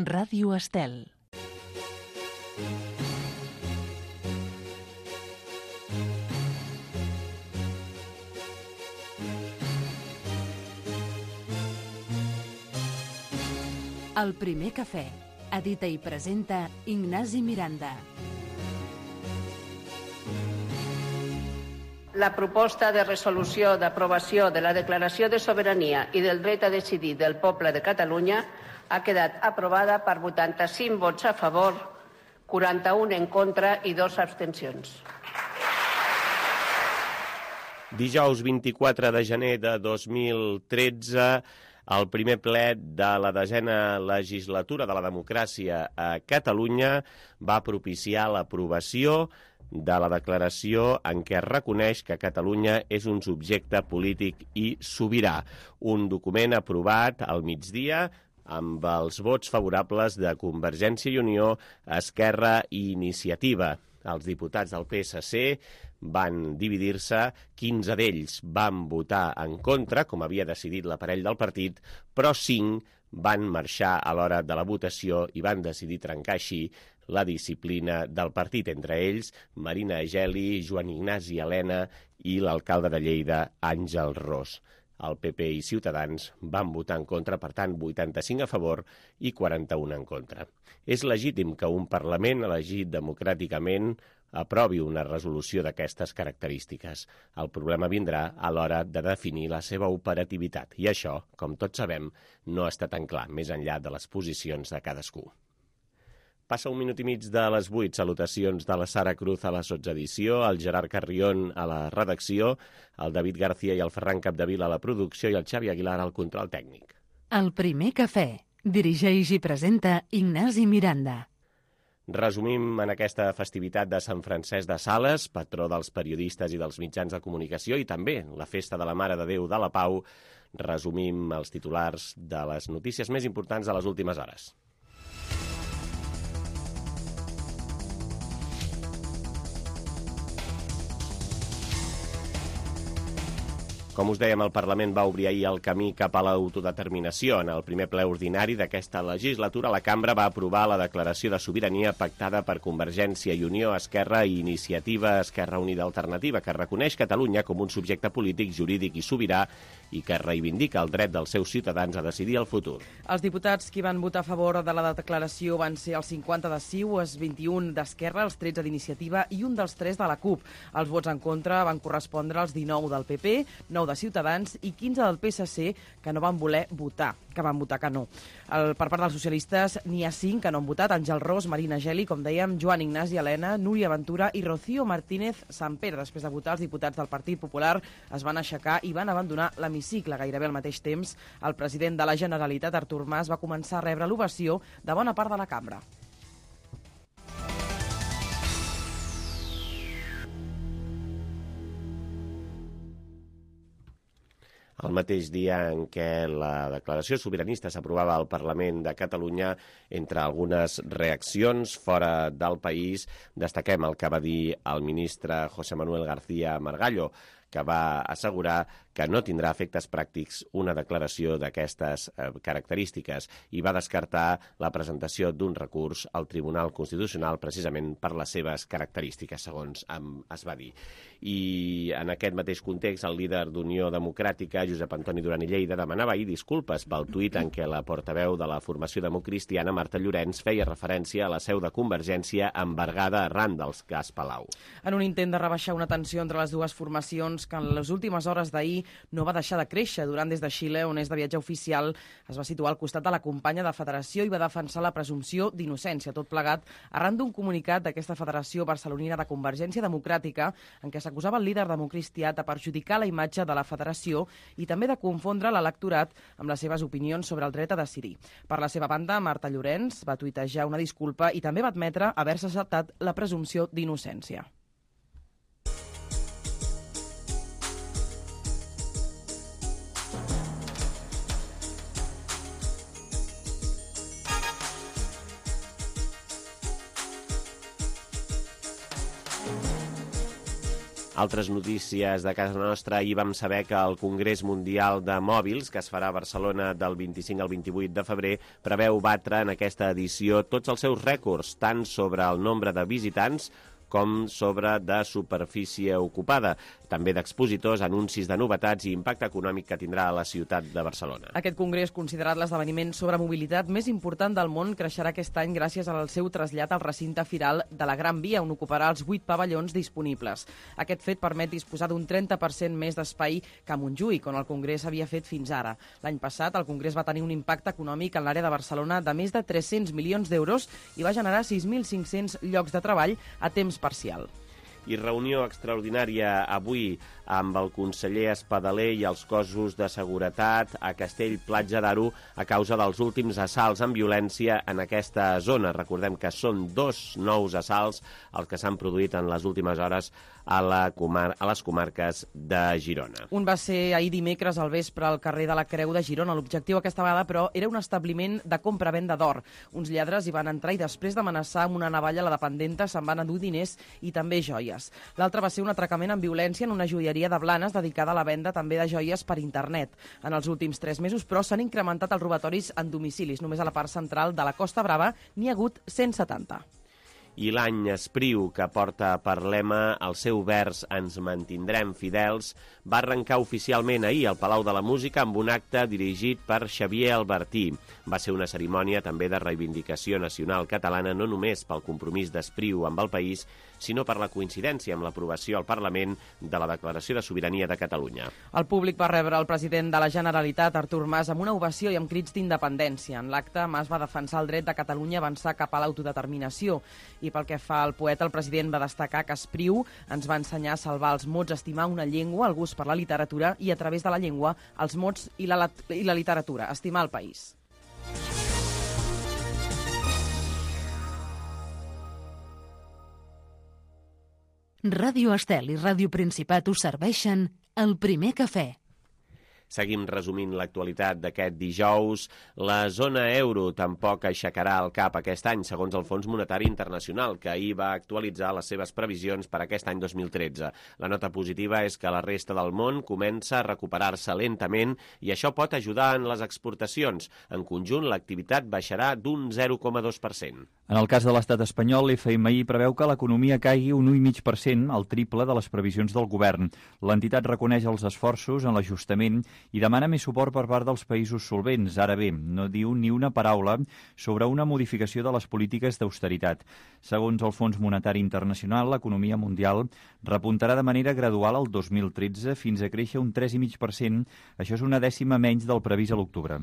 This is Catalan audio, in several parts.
Ràdio Estel. El primer cafè. Edita i presenta Ignasi Miranda. La proposta de resolució d'aprovació de la Declaració de Sobirania i del Dret a Decidir del Poble de Catalunya ha quedat aprovada per 85 vots a favor, 41 en contra i 2 abstencions. Dijous 24 de gener de 2013, el primer ple de la 10a legislatura de la democràcia a Catalunya va propiciar l'aprovació de la declaració en què es reconeix que Catalunya és un subjecte polític i sobirà. Un document aprovat al migdia amb els vots favorables de Convergència i Unió, Esquerra i Iniciativa. Els diputats del PSC van dividir-se, 15 d'ells van votar en contra, com havia decidit l'aparell del partit, però 5 van marxar a l'hora de la votació i van decidir trencar així la disciplina del partit, entre ells Marina Geli, Joan Ignasi Elena i l'alcalde de Lleida, Àngel Ros. El PP i Ciutadans van votar en contra, per tant, 85 a favor i 41 en contra. És legítim que un Parlament elegit democràticament aprovi una resolució d'aquestes característiques. El problema vindrà a l'hora de definir la seva operativitat. I això, com tots sabem, no està tan clar, més enllà de les posicions de cadascú. Passa 1 minut i mig de les 8. Salutacions de la Sara Cruz a la sotsedició, el Gerard Carrión a la redacció, el David García i el Ferran Capdevila a la producció i el Xavi Aguilar al control tècnic. El primer cafè. Dirigeix i presenta Ignasi Miranda. Resumim en aquesta festivitat de Sant Francesc de Sales, patró dels periodistes i dels mitjans de comunicació, i també la festa de la Mare de Déu de la Pau. Resumim els titulars de les notícies més importants de les últimes hores. Com us dèiem, el Parlament va obrir ahir el camí cap a l'autodeterminació. En el primer ple ordinari d'aquesta legislatura, la Cambra va aprovar la declaració de sobirania pactada per Convergència i Unió, Esquerra i Iniciativa Esquerra Unida Alternativa, que reconeix Catalunya com un subjecte polític, jurídic i sobirà i que reivindica el dret dels seus ciutadans a decidir el futur. Els diputats que van votar a favor de la declaració van ser els 50 de CiU, els 21 d'Esquerra, els 13 d'Iniciativa i un dels 3 de la CUP. Els vots en contra van correspondre als 19 del PP, 9 de Ciutadans i 15 del PSC que no van voler votar, que van votar que no. Per part dels socialistes n'hi ha 5 que no han votat: Àngel Ros, Marina Geli, com dèiem, Joan Ignasi Elena, Núria Ventura i Rocío Martínez Sampere. Després de votar, els diputats del Partit Popular es van aixecar i van abandonar l'hemicicle. Gairebé al mateix temps, el president de la Generalitat, Artur Mas, va començar a rebre l'ovació de bona part de la cambra. El mateix dia en què la declaració sobiranista s'aprovava al Parlament de Catalunya, entre algunes reaccions fora del país, destaquem el que va dir el ministre José Manuel García Margallo, que va assegurar que no tindrà efectes pràctics una declaració d'aquestes característiques i va descartar la presentació d'un recurs al Tribunal Constitucional precisament per les seves característiques, segons es va dir. I en aquest mateix context, el líder d'Unió Democràtica, Josep Antoni Duran i Lleida, demanava ahir disculpes pel tuit en què la portaveu de la formació democristiana, Marta Llorenç, feia referència a la seu de Convergència embargada arran dels cas Palau. En un intent de rebaixar una tensió entre les dues formacions que en les últimes hores d'ahir no va deixar de créixer, Duran des de Xile, on és de viatge oficial, es va situar al costat de la companya de federació i va defensar la presumpció d'innocència, tot plegat arran d'un comunicat d'aquesta federació barcelonina de Convergència Democràtica en què s'acusava el líder democristià de perjudicar la imatge de la federació i també de confondre l'electorat amb les seves opinions sobre el dret a decidir. Per la seva banda, Marta Llorenç va tuitejar una disculpa i també va admetre haver-se saltat la presumpció d'innocència. Altres notícies de casa nostra. Ahir vam saber que el Congrés Mundial de Mòbils, que es farà a Barcelona del 25 al 28 de febrer, preveu batre en aquesta edició tots els seus rècords, tant sobre el nombre de visitants com sobre de superfície ocupada, també d'expositors, anuncis de novetats i impacte econòmic que tindrà a la ciutat de Barcelona. Aquest congrés, considerat l'esdeveniment sobre mobilitat més important del món, creixerà aquest any gràcies al seu trasllat al recinte firal de la Gran Via, on ocuparà els 8 pavellons disponibles. Aquest fet permet disposar d'un 30% més d'espai que a Montjuïc, on el congrés havia fet fins ara. L'any passat, el congrés va tenir un impacte econòmic en l'àrea de Barcelona de més de 300 milions d'euros i va generar 6.500 llocs de treball a temps parcial. I reunió extraordinària avui amb el conseller Espadaler i els cossos de seguretat a Castell-Platja d'Aro a causa dels últims assalts amb violència en aquesta zona. Recordem que són 2 nous assalts els que s'han produït en les últimes hores a les comarques de Girona. Un va ser ahir dimecres al vespre al carrer de la Creu de Girona. L'objectiu aquesta vegada, però, era un establiment de compra-venda d'or. Uns lladres hi van entrar i després d'amenaçar amb una navalla a la dependenta se'n van endur diners i també joies. L'altre va ser un atracament amb violència en una joieria de Blanes dedicada a la venda també de joies per internet. En els últims 3 mesos, però, s'han incrementat els robatoris en domicilis. Només a la part central de la Costa Brava n'hi ha hagut 170. I l'any Espriu, que porta per lema el seu vers Ens mantindrem fidels, va arrencar oficialment ahir al Palau de la Música amb un acte dirigit per Xavier Albertí. Va ser una cerimònia també de reivindicació nacional catalana, no només pel compromís d'Espriu amb el país, sinó per la coincidència amb l'aprovació al Parlament de la Declaració de Sobirania de Catalunya. El públic va rebre el president de la Generalitat, Artur Mas, amb una ovació i amb crits d'independència. En l'acte, Mas va defensar el dret de Catalunya a avançar cap a l'autodeterminació. I pel que fa al poeta, el president va destacar que Espriu ens va ensenyar a salvar els mots, a estimar una llengua, el gust per la literatura i, a través de la llengua, els mots i la literatura, estimar el país. Ràdio Estel i Ràdio Principat us serveixen El Primer Cafè. Seguim resumint l'actualitat d'aquest dijous. La zona euro tampoc aixecarà el cap aquest any, segons el Fons Monetari Internacional, que ahir va actualitzar les seves previsions per aquest any 2013. La nota positiva és que la resta del món comença a recuperar-se lentament i això pot ajudar en les exportacions. En conjunt, l'activitat baixarà d'un 0,2%. En el cas de l'estat espanyol, l'FMI preveu que l'economia caigui un 1,5%, el triple de les previsions del govern. L'entitat reconeix els esforços en l'ajustament i demana més suport per part dels països solvents. Ara bé, no diu ni una paraula sobre una modificació de les polítiques d'austeritat. Segons el Fons Monetari Internacional, l'economia mundial repuntarà de manera gradual el 2013 fins a créixer un 3,5%. Això és una dècima menys del previst a l'octubre.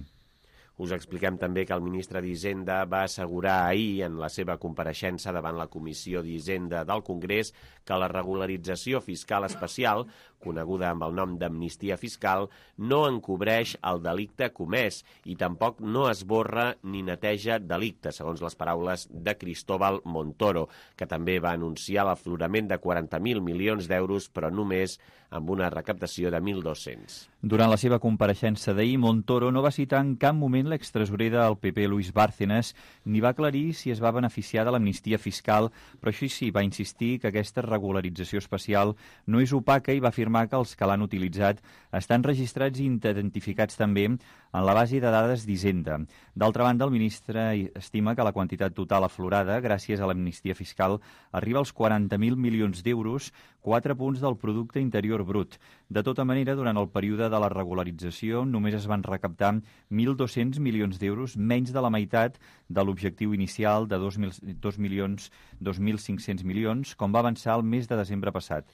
Us expliquem també que el ministre d'Hisenda va assegurar ahir en la seva compareixença davant la Comissió d'Hisenda del Congrés que la regularització fiscal especial, coneguda amb el nom d'amnistia fiscal, no encobreix el delicte comès i tampoc no esborra ni neteja delicte, segons les paraules de Cristóbal Montoro, que també va anunciar l'aflorament de 40.000 milions d'euros, però només amb una recaptació de 1.200. Durant la seva compareixença d'ahir, Montoro no va citar en cap moment l'extresorer del PP, Luis Bárcenas, ni va aclarir si es va beneficiar de l'amnistia fiscal, però això sí, va insistir que aquesta regularització especial no és opaca i va afirmar que els que l'han utilitzat estan registrats i identificats també en la base de dades d'Hisenda. D'altra banda, el ministre estima que la quantitat total aflorada, gràcies a l'amnistia fiscal, arriba als 40.000 milions d'euros, 4 punts del producte interior brut. De tota manera, durant el període de la regularització només es van recaptar 1.200 milions d'euros, menys de la meitat de l'objectiu inicial de 2.500 milions, com va avançar el mes de desembre passat.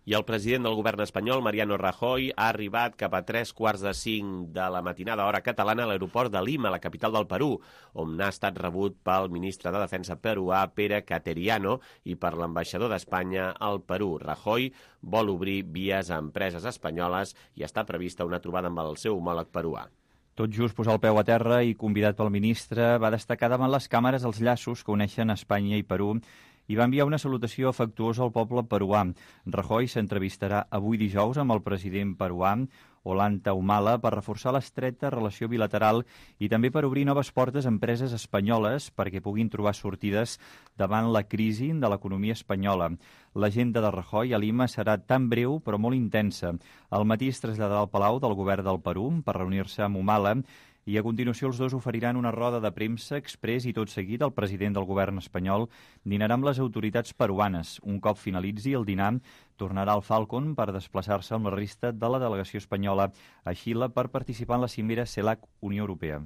I el president del govern espanyol, Mariano Rajoy, ha arribat cap a 3:45 de la matinada hora catalana a l'aeroport de Lima, la capital del Perú, on ha estat rebut pel ministre de Defensa peruà, Pere Cateriano, i per l'ambaixador d'Espanya al Perú. Rajoy vol obrir vies a empreses espanyoles i està prevista una trobada amb el seu homòleg peruà. Tot just posar el peu a terra i convidat pel ministre, va destacar davant les càmeres els llaços que uneixen Espanya i Perú i va enviar una salutació afectuosa al poble peruà. Rajoy s'entrevistarà avui dijous amb el president peruà, Ollanta Humala, per reforçar l'estreta relació bilateral i també per obrir noves portes a empreses espanyoles perquè puguin trobar sortides davant la crisi de l'economia espanyola. L'agenda de Rajoy a Lima serà tan breu però molt intensa. Al matí es traslladarà al Palau del Govern del Perú per reunir-se amb Humala i a continuació els dos oferiran una roda de premsa exprés i tot seguit el president del govern espanyol dinarà amb les autoritats peruanes. Un cop finalitzi el dinar, tornarà al Falcon per desplaçar-se amb la resta de la delegació espanyola a Xile per participar en la cimera CELAC-Unió Europea.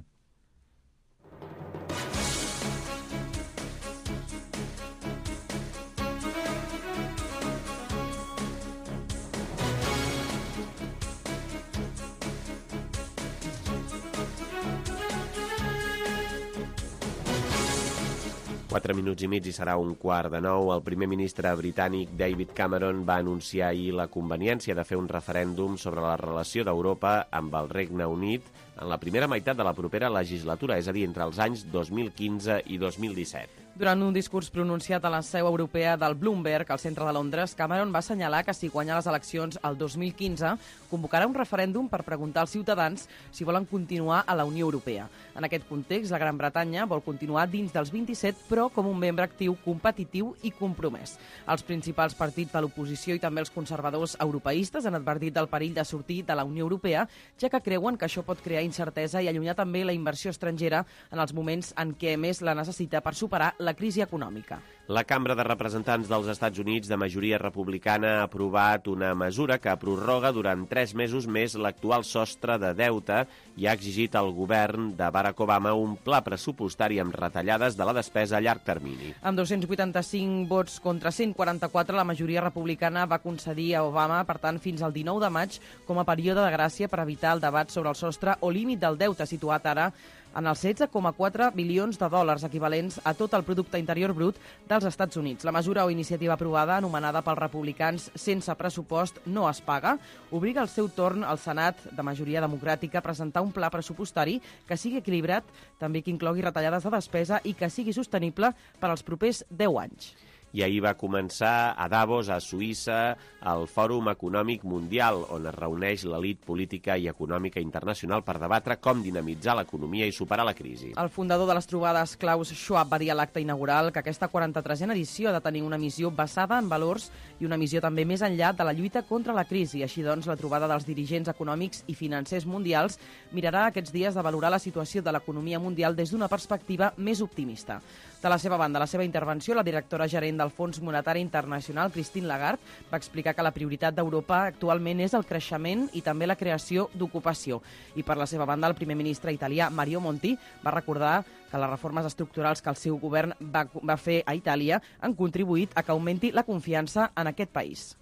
Quatre minuts i mig i serà 8:45. El primer ministre britànic David Cameron va anunciar ahir la conveniència de fer un referèndum sobre la relació d'Europa amb el Regne Unit en la primera meitat de la propera legislatura, és a dir, entre els anys 2015 i 2017. Durant un discurs pronunciat a la seu europea del Bloomberg, al centre de Londres, Cameron va assenyalar que si guanya les eleccions el 2015, convocarà un referèndum per preguntar als ciutadans si volen continuar a la Unió Europea. En aquest context, la Gran Bretanya vol continuar dins dels 27, però com un membre actiu, competitiu i compromès. Els principals partits de l'oposició i també els conservadors europeistes han advertit del perill de sortir de la Unió Europea, ja que creuen que això pot crear incertesa i allunyar també la inversió estrangera en els moments en què més la necessita per superar la crisi econòmica. La Cambra de Representants dels Estats Units, de majoria republicana, ha aprovat una mesura que prorroga durant 3 mesos més l'actual sostre de deute i ha exigit al govern de Barack Obama un pla pressupostari amb retallades de la despesa a llarg termini. Amb 285 vots contra 144, la majoria republicana va concedir a Obama, per tant, fins al 19 de maig com a període de gràcia per evitar el debat sobre el sostre o límit del deute, situat ara en els 16,4 bilions de dòlars, equivalents a tot el producte interior brut dels Estats Units. La mesura o iniciativa aprovada, anomenada pels republicans sense pressupost, no es paga, obliga al seu torn al Senat, de majoria democràtica, a presentar un pla pressupostari que sigui equilibrat, també que inclogui retallades de despesa i que sigui sostenible per als propers 10 anys. I ahir va començar a Davos, a Suïssa, el Fòrum Econòmic Mundial, on es reuneix l'elit política i econòmica internacional per debatre com dinamitzar l'economia i superar la crisi. El fundador de les trobades, Klaus Schwab, va dir a l'acte inaugural que aquesta 43a edició ha de tenir una missió basada en valors i una missió també més enllà de la lluita contra la crisi. Així doncs, la trobada dels dirigents econòmics i financers mundials mirarà aquests dies de valorar la situació de l'economia mundial des d'una perspectiva més optimista. De la seva banda, la seva intervenció, la directora gerent del Fons Monetari Internacional, Christine Lagarde, va explicar que la prioritat d'Europa actualment és el creixement i també la creació d'ocupació. I per la seva banda, el primer ministre italià, Mario Monti, va recordar que les reformes estructurals que el seu govern va fer a Itàlia han contribuït a que augmenti la confiança en aquest país.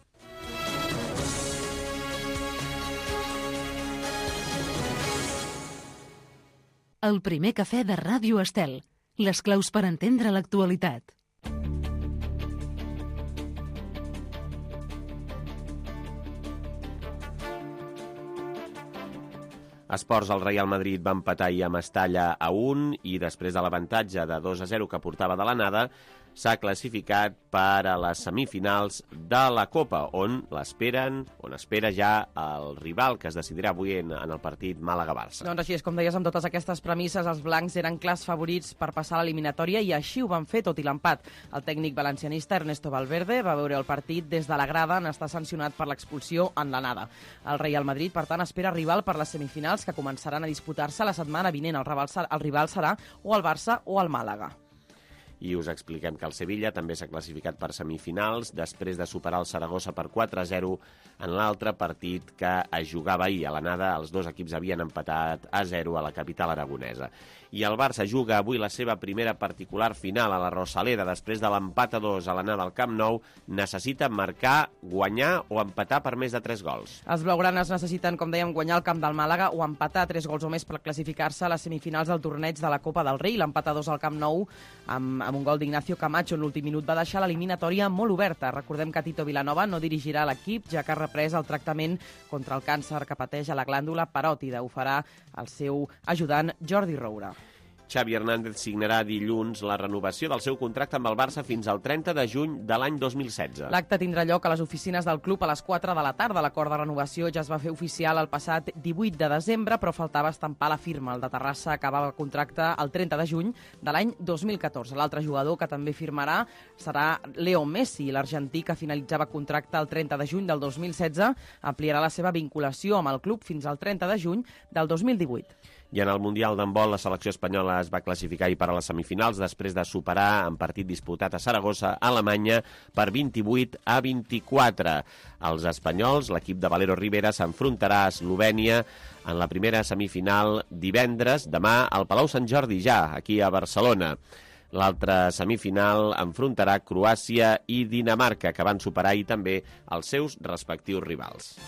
El primer cafè de Ràdio Estel. Les claus per entendre l'actualitat. Esports, el Real Madrid va empatar ahir a Mestalla a 1 i després de l'avantatge de 2-0 que portava de l'anada, s'ha classificat per a les semifinals de la Copa, on espera ja el rival que es decidirà avui en el partit Màlaga-Barça. Doncs així és, com deies, amb totes aquestes premisses, els blancs eren clars favorits per passar a l'eliminatòria i així ho van fer, tot i l'empat. El tècnic valencianista Ernesto Valverde va veure el partit des de la grada en estar sancionat per l'expulsió en l'anada. El Real Madrid, per tant, espera rival per les semifinals que començaran a disputar-se la setmana vinent. El rival serà o el Barça o el Màlaga. I us expliquem que el Sevilla també s'ha classificat per semifinals després de superar el Saragossa per 4-0 en l'altre partit que es jugava ahir. A l'anada, els dos equips havien empatat a 0 a la capital aragonesa. I el Barça juga avui la seva primera particular final a la Rosaleda. Després de l'empat a 2 a l'anada al Camp Nou, necessita marcar, guanyar o empatar per més de 3 gols. Els blaugranes necessiten, com dèiem, guanyar el camp del Màlaga o empatar 3 gols o més per classificar-se a les semifinals del torneig de la Copa del Rei. L'empat a 2 al Camp Nou amb un gol d'Ignacio Camacho en l'últim minut va deixar l'eliminatòria molt oberta. Recordem que Tito Vilanova no dirigirà l'equip, ja que ha reprès el tractament contra el càncer que pateix a la glàndula paròtida. Ho farà el seu ajudant Jordi Roura. Xavi Hernández signarà dilluns la renovació del seu contracte amb el Barça fins al 30 de juny de l'any 2016. L'acte tindrà lloc a les oficines del club a les 4 de la tarda. L'acord de renovació ja es va fer oficial el passat 18 de desembre, però faltava estampar la firma. El de Terrassa acabava el contracte el 30 de juny de l'any 2014. L'altre jugador que també firmarà serà Leo Messi. L'argentí, que finalitzava contracte el 30 de juny del 2016, ampliarà la seva vinculació amb el club fins al 30 de juny del 2018. I en el Mundial d'handbol, la selecció espanyola es va classificar ahir per a les semifinals després de superar en partit disputat a Saragossa, Alemanya, per 28-24. Els espanyols, l'equip de Valero Rivera, s'enfrontarà a Eslovènia en la primera semifinal divendres, demà, al Palau Sant Jordi, ja, aquí a Barcelona. L'altra semifinal enfrontarà Croàcia i Dinamarca, que van superar ahir també els seus respectius rivals.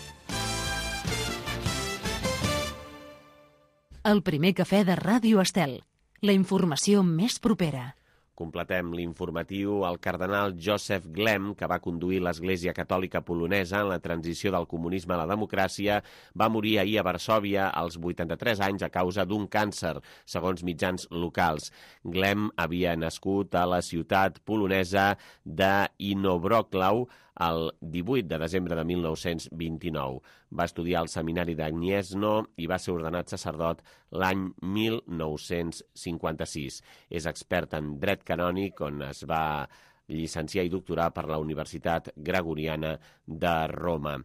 El primer cafè de Ràdio Estel. La informació més propera. Completem l'informatiu. El cardenal Joseph Glem, que va conduir l'Església Catòlica Polonesa en la transició del comunisme a la democràcia, va morir ahir a Varsòvia als 83 anys a causa d'un càncer, segons mitjans locals. Glem havia nascut a la ciutat polonesa d'Inowrocław el 18 de desembre de 1929. Va estudiar al seminari de Gniezno i va ser ordenat sacerdot l'any 1956. És expert en dret canònic, on es va llicenciar i doctorar per la Universitat Gregoriana de Roma.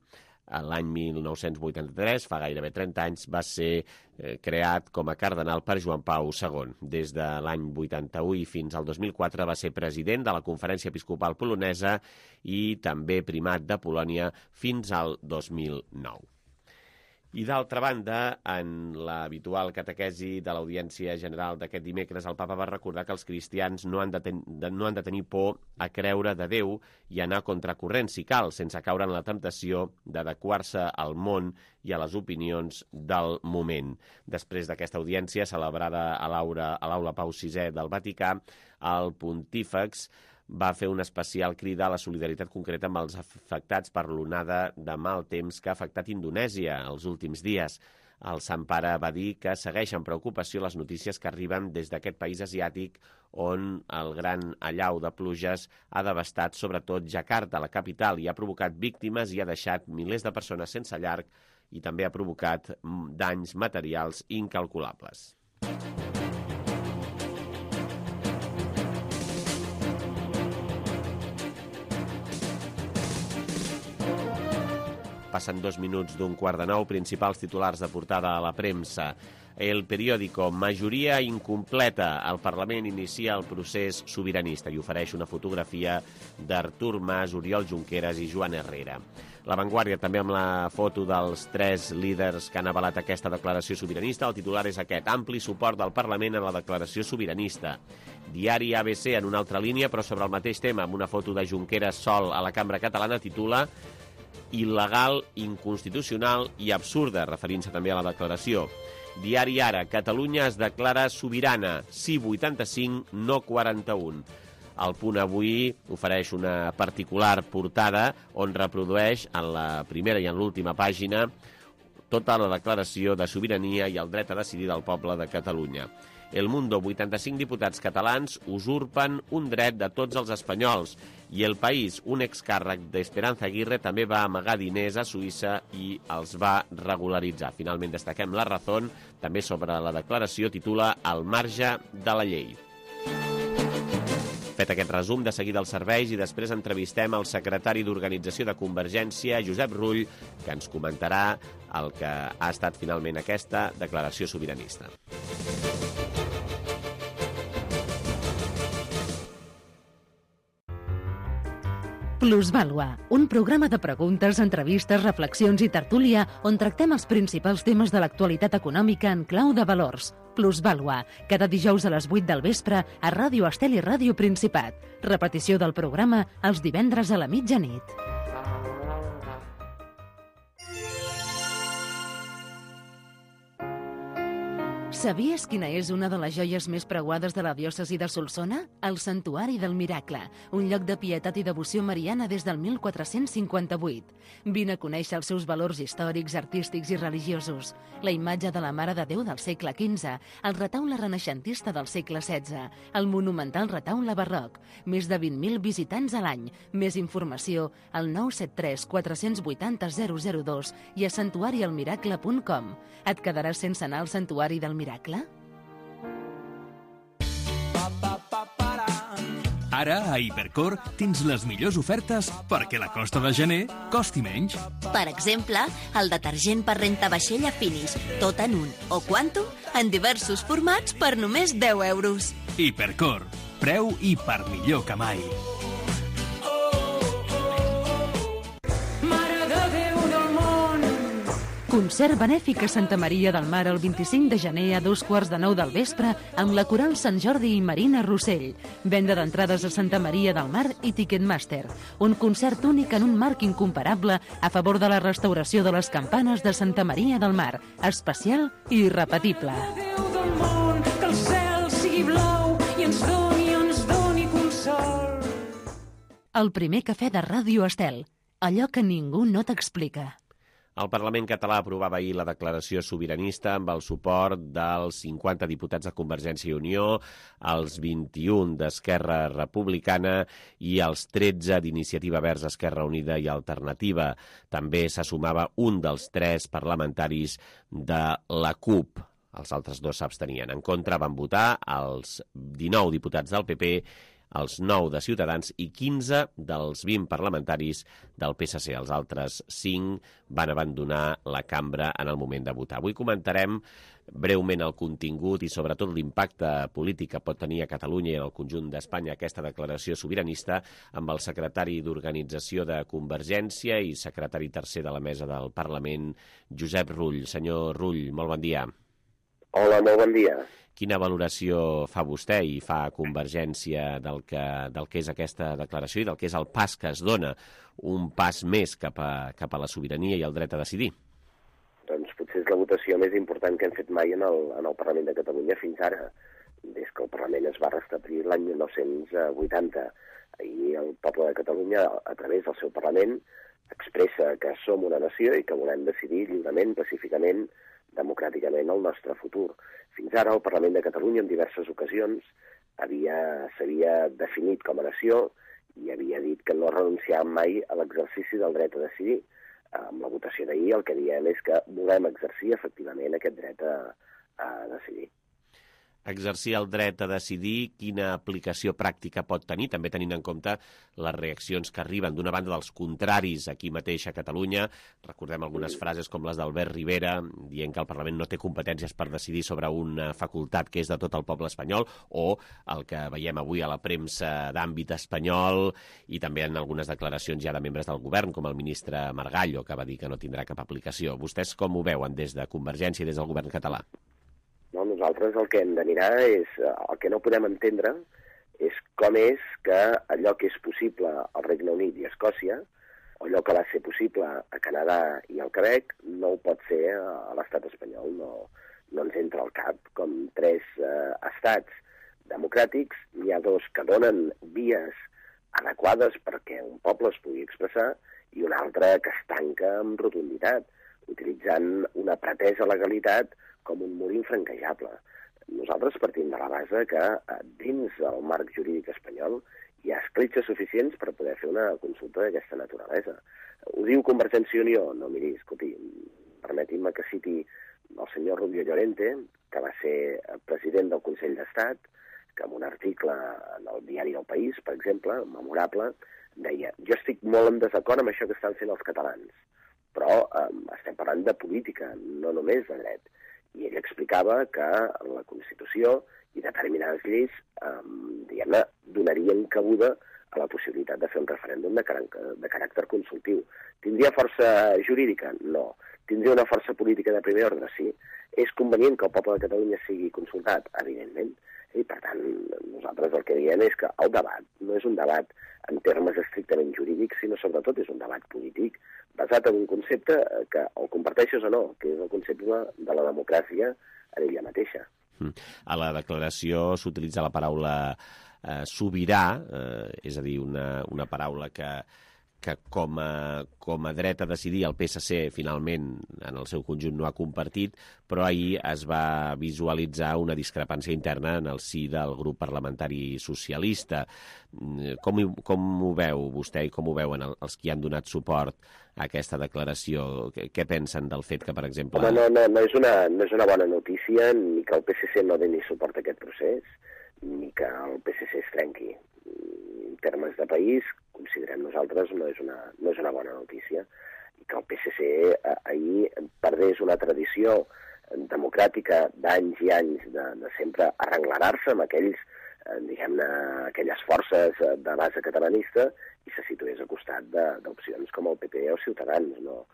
L'any 1983, fa gairebé 30 anys, va ser creat com a cardenal per Joan Pau II. Des de l'any 81 i fins al 2004 va ser president de la Conferència Episcopal Polonesa i també primat de Polònia fins al 2009. I d'altra banda, en l'habitual catequesi de l'Audiència General d'aquest dimecres, el papa va recordar que els cristians no han de tenir por a creure de Déu i anar contracorrent si cal, sense caure en la temptació d'adequar-se al món i a les opinions del moment. Després d'aquesta audiència, celebrada a l'Aula Pau VI del Vaticà, el pontífex va fer una especial crida a la solidaritat concreta amb els afectats per l'onada de mal temps que ha afectat Indonèsia els últims dies. El Sant Pare va dir que segueix amb preocupació les notícies que arriben des d'aquest país asiàtic, on el gran allau de pluges ha devastat sobretot Jakarta, la capital, i ha provocat víctimes i ha deixat milers de persones sense llar i també ha provocat danys materials incalculables. Passen 2 minuts d'un quart de 9, principals titulars de portada a la premsa. El periòdico, majoria incompleta. El Parlament inicia el procés sobiranista i ofereix una fotografia d'Artur Mas, Oriol Junqueras i Joan Herrera. La Vanguardia també amb la foto dels 3 líders que han avalat aquesta declaració sobiranista. El titular és aquest: ampli suport del Parlament a la declaració sobiranista. Diari ABC, en una altra línia, però sobre el mateix tema, amb una foto de Junqueras sol a la Cambra Catalana, titula il·legal, inconstitucional i absurda, referint-se també a la declaració. Diari Ara, Catalunya es declara sobirana, sí 85, no 41. El Punt Avui ofereix una particular portada on reprodueix en la primera i en l'última pàgina tota la declaració de sobirania i el dret a decidir del poble de Catalunya. El Mundo, 85 diputats catalans usurpen un dret de tots els espanyols. I El País, un excàrrec d'Esperanza Aguirre també va amagar diners a Suïssa i els va regularitzar. Finalment destaquem La Razón, també sobre la declaració, titula Al marge de la llei. Fet aquest resum, de seguida els serveis i després entrevistem el secretari d'Organització de Convergència, Josep Rull, que ens comentarà el que ha estat finalment aquesta declaració sobiranista. Plusvàlua, un programa de preguntes, entrevistes, reflexions i tertúlia on tractem els principals temes de l'actualitat econòmica en clau de valors. Plusvàlua, cada dijous a les 8 del vespre a Ràdio Estel i Ràdio Principat. Repetició del programa els divendres a la mitjanit. Sabies quina és una de les joies més preuades de la diòcesi de Solsona? El Santuari del Miracle, un lloc de pietat i devoció mariana des del 1458. Vine a conèixer els seus valors històrics, artístics i religiosos. La imatge de la Mare de Déu del segle XV, el retaule renaixentista del segle XVI, el monumental retaule barroc, més de 20.000 visitants a l'any. Més informació al 973 480 002 i a santuarialmiracle.com. Et quedaràs sense anar al Santuari del Miracle? Ara, a Hipercor, tens les millors ofertes perquè la costa de gener costi menys. Per exemple, el detergent per rentavaixella Finish, tot en un, o Quantum, en diversos formats per només 10 euros. Hipercor, preu i per millor que mai. Concert benèfic a Santa Maria del Mar el 25 de gener a 8:45 del vespre amb la Coral Sant Jordi i Marina Rossell. Venda d'entrades a Santa Maria del Mar i Ticketmaster. Un concert únic en un marc incomparable a favor de la restauració de les campanes de Santa Maria del Mar. Especial i irrepetible. Déu del món, que el cel sigui blau i ens doni consol. El primer cafè de Ràdio Estel. Allò que ningú no t'explica. El Parlament català aprovava ahir la declaració sobiranista amb el suport dels 50 diputats de Convergència i Unió, els 21 d'Esquerra Republicana i els 13 d'Iniciativa Verds, Esquerra Unida i Alternativa. També se sumava un dels 3 parlamentaris de la CUP. Els altres 2 s'abstenien. En contra van votar els 19 diputats del PP, els 9 de Ciutadans i 15 dels 20 parlamentaris del PSC. Els altres 5 van abandonar la cambra en el moment de votar. Avui comentarem breument el contingut i sobretot l'impacte polític que pot tenir a Catalunya i en el conjunt d'Espanya aquesta declaració sobiranista amb el secretari d'Organització de Convergència i secretari tercer de la mesa del Parlament, Josep Rull. Senyor Rull, molt bon dia. Hola, molt bon dia. Quina valoració fa vostè i fa Convergència del que és aquesta declaració i del que és el pas que es dona, un pas més cap a la sobirania i el dret a decidir? Doncs potser és la votació més important que hem fet mai en el Parlament de Catalunya fins ara, des que el Parlament es va restablir l'any 1980. Ahir el poble de Catalunya, a través del seu Parlament, expressa que som una nació i que volem decidir lliurement, pacíficament, democràticament el nostre futur. Fins ara el Parlament de Catalunya en diverses ocasions s'havia definit com a nació i havia dit que no renunciàvem mai a l'exercici del dret a decidir. Amb la votació d'ahir el que diem és que volem exercir efectivament aquest dret a decidir. Exercir el dret a decidir, quina aplicació pràctica pot tenir, també tenint en compte les reaccions que arriben d'una banda dels contraris aquí mateix a Catalunya. Recordem algunes frases com les d'Albert Rivera, dient que el Parlament no té competències per decidir sobre una facultat que és de tot el poble espanyol, o el que veiem avui a la premsa d'àmbit espanyol i també en algunes declaracions ja de membres del govern, com el ministre Margallo, que va dir que no tindrà cap aplicació. Vostès com ho veuen des de Convergència i des del govern català? No, nosaltres el que hem de mirar és, el que no podem entendre és com és que allò que és possible al Regne Unit i a Escòcia, o allò que va ser possible a Canadà i al Quebec, no ho pot ser a l'estat espanyol. No ens entra al cap com 3 estats democràtics, n'hi ha 2 que donen vies adequades perquè un poble es pugui expressar i un altre que es tanca amb rotunditat, utilitzant una pretesa legalitat com un mur infranquejable. Nosaltres partim de la base que dins del marc jurídic espanyol hi ha escletxes suficients per poder fer una consulta d'aquesta naturalesa. Ho diu Convergència i Unió? No, miri, escolti, permetin-me que citi el senyor Rubio Llorente, que va ser president del Consell d'Estat, que en un article en el diari del País, per exemple, memorable, deia: jo estic molt en desacord amb això que estan fent els catalans, però estem parlant de política, no només de dret. I ell explicava que la Constitució i determinades lleis diguem-ne, donarien cabuda a la possibilitat de fer un referèndum de caràcter consultiu. Tindria força jurídica? No. Tindria una força política de primer ordre? Sí. És convenient que el poble de Catalunya sigui consultat? Evidentment. I, per tant, nosaltres el que diem és que el debat no és un debat en termes estrictament jurídics, sinó sobretot és un debat polític basat en un concepte que el comparteixes o no, que és el concepte de la democràcia en ella mateixa. A la declaració s'utilitza la paraula sobirà, és a dir, una paraula que com a dret a decidir el PSC finalment en el seu conjunt no ha compartit, però ahir es va visualitzar una discrepància interna en el si del grup parlamentari socialista. Com ho veu vostè i com ho veuen els que han donat suport a aquesta declaració? Què pensen del fet que, per exemple... Home, no és una bona notícia ni que el PSC no doni suport a aquest procés, ni que el PSC es trenqui. En termes de país, considerem nosaltres, no és una bona notícia. I que el PSC ahir perdés una tradició democràtica d'anys i anys de sempre arrenglerar-se amb aquelles forces de base catalanista i se situés al costat d'opcions com el PP o Ciutadans. No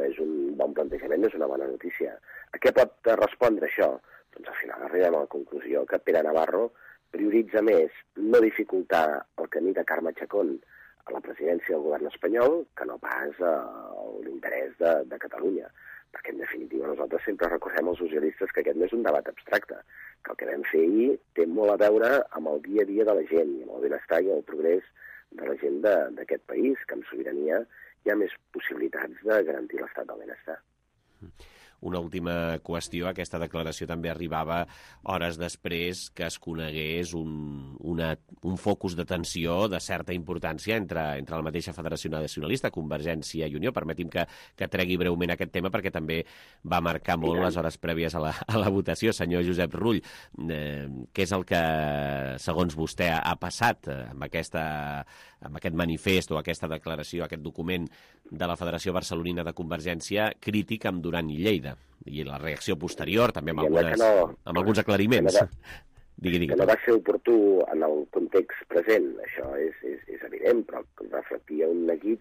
és un bon plantejament, no és una bona notícia. A què pot respondre això? Doncs al final arribem a la conclusió que Pere Navarro prioritza més no dificultar el camí de Carme Chacón a la presidència del govern espanyol que no pas l'interès de Catalunya. Perquè, en definitiva, nosaltres sempre recordem als socialistes que aquest no és un debat abstracte, que el que vam fer ahir té molt a veure amb el dia a dia de la gent, i amb el benestar i el progrés de la gent d'aquest país, que amb sobirania hi ha més possibilitats de garantir l'estat del benestar. Una última qüestió, aquesta declaració també arribava hores després que es conegués un focus de tensió de certa importància entre la mateixa Federació Nacionalista, Convergència i Unió. Permeti'm que tregui breument aquest tema perquè també va marcar molt les hores prèvies a la votació. Senyor Josep Rull, què és el que, segons vostè, ha passat amb aquest manifest o aquesta declaració, aquest document de la Federació Barcelonina de Convergència crític amb Duran i Lleida? I la reacció posterior, també amb alguns aclariments. Digui. Que no va ser oportú en el context present, això és evident, però reflectia un neguit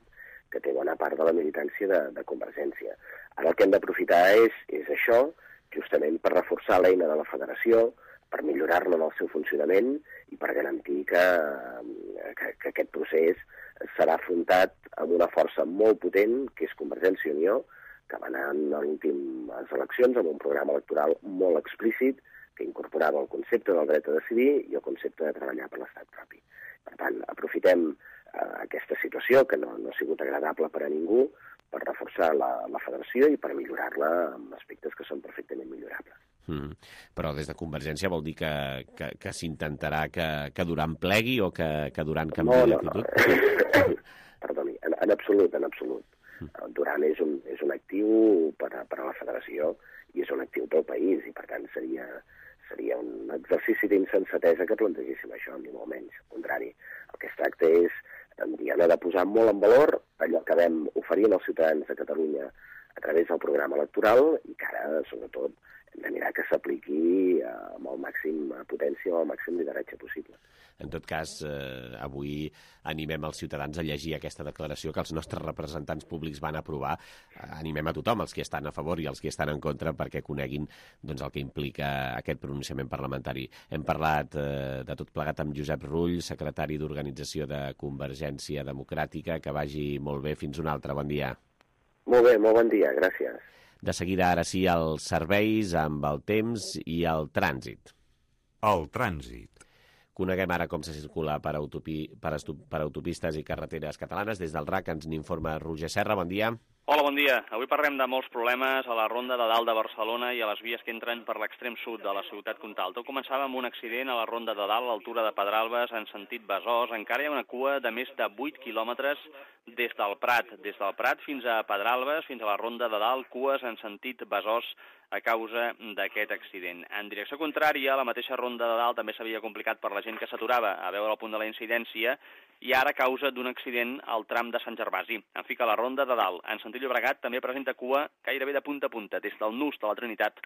que té bona part de la militància de Convergència. Ara el que hem d'aprofitar és això, justament per reforçar l'eina de la federació, per millorar-la en el seu funcionament i per garantir que aquest procés serà afrontat amb una força molt potent, que és Convergència i Unió, que va anar a les eleccions amb un programa electoral molt explícit que incorporava el concepte del dret a decidir i el concepte de treballar per l'estat propi. Per tant, aprofitem aquesta situació, que no ha sigut agradable per a ningú, per reforçar la federació i per millorar-la amb aspectes que són perfectament millorables. Però des de Convergència vol dir que s'intentarà que Duran plegui o que Duran canviï d'actitud? Perdoni, en absolut. Duran és un actiu per a la federació i és un actiu pel país i per tant seria un exercici d'insensatesa que plantegéssim això, ni molt menys. Al contrari, el que es tracta és de posar molt en valor allò que vam oferir als ciutadans de Catalunya a través del programa electoral i que ara, sobretot, hem de mirar que s'apliqui amb el màxim potència o el màxim lideratge possible. En tot cas, avui animem els ciutadans a llegir aquesta declaració que els nostres representants públics van aprovar. Animem a tothom, els que estan a favor i els que estan en contra, perquè coneguin el que implica aquest pronunciament parlamentari. Hem parlat de tot plegat amb Josep Rull, secretari d'Organització de Convergència Democràtica. Que vagi molt bé. Fins una altra. Bon dia. Molt bé, molt bon dia. Gràcies. De seguida, ara sí, els serveis amb el temps i el trànsit. El trànsit. Coneguem ara com se circula per autopistes i carreteres catalanes. Des del RAC ens n'informa Roger Serra. Bon dia. Hola, bon dia. Avui parlem de molts problemes a la ronda de dalt de Barcelona i a les vies que entren per l'extrem sud de la ciutat comtal. Tot començava amb un accident a la ronda de dalt, a l'altura de Pedralbes, en sentit Besòs. Encara hi ha una cua de més de 8 quilòmetres des del Prat. Des del Prat fins a Pedralbes, fins a la ronda de dalt, cues en sentit Besòs a causa d'aquest accident. En direcció contrària, la mateixa ronda de dalt també s'havia complicat per la gent que s'aturava a veure el punt de la incidència i ara a causa d'un accident al tram de Sant Gervasi. En fi, que la ronda de dalt, en sentit Llobregat, també presenta cua gairebé de punta a punta, des del nus de la Trinitat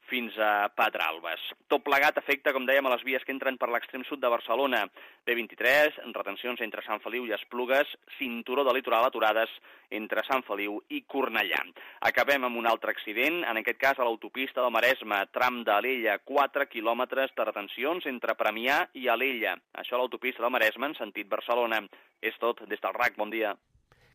fins a Pedralbes. Tot plegat afecta, com dèiem, a les vies que entren per l'extrem sud de Barcelona. B23, retencions entre Sant Feliu i Esplugues, cinturó de litoral aturades entre Sant Feliu i Cornellà. Acabem amb un altre accident, en aquest cas a l'autopista del Maresme, tram d'Alella, 4 quilòmetres de retencions entre Premià i Alella. Això a l'autopista del Maresme en sentit Barcelona. És tot des del RAC. Bon dia.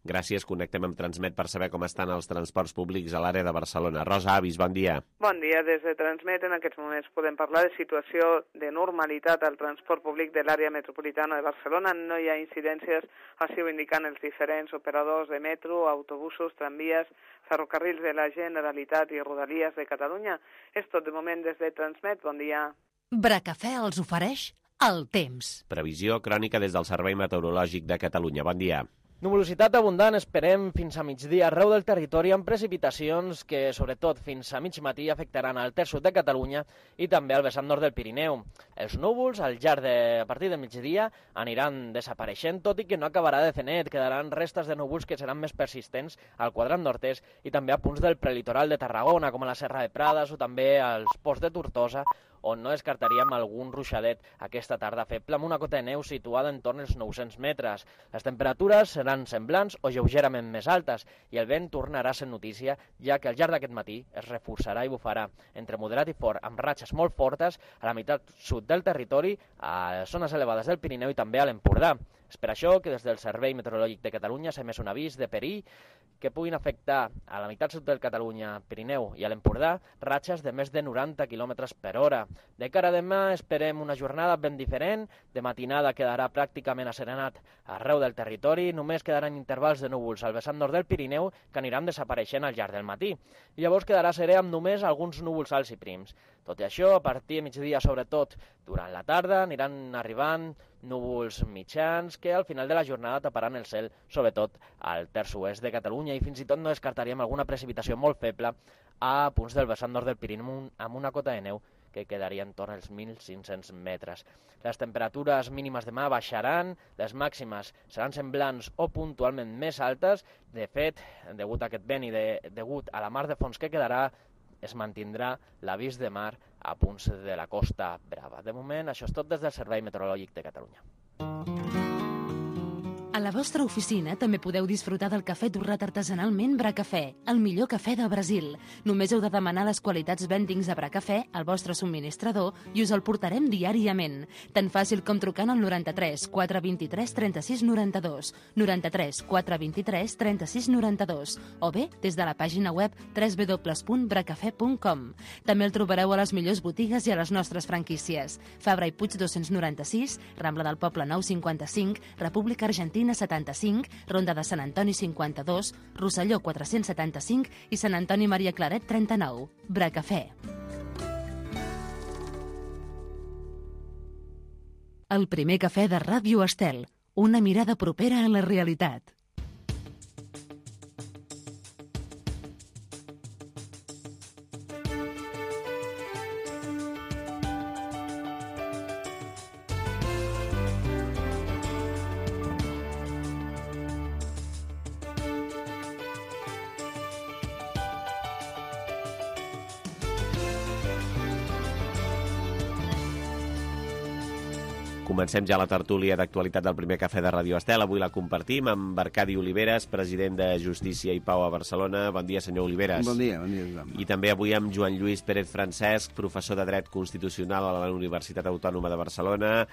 Gràcies, connectem amb Transmet per saber com estan els transports públics a l'àrea de Barcelona. Rosa Avis, bon dia. Bon dia, des de Transmet en aquests moments podem parlar de situació de normalitat al transport públic de l'àrea metropolitana de Barcelona. No hi ha incidències, així ho indiquen els diferents operadors de metro, autobusos, tramvies, ferrocarrils de la Generalitat i Rodalies de Catalunya. És tot de moment des de Transmet. Bon dia. Bracafè els ofereix el temps. Previsió crònica des del Servei Meteorològic de Catalunya. Bon dia. Nuvolositat abundant esperem fins a migdia arreu del territori amb precipitacions que, sobretot fins a mig matí, afectaran al terç sud de Catalunya i també al vessant nord del Pirineu. Els núvols, a partir de migdia, aniran desapareixent, tot i que no acabarà de fer net. Quedaran restes de núvols que seran més persistents al quadrant nord-est i també a punts del prelitoral de Tarragona, com a la Serra de Prades o també als ports de Tortosa, on no descartaríem algun ruixadet aquesta tarda feble amb una cota de neu situada en torn als 900 metres. Les temperatures seran semblants o lleugerament més altes i el vent tornarà a ser notícia, ja que al llarg d'aquest matí es reforçarà i bufarà entre moderat i fort amb ratxes molt fortes a la meitat sud del territori, a zones elevades del Pirineu i també a l'Empordà. És per això que des del Servei Meteorològic de Catalunya s'ha emès un avís de perill que puguin afectar a la meitat sud del Catalunya, Pirineu i a l'Empordà ratxes de més de 90 km per hora. De cara a demà esperem una jornada ben diferent. De matinada quedarà pràcticament asserenat arreu del territori. Només quedaran intervals de núvols al vessant nord del Pirineu que aniran desapareixent al llarg del matí. Llavors quedarà serè amb només alguns núvols alts i prims. Tot i això, a partir de migdia, sobretot durant la tarda, aniran arribant núvols mitjans que al final de la jornada taparan el cel, sobretot al terç oest de Catalunya, i fins i tot no descartaríem alguna precipitació molt feble a punts del vessant nord del Pirineu amb una cota de neu que quedaria en torn als 1.500 metres. Les temperatures mínimes demà baixaran, les màximes seran semblants o puntualment més altes. De fet, degut a aquest vent i degut a la mar de fons que quedarà, es mantindrà l'avís de mar a punts de la Costa Brava. De moment, això és tot des del Servei Meteorològic de Catalunya. A la vostra oficina també podeu disfrutar del cafè torrat artesanalment Bracafè, el millor cafè del Brasil. Només heu de demanar les qualitats vendings de Bracafè al vostre subministrador i us el portarem diàriament. Tan fàcil com trucant al 93 423 36 92, 93 423 36 92, o bé des de la pàgina web www.bracafè.com. També el trobareu a les millors botigues i a les nostres franquícies. Fabra i Puig 296, Rambla del Poble 955, República Argentina 75, Ronda de Sant Antoni 52, Rosselló 475 i Sant Antoni Maria Claret 39. Bracafè. El primer cafè de Ràdio Estel. Una mirada propera a la realitat. Comencem ja la tertúlia d'actualitat del primer cafè de Ràdio Estel. Avui la compartim amb Arcadi Oliveres, president de Justícia i Pau a Barcelona. Bon dia, senyor Oliveres. Bon dia, Joan. I també avui amb Joan Lluís Pérez Francesc, professor de Dret Constitucional a la Universitat Autònoma de Barcelona.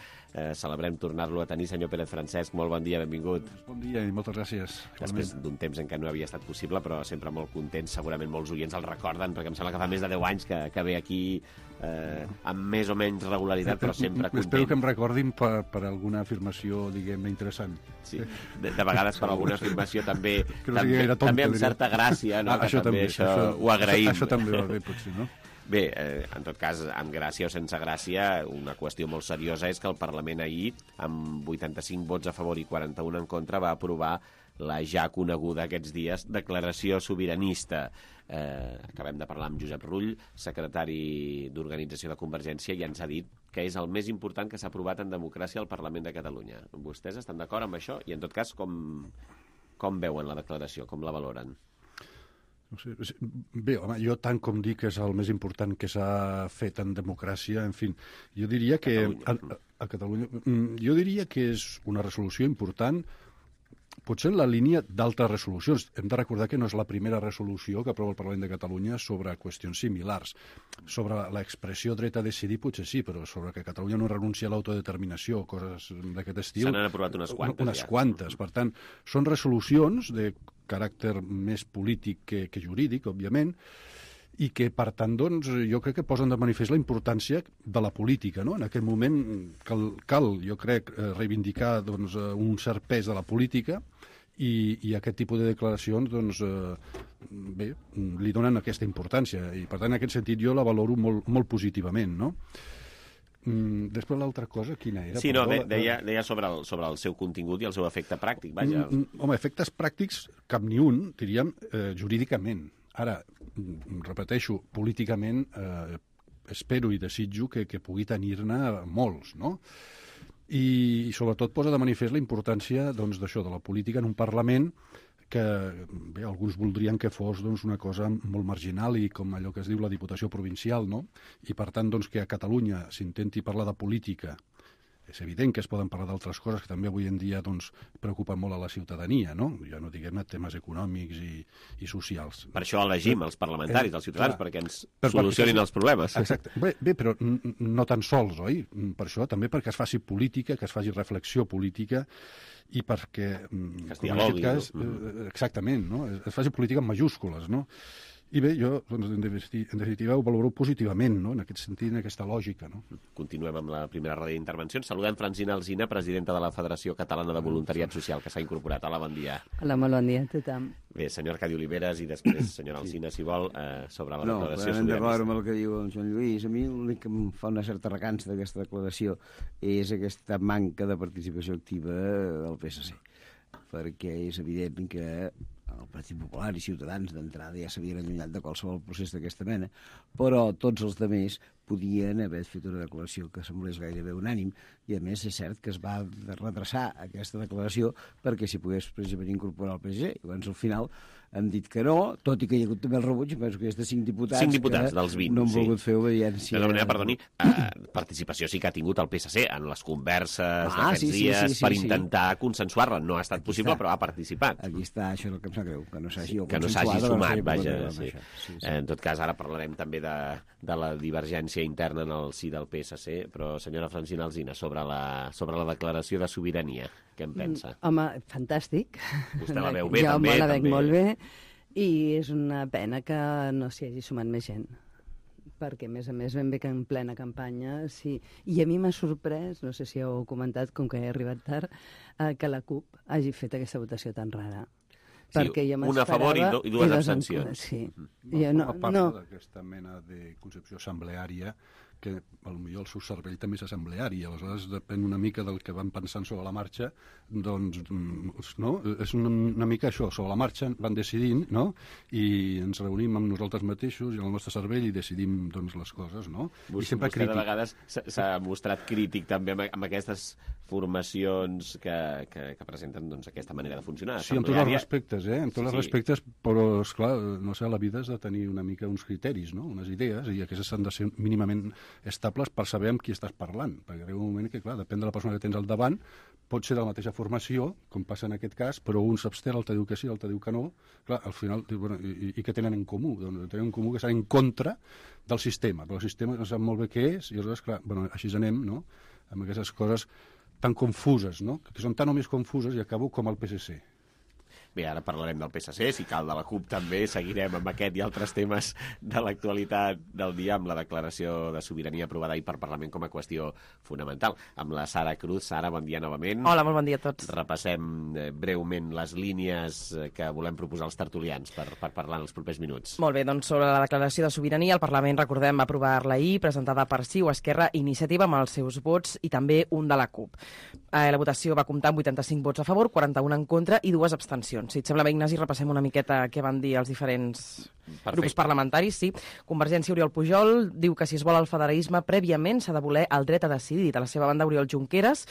Celebrem tornar-lo a tenir, senyor Pérez Francesc. Molt bon dia, benvingut. Bon dia i moltes gràcies. Després d'un temps en què no havia estat possible, però sempre molt content. Segurament molts oients el recorden, perquè em sembla que fa més de 10 anys que ve aquí amb més o menys regularitat, però sempre content. Espero que em recordin per alguna afirmació, diguem, interessant. Sí, de vegades per alguna afirmació també també amb certa gràcia, no? Això també, això ho agraïm. Això també va bé, potser, no? Bé, en tot cas, amb gràcia o sense gràcia, una qüestió molt seriosa és que el Parlament ahir, amb 85 vots a favor i 41 en contra, va aprovar la ja coneguda aquests dies declaració sobiranista. Acabem de parlar amb Josep Rull, secretari d'Organització de Convergència, i ens ha dit que és el més important que s'ha aprovat en democràcia al Parlament de Catalunya. Vostès estan d'acord amb això? I en tot cas, com veuen la declaració? Com la valoren? No sé, bé, home, jo tant com dic que és el més important que s'ha fet en democràcia, en fi, jo diria que a Catalunya, jo diria que és una resolució important potser en la línia d'altres resolucions. Hem de recordar que no és la primera resolució que aprova el Parlament de Catalunya sobre qüestions similars. Sobre l'expressió dret a decidir potser sí, però sobre que Catalunya no renuncia a l'autodeterminació, coses d'aquest estil... Se n'han aprovat unes quantes, unes quantes. Per tant, són resolucions de caràcter més polític que jurídic, òbviament, i que, per tant, doncs, jo crec que posen de manifest la importància de la política, no? En aquest moment cal jo crec, reivindicar doncs, un cert pes de la política i aquest tipus de declaracions doncs, bé, li donen aquesta importància i, per tant, en aquest sentit jo la valoro molt positivament, no? Després l'altra cosa, quina era? Sí, no, deia sobre el seu contingut i el seu efecte pràctic, vaja. Home, efectes pràctics, cap ni un, diríem, jurídicament. Ara, repeteixo, políticament espero i desitjo que pugui tenir-ne molts, no? I sobretot posa de manifest la importància d'això, de la política en un Parlament que bé, alguns voldrien que fos doncs, una cosa molt marginal i com allò que es diu la Diputació Provincial, no? I per tant doncs, que a Catalunya s'intenti parlar de política. És evident que es poden parlar d'altres coses que també avui en dia doncs, preocupen molt a la ciutadania, no? Ja no diguem temes econòmics i socials. Per això elegim els parlamentaris, els ciutadans, perquè ens solucionin els problemes. Exacte. Bé, però no tan sols, oi? Per això també perquè es faci política, que es faci reflexió política i perquè, que es dialogui, exactament, no? Es faci política en majúscules, no? I bé, jo, doncs, en definitiva, ho valoro positivament, no? En aquest sentit, en aquesta lògica, no? Continuem amb la primera roda d'intervencions. Saludem Francina Alsina, presidenta de la Federació Catalana de Voluntariat Social, que s'ha incorporat. Hola, bon dia. Hola, molt bon dia a tothom. Bé, senyor Arcadi Oliveres i després, senyora Alsina, si vol, sobre la declaració sobiranista. No, d'acord amb el que diu en Joan Lluís. A mi l'únic que em fa una certa recança d'aquesta declaració és aquesta manca de participació activa del PSC, perquè és evident que el Partit Popular i Ciutadans d'entrada ja s'havien allunyat de qualsevol procés d'aquesta mena, però tots els altres podien haver fet una declaració que semblés gairebé unànim, i a més és cert que es va retrasar aquesta declaració perquè s'hi pogués precisament incorporar el PSG. Llavors al final han dit que no, tot i que hi ha hagut també el rebuig, penso que hi ha 5 diputats, 5 diputats dels 20, no han volgut fer obediència. De manera, perdoni, participació sí que ha tingut el PSC en les converses d'aquests dies per intentar consensuar-la. No ha estat possible, però ha participat. Aquí està, això és el que em sap greu, que no s'hagi sumat, vaja. En tot cas, ara parlarem també de la divergència interna en el si del PSC, però senyora Francina Alsina, sobre la declaració de sobirania, què en pensa? Home, fantàstic. Vostè la veu bé, també? Jo la veig molt bé, i és una pena que no s'hi hagi sumat més gent, perquè, a més, ben bé que en plena campanya, sí. I a mi m'ha sorprès, no sé si heu comentat, com que he arribat tard, que la CUP hagi fet aquesta votació tan rara. Sí, una a favor i dues abstencions. Sí. A part d'aquesta mena de concepció assembleària, que potser el seu cervell també és assembleari, aleshores depèn una mica del que van pensant sobre la marxa, doncs, no? És una mica això, sobre la marxa van decidint, no? I ens reunim amb nosaltres mateixos i el nostre cervell i decidim, doncs, les coses, no? Vostè de vegades s'ha mostrat crític també amb aquestes formacions que presenten doncs, aquesta manera de funcionar. Sí, amb tots els respectes, en tots els respectes, però, esclar, no sé, la vida has de tenir una mica uns criteris, no? Unes idees, i aquestes han de ser mínimament estables per saber amb qui estàs parlant, perquè arriba un moment que, clar, depèn de la persona que tens al davant, pot ser de la mateixa formació, com passa en aquest cas, però un s'abstén, l'altre diu que sí, l'altre diu que no, clar, al final, bueno, i què tenen en comú? Doncs tenen en comú que estan en contra del sistema, però el sistema no sap molt bé què és, i aleshores, clar, bueno, així anem, no?, amb aquestes coses tan confuses, no?, que són tan o més confuses, i acabo com el PSC. Bé, ara parlarem del PSC, si cal de la CUP també, seguirem amb aquest i altres temes de l'actualitat del dia, amb la declaració de sobirania aprovada ahir per Parlament com a qüestió fonamental. Amb la Sara Cruz. Sara, bon dia novament. Hola, molt bon dia a tots. Repassem breument les línies que volem proposar als tertulians per parlar en els propers minuts. Molt bé, doncs sobre la declaració de sobirania, el Parlament, recordem, va aprovar-la ahir, presentada per CiU, Esquerra, Iniciativa, amb els seus vots, i també un de la CUP. La votació va comptar amb 85 vots a favor, 41 en contra i 2 abstencions. Si et sembla bé, Ignasi, repassem una miqueta què van dir els diferents grups parlamentaris, sí. Convergència, Oriol Pujol, diu que si es vol el federalisme, prèviament s'ha de voler el dret a decidir. De la seva banda, Oriol Junqueras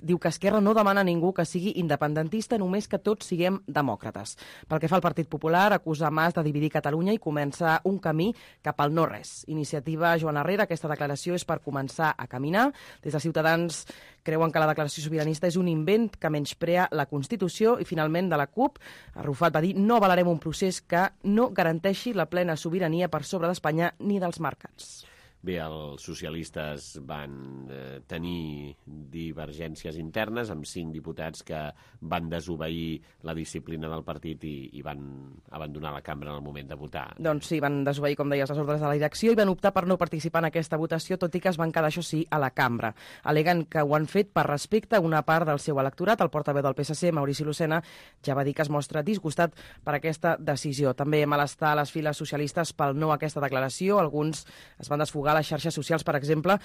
diu que Esquerra no demana a ningú que sigui independentista, només que tots siguem demòcrates. Pel que fa al Partit Popular, acusa Mas de dividir Catalunya i comença un camí cap al no-res. Iniciativa Joan Herrera, aquesta declaració és per començar a caminar. Des de Ciutadans creuen que la declaració sobiranista és un invent que menysprea la Constitució i, finalment, de la CUP, Arrufat va dir no avalarem un procés que no garanteixi la plena sobirania per sobre d'Espanya ni dels mercats. Bé, els socialistes van tenir divergències internes amb 5 diputats que van desobeir la disciplina del partit i van abandonar la cambra en el moment de votar. Doncs sí, van desobeir, com deies, les ordres de la direcció i van optar per no participar en aquesta votació, tot i que es van quedar, això sí, a la cambra. Aleguen que ho han fet per respecte a una part del seu electorat. El portaveu del PSC, Maurici Lucena, ja va dir que es mostra disgustat per aquesta decisió. També malestar a les files socialistes pel no a aquesta declaració. Alguns es van desfogar a les xarxes socials, per exemple.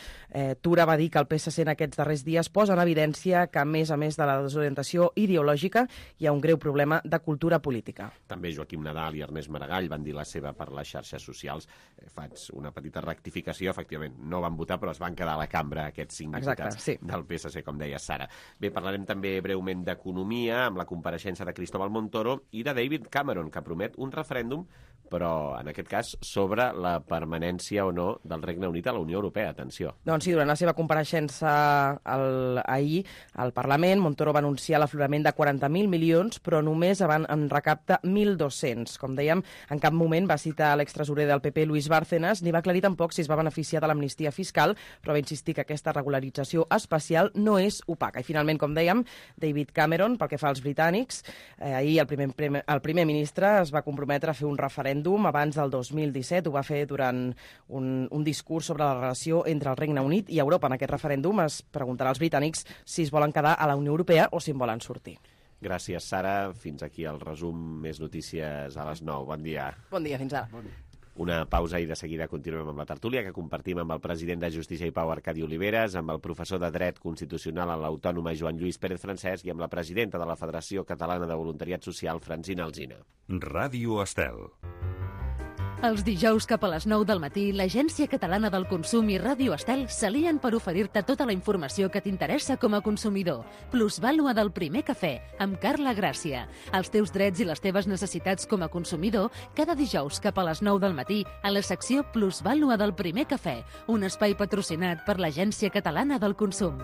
Tura va dir que el PSC en aquests darrers dies posa en evidència que, a més de la desorientació ideològica, hi ha un greu problema de cultura política. També Joaquim Nadal i Ernest Maragall van dir la seva per les xarxes socials. Faig una petita rectificació, efectivament, no van votar, però es van quedar a la cambra aquests 5 diputats del PSC, com deia Sara. Bé, parlarem també breument d'economia, amb la compareixença de Cristóbal Montoro i de David Cameron, que promet un referèndum, però en aquest cas sobre la permanència o no del Regne Unit a la Unió Europea. Atenció. Doncs sí, durant la seva compareixença ahir al Parlament, Montoro va anunciar l'aflorament de 40.000 milions, però només en recapta 1.200. Com dèiem, en cap moment va citar l'extresorer del PP, Luis Bárcenas, ni va aclarir tampoc si es va beneficiar de l'amnistia fiscal, però va insistir que aquesta regularització especial no és opaca. I finalment, com dèiem, David Cameron, pel que fa als britànics, ahir el primer ministre es va comprometre a fer un referèndum abans del 2017. Ho va fer durant un discurs sobre la relació entre el Regne Unit i Europa. En aquest referèndum es preguntarà als britànics si es volen quedar a la Unió Europea o si en volen sortir. Gràcies, Sara. Fins aquí el resum. Més notícies a les 9. Bon dia. Bon dia, fins ara. Una pausa i de seguida continuem amb la tertúlia que compartim amb el president de Justícia i Pau, Arcadi Oliveres, amb el professor de Dret Constitucional a l'Autònoma, Joan Lluís Pérez Francesc, i amb la presidenta de la Federació Catalana de Voluntariat Social, Francina Alsina. Ràdio Estel. Els dijous cap a les 9 del matí, l'Agència Catalana del Consum i Ràdio Estel s'alien per oferir-te tota la informació que t'interessa com a consumidor. Plusvàlua del primer cafè, amb Carla Gràcia. Els teus drets i les teves necessitats com a consumidor, cada dijous cap a les 9 del matí, a la secció Plusvàlua del primer cafè, un espai patrocinat per l'Agència Catalana del Consum.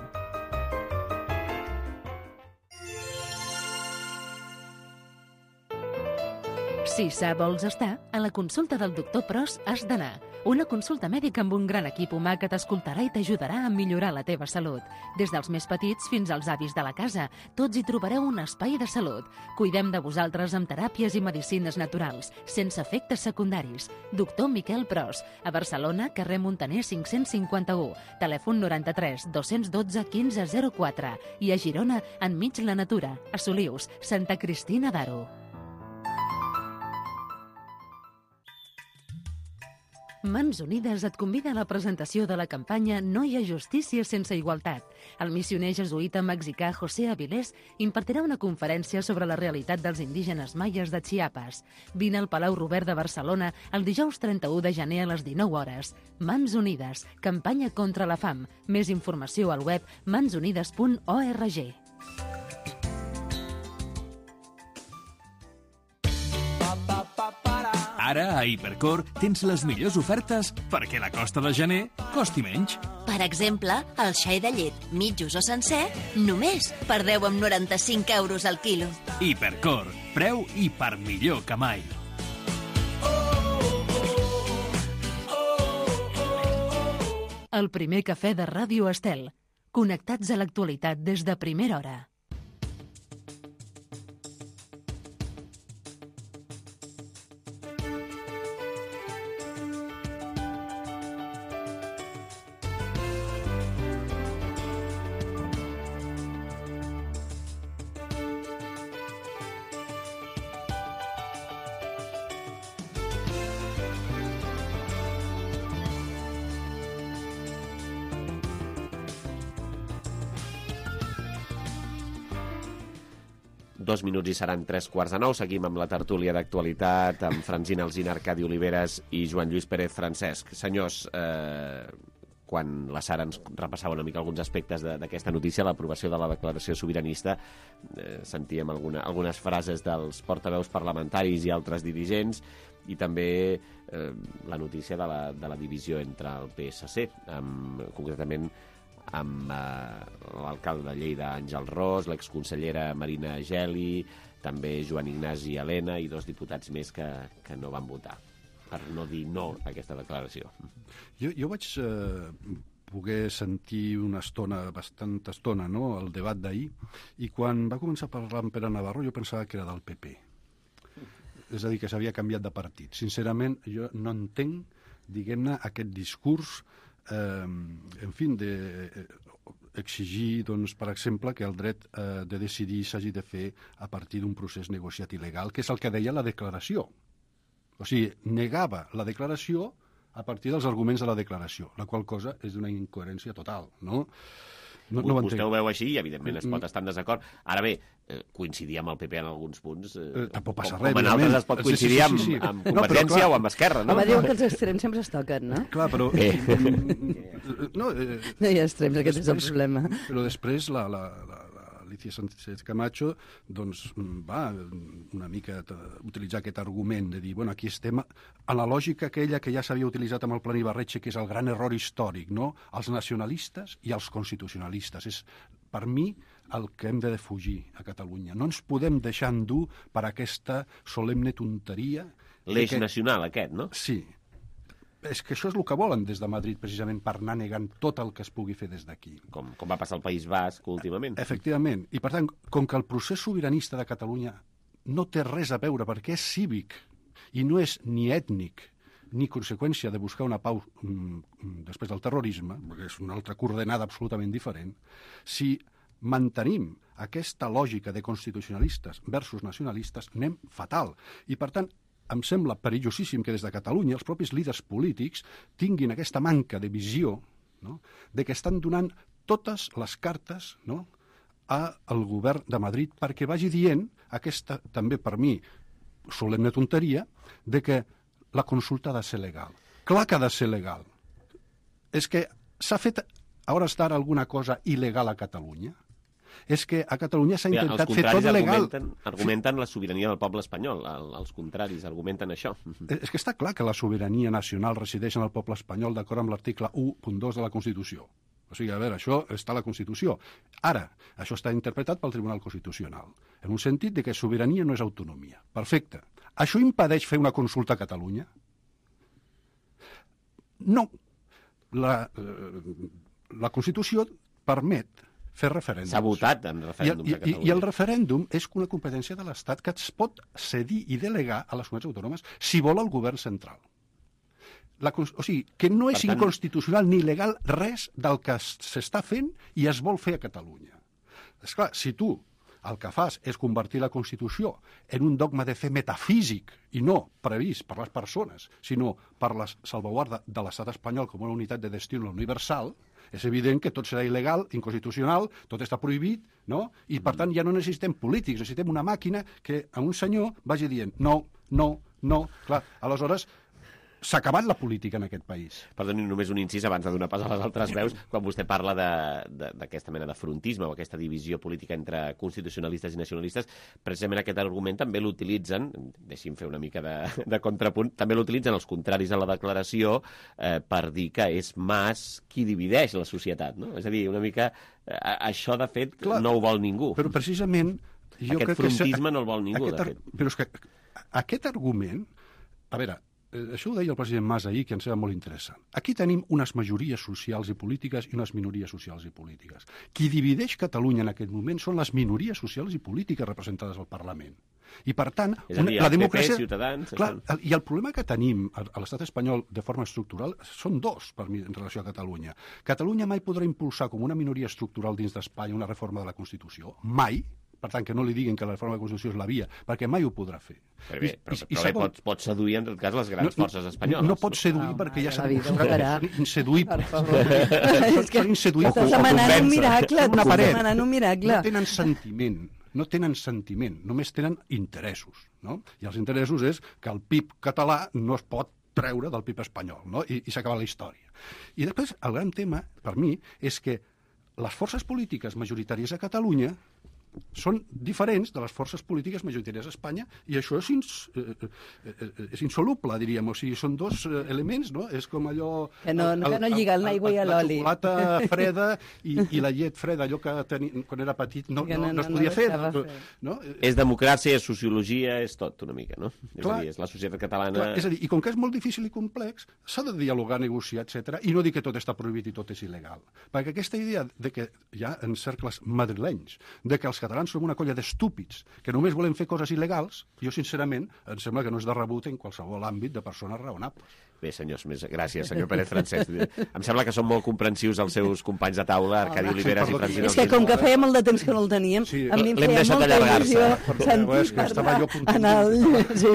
Si sa vols estar, a la consulta del doctor Pros has d'anar. Una consulta mèdica amb un gran equip humà que t'escoltarà i t'ajudarà a millorar la teva salut. Des dels més petits fins als avis de la casa, tots hi trobareu un espai de salut. Cuidem de vosaltres amb teràpies i medicines naturals, sense efectes secundaris. Doctor Miquel Pros, a Barcelona, carrer Montaner 551, telèfon 93 212 1504 i a Girona, enmig la natura, a Solius, Santa Cristina d'Aro. Mans Unides et convida a la presentació de la campanya No hi ha justícia sense igualtat. El missioner jesuïta mexicà José Avilés impartirà una conferència sobre la realitat dels indígenes maies de Chiapas. Vine al Palau Robert de Barcelona el dijous 31 de gener a les 19 hores. Mans Unides, campanya contra la fam. Més informació al web mansunides.org. Ara, a Hipercor, tens les millors ofertes perquè la costa de gener costi menys. Per exemple, el xai de llet, mitjos o sencer, només per 10,95 euros al quilo. Hipercor, preu i per millor que mai. El primer cafè de Ràdio Estel. Connectats a l'actualitat des de primera hora. 2 minuts i seran 3:45. Seguim amb la tertúlia d'actualitat amb Francina Alsina, Arcadi Oliveres i Joan Lluís Pérez Francesc. Senyors, quan la Sara ens repassava una mica alguns aspectes d'aquesta notícia, l'aprovació de la declaració sobiranista, sentíem algunes frases dels portaveus parlamentaris i altres dirigents, i també la notícia de la divisió entre el PSC, concretament amb l'alcalde de Lleida, Àngel Ros, l'exconsellera Marina Geli, també Joan Ignasi Elena i 2 diputats més que no van votar, per no dir no a aquesta declaració. Jo vaig poder sentir bastanta estona, no?, el debat d'ahir, i quan va començar a parlar amb Pere Navarro jo pensava que era del PP. És a dir, que s'havia canviat de partit. Sincerament, jo no entenc, diguem-ne, aquest discurs, en fi, d'exigir, doncs, per exemple, que el dret de decidir s'hagi de fer a partir d'un procés negociat il·legal, que és el que deia la declaració. O sigui, negava la declaració a partir dels arguments de la declaració, la qual cosa és d'una incoherència total, no? Vostè ho veu així i, evidentment, es pot estar en desacord. Ara bé, coincidir amb el PP en alguns punts, tampoc passa res, com en altres es pot coincidir amb Convergència o amb Esquerra, no? Home, diuen que els extrems sempre es toquen, no? Clar, però... No hi ha extrems, aquest és el problema. Però després Alicia Sánchez Camacho doncs va una mica utilitzar aquest argument de dir, bueno, aquí estem a la lògica aquella que ja s'havia utilitzat amb el Plan Ibarretxe, que és el gran error històric, no? Els nacionalistes i els constitucionalistes. És, per mi, el que hem de defugir a Catalunya. No ens podem deixar endur per aquesta solemne tonteria. L'eix nacional aquest, no? Sí. És que això és el que volen des de Madrid, precisament, per anar negant tot el que es pugui fer des d'aquí. Com va passar al País Basc últimament. Efectivament. I, per tant, com que el procés sobiranista de Catalunya no té res a veure, perquè és cívic i no és ni ètnic ni conseqüència de buscar una pau després del terrorisme, perquè és una altra coordenada absolutament diferent, si mantenim aquesta lògica de constitucionalistes versus nacionalistes, anem fatal. I, per tant, em sembla perillosíssim que des de Catalunya els propis líders polítics tinguin aquesta manca de visió, no?, de que estan donant totes les cartes, no?, al govern de Madrid perquè vagi dient aquesta, també per mi, solemne tonteria, de que la consulta ha de ser legal. Clar que ha de ser legal. És que s'ha fet a hores d'ara alguna cosa il·legal a Catalunya? És que a Catalunya s'ha intentat fer tot legal. Argumenten la sobirania del poble espanyol. Els contraris argumenten això. És que està clar que la sobirania nacional resideix en el poble espanyol d'acord amb l'article 1.2 de la Constitució. O sigui, a veure, això està a la Constitució. Ara, això està interpretat pel Tribunal Constitucional, en un sentit de que sobirania no és autonomia. Perfecte. Això impedeix fer una consulta a Catalunya? No. La Constitució permet fer referèndums. S'ha votat en referèndums a Catalunya. I el referèndum és una competència de l'Estat que es pot cedir i delegar a les comunitats autònomes si vol el govern central. O sigui, que no és inconstitucional ni legal res del que s'està fent i es vol fer a Catalunya. Esclar, si tu el que fas és convertir la Constitució en un dogma de fe metafísic i no previst per les persones, sinó per la salvaguarda de l'estat espanyol com una unitat de destí universal, és evident que tot serà il·legal, inconstitucional, tot està prohibit, no? I, per tant, ja no necessitem polítics, necessitem una màquina que a un senyor vagi dient no, no, no. Clar, aleshores, s'ha acabat la política en aquest país. Perdoni, només un incís abans de donar pas a les altres veus. Quan vostè parla d'aquesta mena de frontisme o aquesta divisió política entre constitucionalistes i nacionalistes, precisament aquest argument també l'utilitzen, deixi'm fer una mica de contrapunt, també l'utilitzen els contraris a la declaració per dir que és Mas qui divideix la societat, no? És a dir, una mica això, de fet, no ho vol ningú. Però precisament... Aquest frontisme no el vol ningú, de fet. Però és que aquest argument... A veure, això ho deia el president Mas ahir, que ens sembla molt interessant. Aquí tenim unes majories socials i polítiques i unes minories socials i polítiques. Qui divideix Catalunya en aquest moment són les minories socials i polítiques representades al Parlament. I, per tant, la democràcia... PP, Ciutadans... Clar, i el problema que tenim a l'estat espanyol de forma estructural són dos, per mi, en relació a Catalunya. Catalunya mai podrà impulsar com una minoria estructural dins d'Espanya una reforma de la Constitució. Mai. Per tant, que no li diguin que la reforma de la Constitució és la via, perquè mai ho podrà fer. Però pot seduir, en tot cas, les grans forces espanyoles. No pot seduir, perquè ja s'ha demostrat. Seduir... És que estàs demanant un miracle. Una paret. No tenen sentiment. no tenen sentiment, només tenen interessos, no? I els interessos és que el PIB català no es pot treure del PIB espanyol, no? I s'acaba la història. I després, el gran tema, per mi, és que les forces polítiques majoritàries a Catalunya són diferents de les forces polítiques majoritàries a Espanya, i això és insoluble, diríem. O sigui, són dos elements, no? És com allò... Que no lliga l'aigua i l'oli. La xocolata freda i la llet freda, allò que quan era petit no es podia fer. No? És democràcia, és sociologia, és tot una mica, no? És a dir, és la societat catalana... És a dir, i com que és molt difícil i complex, s'ha de dialogar, negociar, etc. I no dir que tot està prohibit i tot és il·legal. Perquè aquesta idea de que hi ha en cercles madrilenys, de que els catalans som una colla d'estúpids que només volem fer coses il·legals, jo, sincerament, em sembla que no és de rebut en qualsevol àmbit de persones raonables. Bé, senyors, gràcies, senyor Pérez Francesc. Em sembla que són molt comprensius els seus companys de taula, Arcadi Oliveres i Francina. És que com que feia molt de temps que no el teníem, a mi em feia molta il·lusió sentir parlar.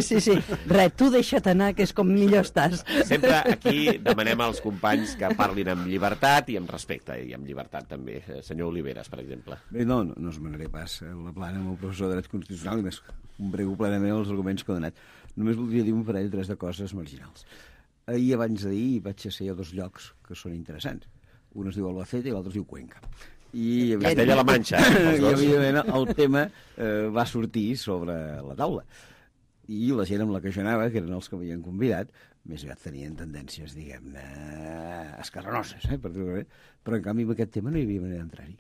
Sí. Res, tu deixa't anar, que és com millor estàs. Sempre aquí demanem als companys que parlin amb llibertat i amb respecte, i amb llibertat també. Senyor Oliveres, per exemple. Bé, no esmenaré pas la plana amb el professor de dret constitucional i més combrego plenament els arguments que ha donat. Només voldria dir un parell o tres de coses marginals. Ahir, abans d'ahir, vaig a ser a dos llocs que són interessants. Un es diu Albacete i l'altre es diu Cuenca. Castella-La Manxa, els dos. I, evidentment, el tema va sortir sobre la taula. I la gent amb la que jo anava, que eren els que m'havien convidat, més aviat tenien tendències, diguem-ne, escarranoses, però en canvi amb aquest tema no hi havia manera d'entrar-hi.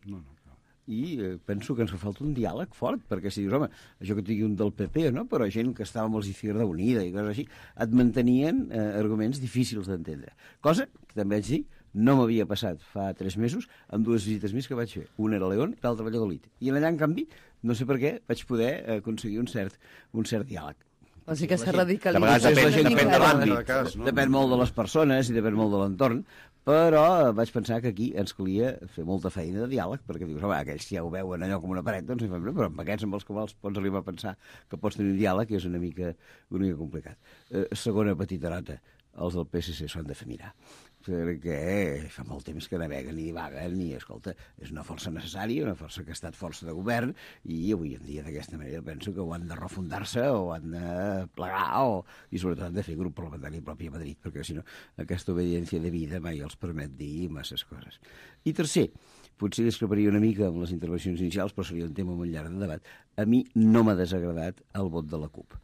I penso que ens fa falta un diàleg fort, perquè si dius, home, això que et digui un del PP, no? Però gent que estava amb els Izquierda Unida i coses així, et mantenien arguments difícils d'entendre. Cosa que també vaig dir, no m'havia passat fa 3 mesos amb 2 visites més que vaig fer. Una era a León i l'altra a Valladolid. I allà, en canvi, no sé per què, vaig poder aconseguir un cert diàleg. O sigui que s'ha radicalitzat. Depèn de l'àmbit. Depèn molt de les persones i depèn molt de l'entorn, però vaig pensar que aquí ens calia fer molta feina de diàleg, perquè dius, home, aquells ja ho veuen allò com una paret, doncs, però amb aquests amb els quals pots arribar a pensar que pots tenir un diàleg és una mica complicat. Segona petita nota, els del PSC s'ho han de fer mirar, perquè fa molt temps que naveguen i divaguen i, escolta, és una força necessària, una força que ha estat força de govern i avui en dia d'aquesta manera penso que ho han de refundar-se o han de plegar i sobretot han de fer grup parlamentari propi a Madrid, perquè si no aquesta obediència de vida mai els permet dir masses coses. I tercer, potser discreparia una mica amb les intervencions inicials, però seria un tema molt llarg de debat. A mi no m'ha desagradat el vot de la CUP,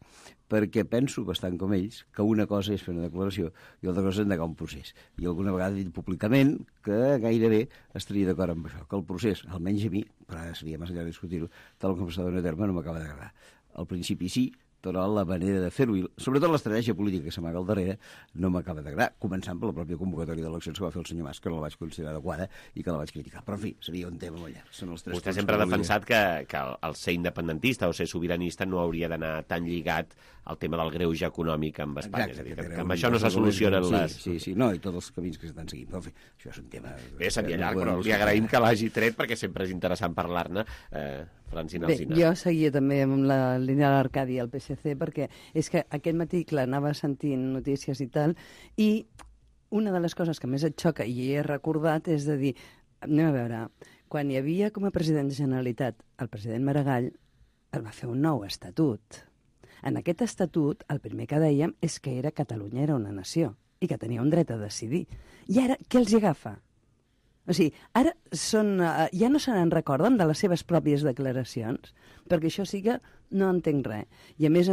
perquè penso bastant com ells que una cosa és fer una declaració i l'altra cosa és endegar un procés. I alguna vegada he dit públicament que gairebé estaria d'acord amb això, que el procés, almenys a mi, però ara seria massa llarg discutir-ho, tal com s'ha donat a terme no m'acaba d'agradar. Al principi sí, però la manera de fer-ho, i sobretot l'estratègia política que s'amaga al darrere, no m'acaba d'agradar, començant per la pròpia convocatòria d'eleccions que va fer el senyor Mas, que no la vaig considerar adequada i que la vaig criticar. Però, en fi, seria un tema molt llarg. Vostè sempre ha defensat que el ser independentista o ser sobiranista no hauria d'anar tan lligat al tema del greuge econòmic amb Espanya. Exacte, és a dir, que amb això no se solucionen les... Sí, no, i tots els camins que s'estan seguint. Però, en fi, això és un tema... Bé, seria llarg, però li agraïm que l'hagi tret perquè sempre és interessant parlar-ne. Francina Alsina. Bé, jo seguia també amb la línia de l'Arcadi i el PSC perquè és que aquest matí, clar, anava sentint notícies i tal, i una de les coses que més et xoca, i he recordat, és de dir, anem a veure, quan hi havia com a president de Generalitat el president Maragall, es va fer un nou estatut. En aquest estatut, el primer que dèiem és que Catalunya era una nació i que tenia un dret a decidir. I ara, què els hi agafa? O sigui, ara ja no se n'en recorden de les seves pròpies declaracions, perquè això sí que no entenc res. I a més,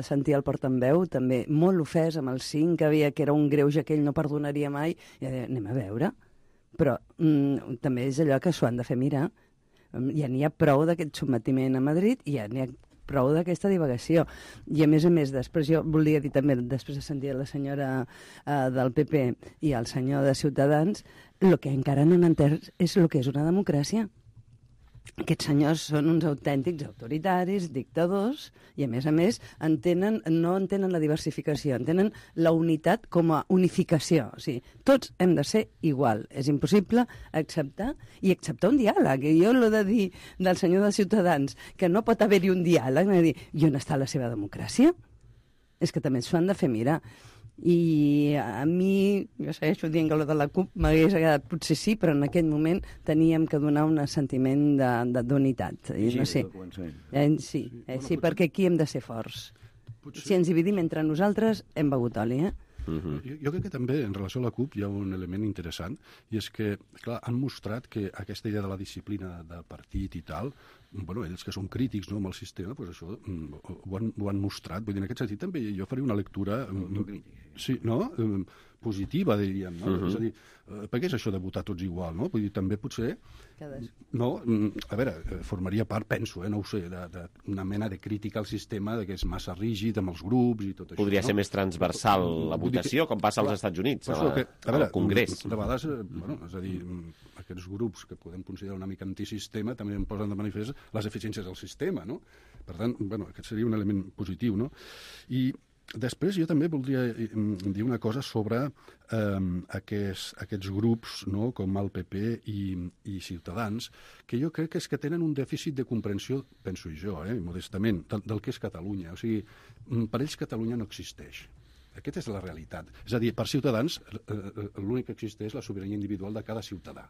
sentia el portaveu també molt ofès amb el 5, que era un greuge que ell no perdonaria mai. I anem a veure. Però també és allò que s'ho han de fer mirar. Ja n'hi ha prou d'aquest sotmetiment a Madrid i ja n'hi ha prou d'aquesta divagació. I a més, després jo volia dir també, després de sentir la senyora del PP i el senyor de Ciutadans, el que encara no han entès és el que és una democràcia. Aquests senyors són uns autèntics autoritaris, dictadors, i a més no entenen la diversificació, entenen la unitat com a unificació. O sigui, tots hem de ser igual. És impossible acceptar un diàleg. I jo l'he de dir del senyor de Ciutadans que no pot haver-hi un diàleg, i on està la seva democràcia? És que també s'ho han de fer mirar. I a mi, jo segueixo dient que el de la CUP m'hagués agradat, potser sí, però en aquest moment teníem que donar un sentiment d'unitat. No sé. Sí, perquè aquí hem de ser forts. Si ens dividim entre nosaltres, hem begut oli, Jo crec que també, en relació a la CUP, hi ha un element interessant, i és que, clar, han mostrat que aquesta idea de la disciplina de partit i tal, bueno, ells que són crítics, no, amb el sistema, doncs això ho han mostrat. Vull dir, en aquest sentit també jo faria una lectura positiva, diríem, no? És a dir, per què és això de votar tots igual, no? Vull dir, també potser... No, a veure, formaria part, penso, no ho sé, d'una mena de crítica al sistema, que és massa rígid amb els grups i tot això. Podria ser més transversal la votació, com passa als Estats Units, al Congrés. De vegades, és a dir, aquests grups que podem considerar una mica antisistema també em posen de manifest les eficiències del sistema, no? Per tant, aquest seria un element positiu, no? I després jo també voldria dir una cosa sobre aquests grups, no, com el PP i Ciutadans, que jo crec que és que tenen un dèficit de comprensió, penso jo, modestament, del que és Catalunya. O sigui, per ells Catalunya no existeix. Aquesta és la realitat. És a dir, per Ciutadans l'únic que existeix és la sobirania individual de cada ciutadà.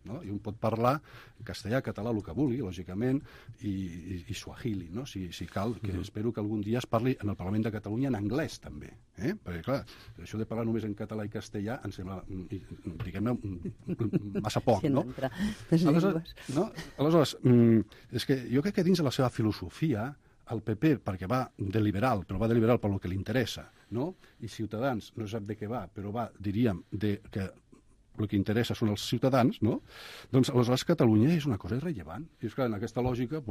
No? I un pot parlar castellà, català, el que vulgui, lògicament, i suahili, no? Si cal, que espero que algun dia es parli en el Parlament de Catalunya en anglès, també. Perquè, clar, això de parlar només en català i castellà em sembla, diguem-ne, massa poc, no? Aleshores, és que jo crec que dins de la seva filosofia, el PP, perquè va de liberal, però va de liberal per lo que li interessa, no? I Ciutadans no sap de què va, però va, diríem, de que el que interessa són els ciutadans, no? Doncs aleshores Catalunya és una cosa irrellevant. I és clar, en aquesta lògica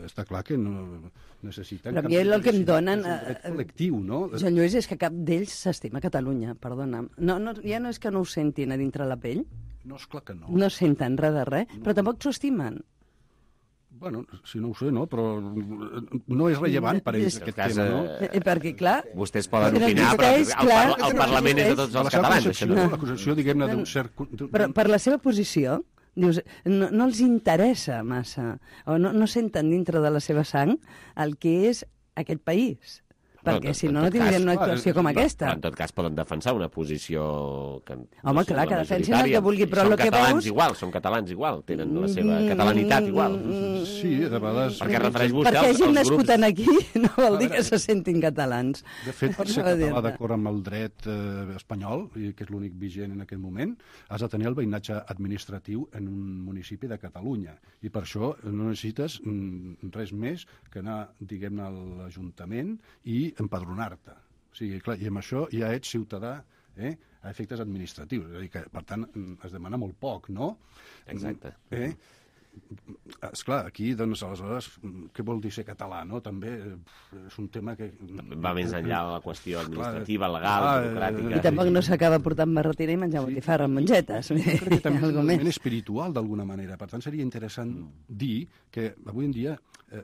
està clar que no necessiten... Però a mi el que em donen... col·lectiu, no? Joan Lluís, és que cap d'ells s'estima Catalunya, perdona'm. Ja no és que no ho sentin a dintre la pell. No, esclar que no. No senten res de res, però tampoc s'ho estimen. Bueno, si no ho sé, no? Però no és rellevant per ells aquest tema, no? Perquè, clar... Vostès poden opinar, però el Parlament és de tots els catalans. L'acusació, diguem-ne, d'un cert... Però per la seva posició, dius, no els interessa massa, o no senten dintre de la seva sang el que és aquest país. Perquè si no tindrien una actuació com aquesta. Però en tot cas poden defensar una posició... Home, clar, que defensin el que vulgui, però el que veus... Són catalans igual, tenen la seva catalanitat igual. Sí, de vegades... Perquè refereix vostè perquè hagin nascut aquí no vol dir que se sentin catalans. De fet, per ser català d'acord amb el dret espanyol, que és l'únic vigent en aquest moment, has de tenir el veïnatge administratiu en un municipi de Catalunya. I per això no necessites res més que anar, diguem-ne, a l'Ajuntament i empadronar-te. O sigui, clar, i amb això ja ets ciutadà a efectes administratius. És a dir, que, per tant, es demana molt poc, no? Exacte. Esclar, aquí, doncs, aleshores, què vol dir ser català, no? També és un tema que... Va més enllà de la qüestió administrativa, legal, burocràtica... I tampoc no s'acaba portant barretina i menjar botifarra amb mongetes. Crec que també és un element espiritual, d'alguna manera. Per tant, seria interessant dir que avui en dia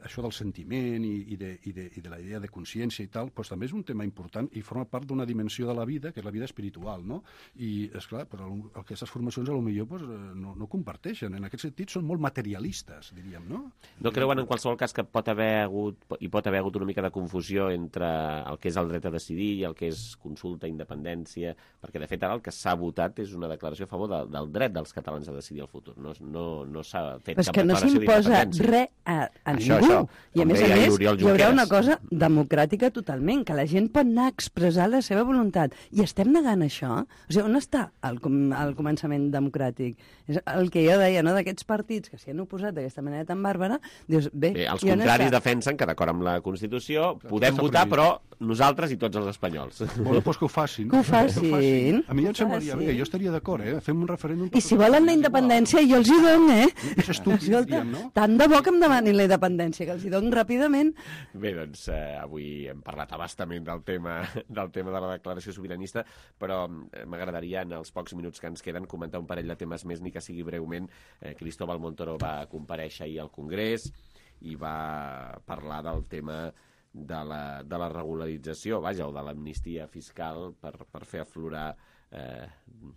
això del sentiment i de la idea de consciència i tal, doncs també és un tema important i forma part d'una dimensió de la vida, que és la vida espiritual, no? I, esclar, però aquestes formacions potser no comparteixen. En aquest sentit, són molt materialistes, diríem, no? No creuen, en qualsevol cas, que pot haver hagut una mica de confusió entre el que és el dret a decidir i el que és consulta, independència, perquè, de fet, ara el que s'ha votat és una declaració a favor del dret dels catalans a decidir el futur. No s'ha fet cap declaració d'independència. Però és que no s'imposa res a ningú. I, a més, hi haurà una cosa democràtica totalment, que la gent pot anar a expressar la seva voluntat. I estem negant això? O sigui, on està el començament democràtic? És el que jo deia, no?, d'aquests partits que s'hi han oposat d'aquesta manera tan bàrbara, dius, bé... Els contraris defensen que, d'acord amb la Constitució, podem votar, però nosaltres i tots els espanyols. Bueno, doncs que ho facin. Que ho facin. A mi ja em semblaria bé, jo estaria d'acord, fem un referèndum... I si volen la independència, jo els hi dono, És estúpid, diríem, no? Tant de bo que em demanin la independència, que els hi dono ràpidament. Bé, doncs, avui hem parlat abastament del tema de la declaració sobiranista, però m'agradaria, en els pocs minuts que ens queden, comentar un parell de temes més, ni que sigui breument. Cristóbal Montoro va comparèixer ahir al Congrés i va parlar del tema de la regularització, o de l'amnistia fiscal per fer aflorar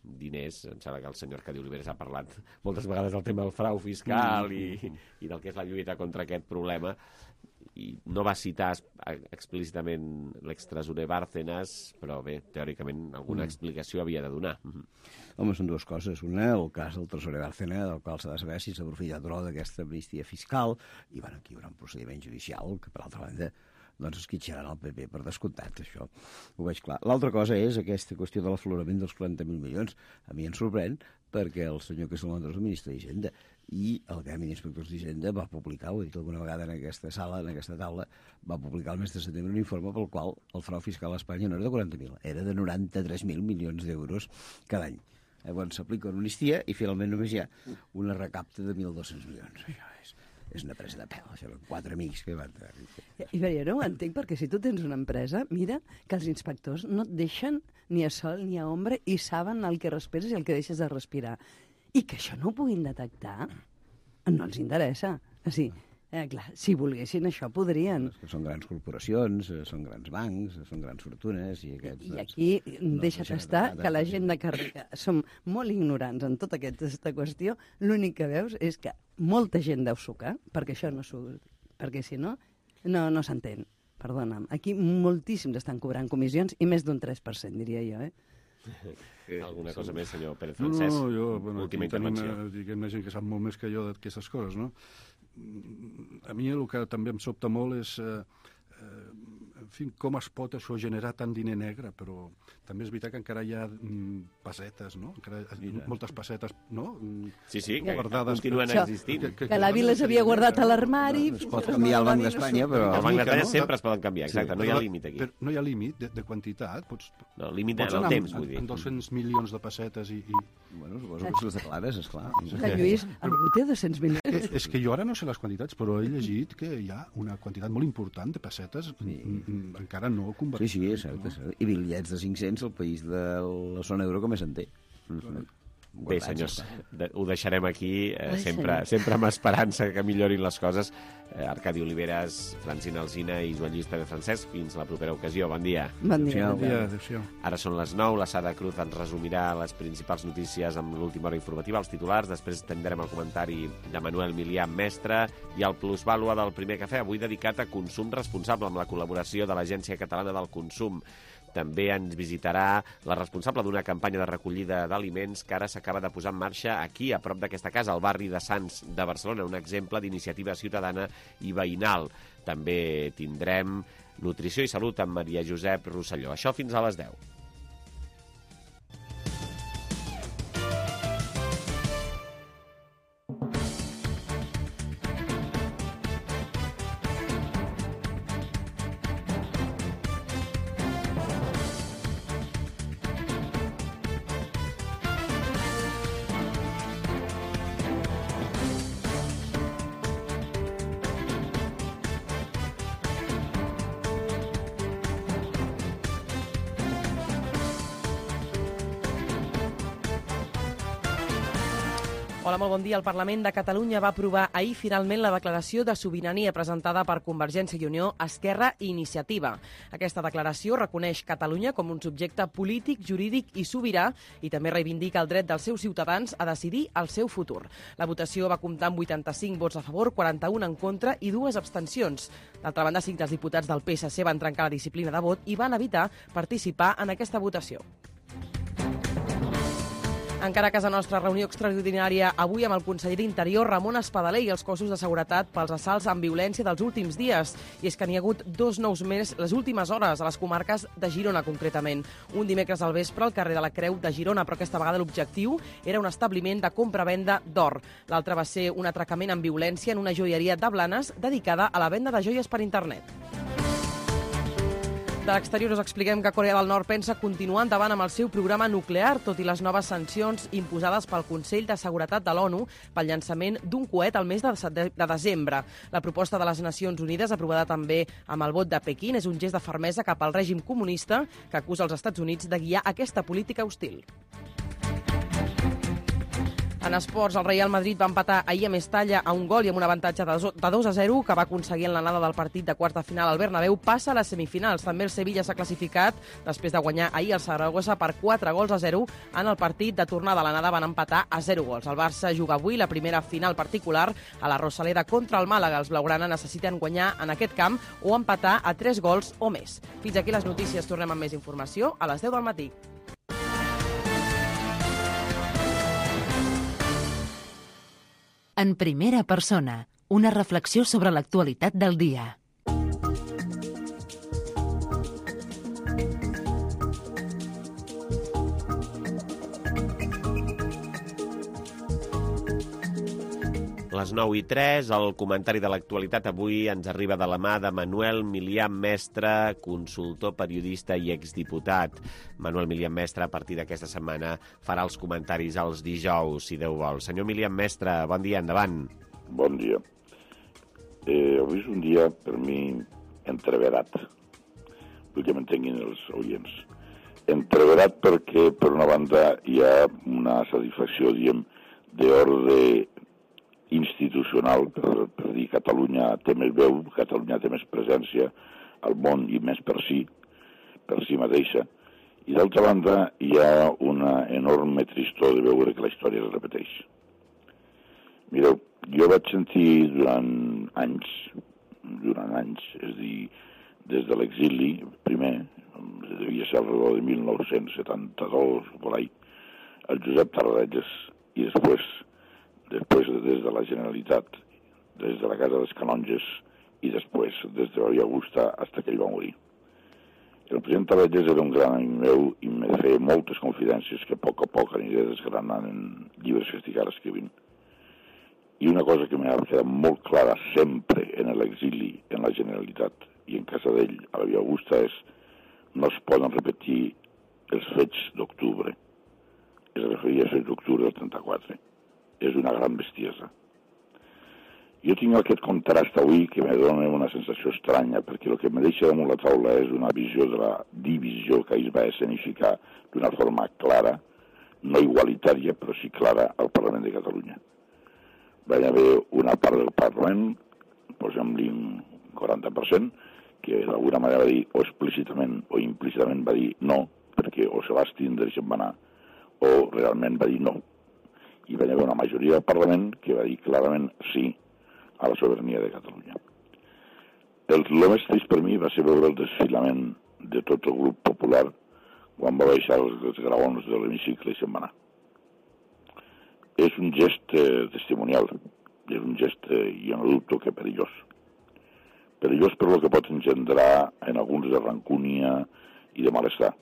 diners. Em sembla que el senyor Cadi Oliveres ha parlat moltes vegades del tema del frau fiscal i del que és la lluita contra aquest problema. no va citar explícitament l'extresorer Bárcenas, però bé, teòricament alguna explicació havia de donar. Home, són dues coses. Una, el cas del tresorer Bárcenas, del qual s'ha de saber si s'ha aprofitat o no d'aquesta amnistia fiscal, i bueno, aquí hi haurà un procediment judicial que, per altra banda, doncs esquitxaran el PP per descomptat, això ho veig clar. L'altra cosa és aquesta qüestió de l'aflorament dels 40.000 milions. A mi em sorprèn perquè el senyor Castellón és el ministre d'Hisenda i el Gremi d'Inspectors d'Hisenda va publicar, ho he dit alguna vegada en aquesta sala, en aquesta taula, va publicar el mes de setembre un informe pel qual el frau fiscal a Espanya no era de 40.000, era de 93.000 milions d'euros cada any. Llavors s'aplica una amnistia i finalment només hi ha una recapta de 1.200 milions. Això és una presa de pèl, això eren 4 amics que van... I jo no ho entenc, perquè si tu tens una empresa, mira que els inspectors no et deixen ni a sol ni a ombra i saben el que respires i el que deixes de respirar. I que això no ho puguin detectar, no els interessa. O sigui, clar, si volguessin això podrien. Que són grans corporacions, són grans bancs, són grans fortunes... I aquí deixa't estar que la gent de carrera som molt ignorants en tota aquesta qüestió. L'únic que veus és que molta gent deu sucar, perquè això no surt, perquè si no, no s'entén. Perdona'm. Aquí moltíssims estan cobrant comissions i més d'un 3%, diria jo, Alguna cosa més, senyor Pérez Francesc? No, jo, Última intervenció. Diguem, gent que sap molt més que jo d'aquestes coses, no? A mi el que també em sobta molt és en fi, com es pot això generar tant diner negre, però també és veritat que encara hi ha pessetes, no? Encara moltes pessetes, no? Sí, que guardades, continuen existint. Que la Vila s'havia guardat a l'armari... Es pot canviar el Banc d'Espanya, però... El Banc d'Espanya sempre es poden canviar, exacte, no hi ha límit aquí. Però no hi ha límit de quantitat, No, límit en el temps, vull dir. En 200 milions de pessetes i... Bueno, suposo que si les declares, esclar. Lluís, algú té 200 milions? És que jo ara no sé les quantitats, però he llegit que hi ha una quantitat molt important de pessetes encara no convertides. Sí, és cert, és cert. I bitllets de 500 al país de la zona euro que més en té. Bé, senyors, ho deixarem aquí, sempre amb esperança que millorin les coses. Arcadi Oliveres, Francina Alsina i Joan Lluís Pérez Francesc, fins la propera ocasió. Bon dia. Bon dia. Adéu-siau. Ara són les 9, la Sada Cruz ens resumirà les principals notícies amb l'última hora informativa, els titulars, després tindrem el comentari de Manuel Milià, mestre, i el plusvàlua del primer cafè, avui dedicat a consum responsable, amb la col·laboració de l'Agència Catalana del Consum. També ens visitarà la responsable d'una campanya de recollida d'aliments que ara s'acaba de posar en marxa aquí, a prop d'aquesta casa, al barri de Sants de Barcelona, un exemple d'iniciativa ciutadana i veïnal. També tindrem nutrició i salut amb Maria Josep Rosselló. Això fins a les 10. Hola, molt bon dia. El Parlament de Catalunya va aprovar ahir finalment la declaració de sobirania presentada per Convergència i Unió, Esquerra i Iniciativa. Aquesta declaració reconeix Catalunya com un subjecte polític, jurídic i sobirà i també reivindica el dret dels seus ciutadans a decidir el seu futur. La votació va comptar amb 85 vots a favor, 41 en contra i 2 abstencions. D'altra banda, 5 dels diputats del PSC van trencar la disciplina de vot i van evitar participar en aquesta votació. Encara a casa nostra, reunió extraordinària avui amb el conseller d'Interior, Ramon Espadaler, i els cossos de seguretat pels assalts amb violència dels últims dies. I és que n'hi ha hagut 2 nous més les últimes hores a les comarques de Girona, concretament. Un dimecres al vespre al carrer de la Creu de Girona, però aquesta vegada l'objectiu era un establiment de compra-venda d'or. L'altre va ser un atracament amb violència en una joieria de Blanes dedicada a la venda de joies per internet. De l'exterior us expliquem que Corea del Nord pensa continuar endavant amb el seu programa nuclear, tot i les noves sancions imposades pel Consell de Seguretat de l'ONU pel llançament d'un coet al mes de desembre. La proposta de les Nacions Unides, aprovada també amb el vot de Pequín, és un gest de fermesa cap al règim comunista que acusa els Estats Units de guiar aquesta política hostil. En En esports, el Real Madrid va empatar ahir a Mestalla a un gol i amb un avantatge de 2-0 que va aconseguir en l'anada del partit de quarts de final al Bernabéu. Passa a les semifinals. També el Sevilla s'ha classificat després de guanyar ahir el Saragossa per 4-0 en el partit de tornada. A l'anada van empatar a 0 gols. El Barça juga avui la primera final particular a la Rosaleda contra el Màlaga. Els blaugrana necessiten guanyar en aquest camp o empatar a 3 gols o més. Fins aquí les notícies. Tornem amb més informació a les 10 del matí. En primera persona, una reflexió sobre l'actualitat del dia. Les 9:03, el comentari de l'actualitat avui ens arriba de la mà de Manuel Milian Mestre, consultor, periodista i exdiputat. Manuel Milian Mestre, a partir d'aquesta setmana, farà els comentaris els dijous, si Déu vol. Senyor Milian Mestre, bon dia, endavant. Bon dia. Avui és un dia, per mi, entreverat. Vull que m'entenguin els oients. Entreverat perquè, per una banda, hi ha una satisfacció, diguem, d'ordre institucional, per dir Catalunya té més veu, Catalunya té més presència al món i més per si mateixa. I d'altra banda hi ha una enorme tristor de veure que la història es repeteix. Mireu, jo vaig sentir durant anys, és a dir, des de l'exili, primer, devia ser alrededor de 1972, por ahí, el Josep Tarradellas, i després des de la Generalitat, des de la Casa dels Canonges i després des de Maria Augusta fins que ell va morir. El president Tarradellas era un gran amic meu i me feia moltes confidències que a poc aniré desgranant en llibres que estic ara escrivint. I una cosa que m'ha quedat molt clara sempre en l'exili, en la Generalitat i en casa d'ell, a la Via Augusta, és no es poden repetir els fets d'octubre. Es referia als fets d'octubre del 34. És una gran bestiesa. Jo tinc aquest contrast avui que me dona una sensació estranya, perquè el que me deixa damunt la taula és una visió de la divisió que es va escenificar d'una forma clara, no igualitària, però sí clara, al Parlament de Catalunya. Va haver una part del Parlament, posem-li un 40%, que d'alguna manera va dir o explícitament o implícitament va dir no, perquè o se va estindre i se'n va anar, o realment va dir no. I va haver una majoria del Parlament que va dir clarament sí a la sobirania de Catalunya. El més trist per mi va ser veure el desfilament de tot el grup popular quan va baixar els graons de l'hemicicle i se'n va anar. És un gest testimonial, és un gest, jo no dubto que perillós. Perillós per el que pot engendrar en alguns de rancúnia i de malestar.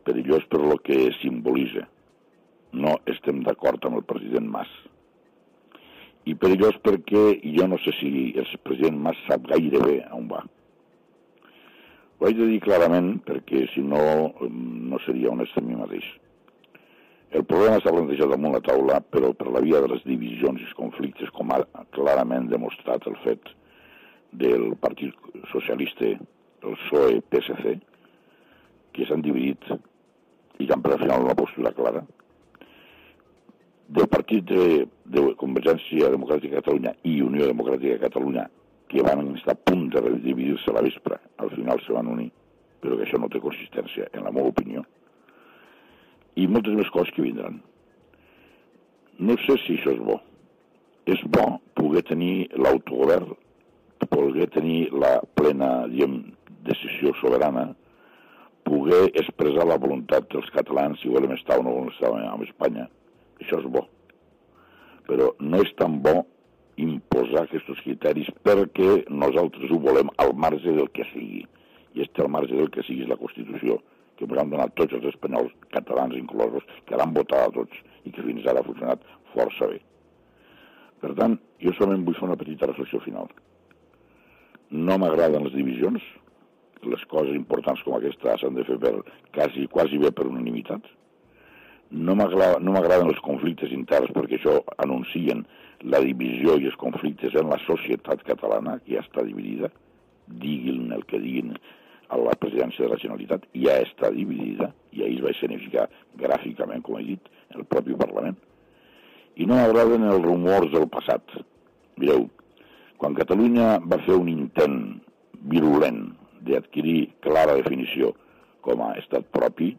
Perillós per el que simbolitza. No estem d'acord amb el president Mas. I perillós perquè jo no sé si el president Mas sap gaire bé on va. Ho haig de dir clarament perquè si no, no seria honest amb mi mateix. El problema s'ha plantejat damunt la taula, però per la via de les divisions i els conflictes, com ha clarament demostrat el fet del Partit Socialista, el PSOE-PSC, que s'han dividit i que han pres al final una postura clara. Del partit de Convergència Democràtica de Catalunya i Unió Democràtica de Catalunya, que van estar a punt de dividir-se a la vespre, al final se van unir, però que això no té consistència, en la meva opinió. I moltes més coses que vindran. No sé si això és bo. És bo poder tenir l'autogovern, poder tenir la plena, decisió soberana, poder expressar la voluntat dels catalans si volem estar o no volem estar amb Espanya. Això és bo. Però no és tan bo imposar aquests criteris perquè nosaltres ho volem al marge del que sigui. I al marge del que sigui és la Constitució, que ens han donat tots els espanyols, catalans inclosos, que l'han votat a tots i que fins ara ha funcionat força bé. Per tant, jo solament vull fer una petita reflexió final. No m'agraden les divisions, les coses importants com aquesta s'han de fer quasi bé per unanimitat. No m'agraden els conflictes interns perquè això anuncien la divisió i els conflictes en la societat catalana, que ja està dividida, diguin el que diguin a la presidència de la Generalitat, ja està dividida, i ahir es va escenificar gràficament, com he dit, el propi Parlament. I no m'agraden els rumors del passat. Mireu, quan Catalunya va fer un intent virulent d'adquirir clara definició com a estat propi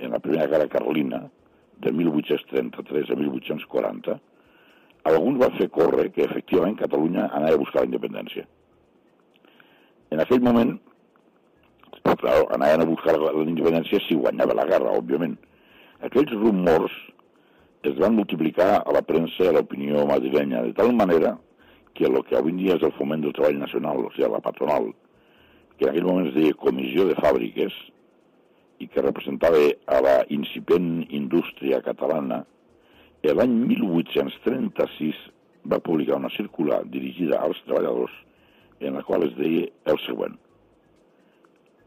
en la primera guerra carlina, de 1833 a 1840, alguns van fer córrer que efectivament Catalunya anava a buscar la independència. En aquell moment, clar, anaven a buscar la independència si guanyava la guerra, òbviament. Aquells rumors es van multiplicar a la premsa i a l'opinió madrilenya, de tal manera que el que avui en dia és el Foment del Treball Nacional, o sigui, la patronal, que en aquell moment es deia Comissió de Fàbriques, i que representava a la incipient indústria catalana, l'any 1836 va publicar una circular dirigida als treballadors en la qual es deia el següent.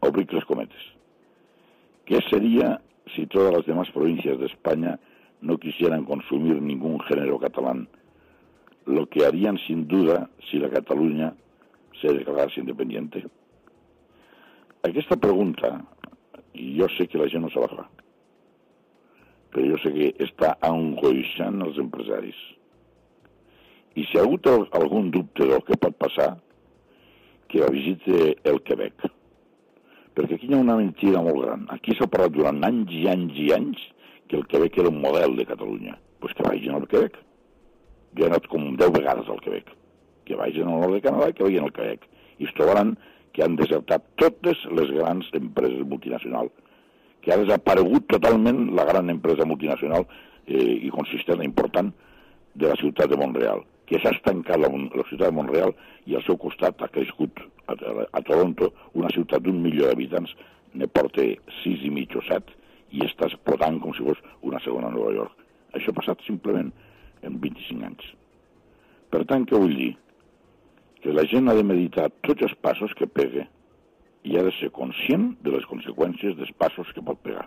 Obric les cometes. ¿Qué sería si todas las demás provincias de España no quisieran consumir ningún género catalán? Lo que harían sin duda si la Cataluña se declarase independiente. Aquesta pregunta, i jo sé que la gent no se la fa, però jo sé que està angoixant els empresaris. I si ha hagut algun dubte del que pot passar, que visite el Quebec. Perquè aquí hi ha una mentida molt gran. Aquí s'ha parlat durant anys i anys i anys que el Quebec era un model de Catalunya. Doncs que vagin al Quebec. Jo he anat com 10 vegades al Quebec. Que vagin al nord de Canadà i que vagin al Quebec. I es trobaran que han desertat totes les grans empreses multinacionals. Que ha desaparegut totalment la gran empresa multinacional i consistent important de la ciutat de Montreal. Que s'ha estancat la ciutat de Montreal i al seu costat ha crescut a Toronto, una ciutat d'1 milió d'habitants, ne porta 6,5 o 7, i està explotant com si fos una segona Nova York. Això ha passat simplement en 25 anys. Per tant, què vull dir? Que la gent ha de meditar tots els passos que pega i ha de ser conscient de les conseqüències dels passos que pot pegar.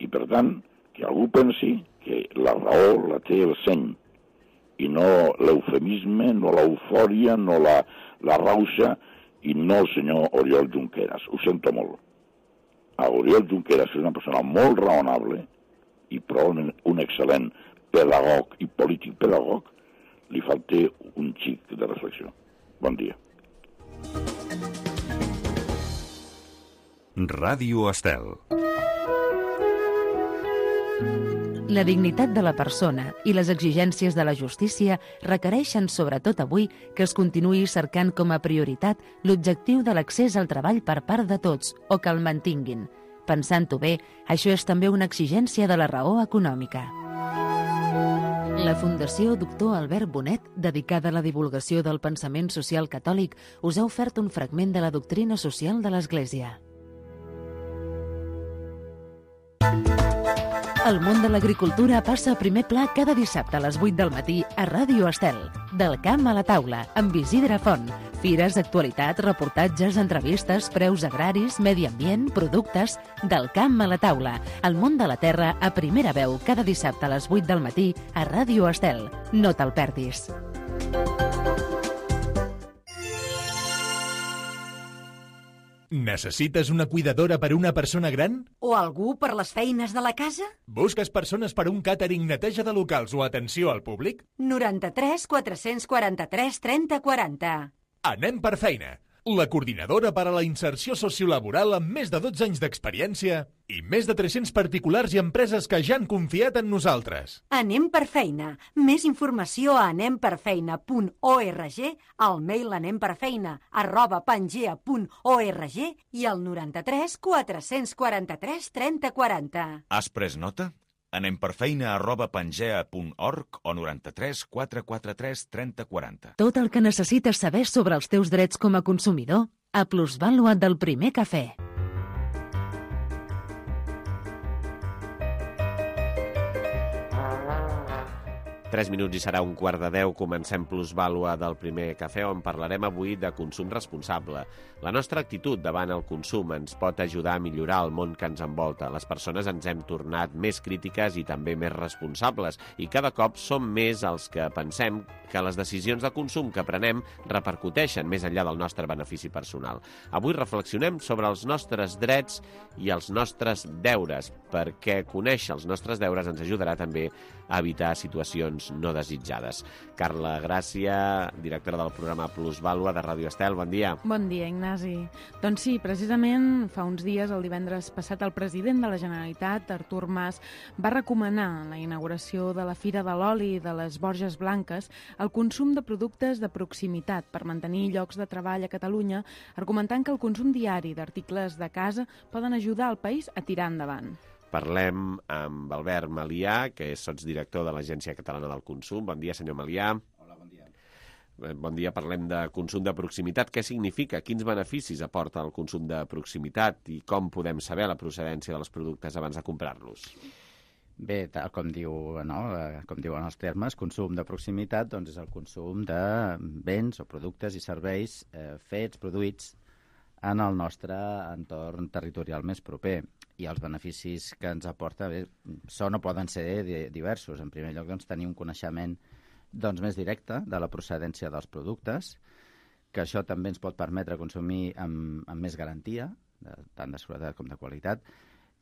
I per tant, que algú pensi que la raó la té el seny i no l'eufemisme, no l'eufòria, no la rauxa i no el senyor Oriol Junqueras. Ho sento molt. A Oriol Junqueras és una persona molt raonable i probablement un excel·lent pedagog i polític pedagog, li falta un xic de reflexió. Bon dia. Ràdio Estel. La dignitat de la persona i les exigències de la justícia requereixen, sobretot avui, que es continuï cercant com a prioritat l'objectiu de l'accés al treball per part de tots o que el mantinguin. Pensant-ho bé, això és també una exigència de la raó econòmica. La Fundació Doctor Albert Bonet, dedicada a la divulgació del pensament social catòlic, us ha ofert un fragment de la doctrina social de l'Església. El món de l'agricultura passa a primer pla cada dissabte a les 8 del matí a Ràdio Estel. Del camp a la taula, amb Isidre Font. Fires, actualitat, reportatges, entrevistes, preus agraris, medi ambient, productes... Del camp a la taula. El món de la terra a primera veu cada dissabte a les 8 del matí a Ràdio Estel. No te'l perdis. Necessites una cuidadora per una persona gran? O algú per les feines de la casa? Busques persones per un càtering, neteja de locals o atenció al públic? 93 443 30 40. Anem per feina. La coordinadora per a la inserció sociolaboral amb més de 12 anys d'experiència i més de 300 particulars i empreses que ja han confiat en nosaltres. Anem per feina. Més informació a anemperfeina.org, al mail anemperfeina@pangea.org i al 93 443 30 40. Has pres nota? anemperfeina@pangea.org o 93 443 30 40. Tot el que necessites saber sobre els teus drets com a consumidor a Plusvàlua del Primer Cafè. 3 minuts i serà 9:15. Comencem Plusvàlua del Primer Cafè, on parlarem avui de consum responsable. La nostra actitud davant el consum ens pot ajudar a millorar el món que ens envolta. Les persones ens hem tornat més crítiques i també més responsables, i cada cop som més els que pensem que les decisions de consum que prenem repercuteixen més enllà del nostre benefici personal. Avui reflexionem sobre els nostres drets i els nostres deures, perquè conèixer els nostres deures ens ajudarà també a evitar situacions no desitjades. Carla Gràcia, directora del programa Plusvàlua de Ràdio Estel, bon dia. Bon dia, Ignasi. Doncs sí, precisament fa uns dies, el divendres passat, el president de la Generalitat, Artur Mas, va recomanar en la inauguració de la Fira de l'Oli de les Borges Blanques el consum de productes de proximitat per mantenir llocs de treball a Catalunya, argumentant que el consum diari d'articles de casa poden ajudar el país a tirar endavant. Parlem amb Albert Malià, que és sotsdirector de l'Agència Catalana del Consum. Bon dia, senyor Malià. Hola, bon dia. Bon dia, parlem de consum de proximitat. Què significa? Quins beneficis aporta el consum de proximitat i com podem saber la procedència dels productes abans de comprar-los? Bé, tal com diuen els termes, consum de proximitat doncs és el consum de béns o productes i serveis produïts en el nostre entorn territorial més proper. I els beneficis que ens aporta són o poden ser diversos. En primer lloc, doncs, tenir un coneixement més directe de la procedència dels productes, que això també ens pot permetre consumir amb més garantia, tant de seguretat com de qualitat.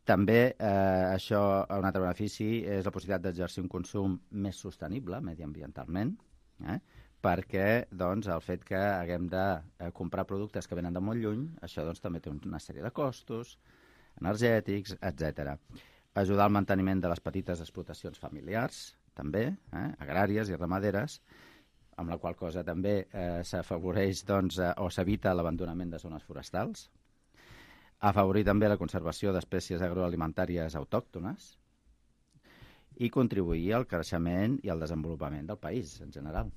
També un altre benefici és la possibilitat d'exercir un consum més sostenible mediambientalment, perquè el fet que haguem de comprar productes que venen de molt lluny, això també té una sèrie de costos energètics, etc. Ajudar al manteniment de les petites explotacions familiars, també, agràries i ramaderes, amb la qual cosa també s'afavoreix o s'evita l'abandonament de zones forestals. Afavorir també la conservació d'espècies agroalimentàries autòctones i contribuir al creixement i al desenvolupament del país en general.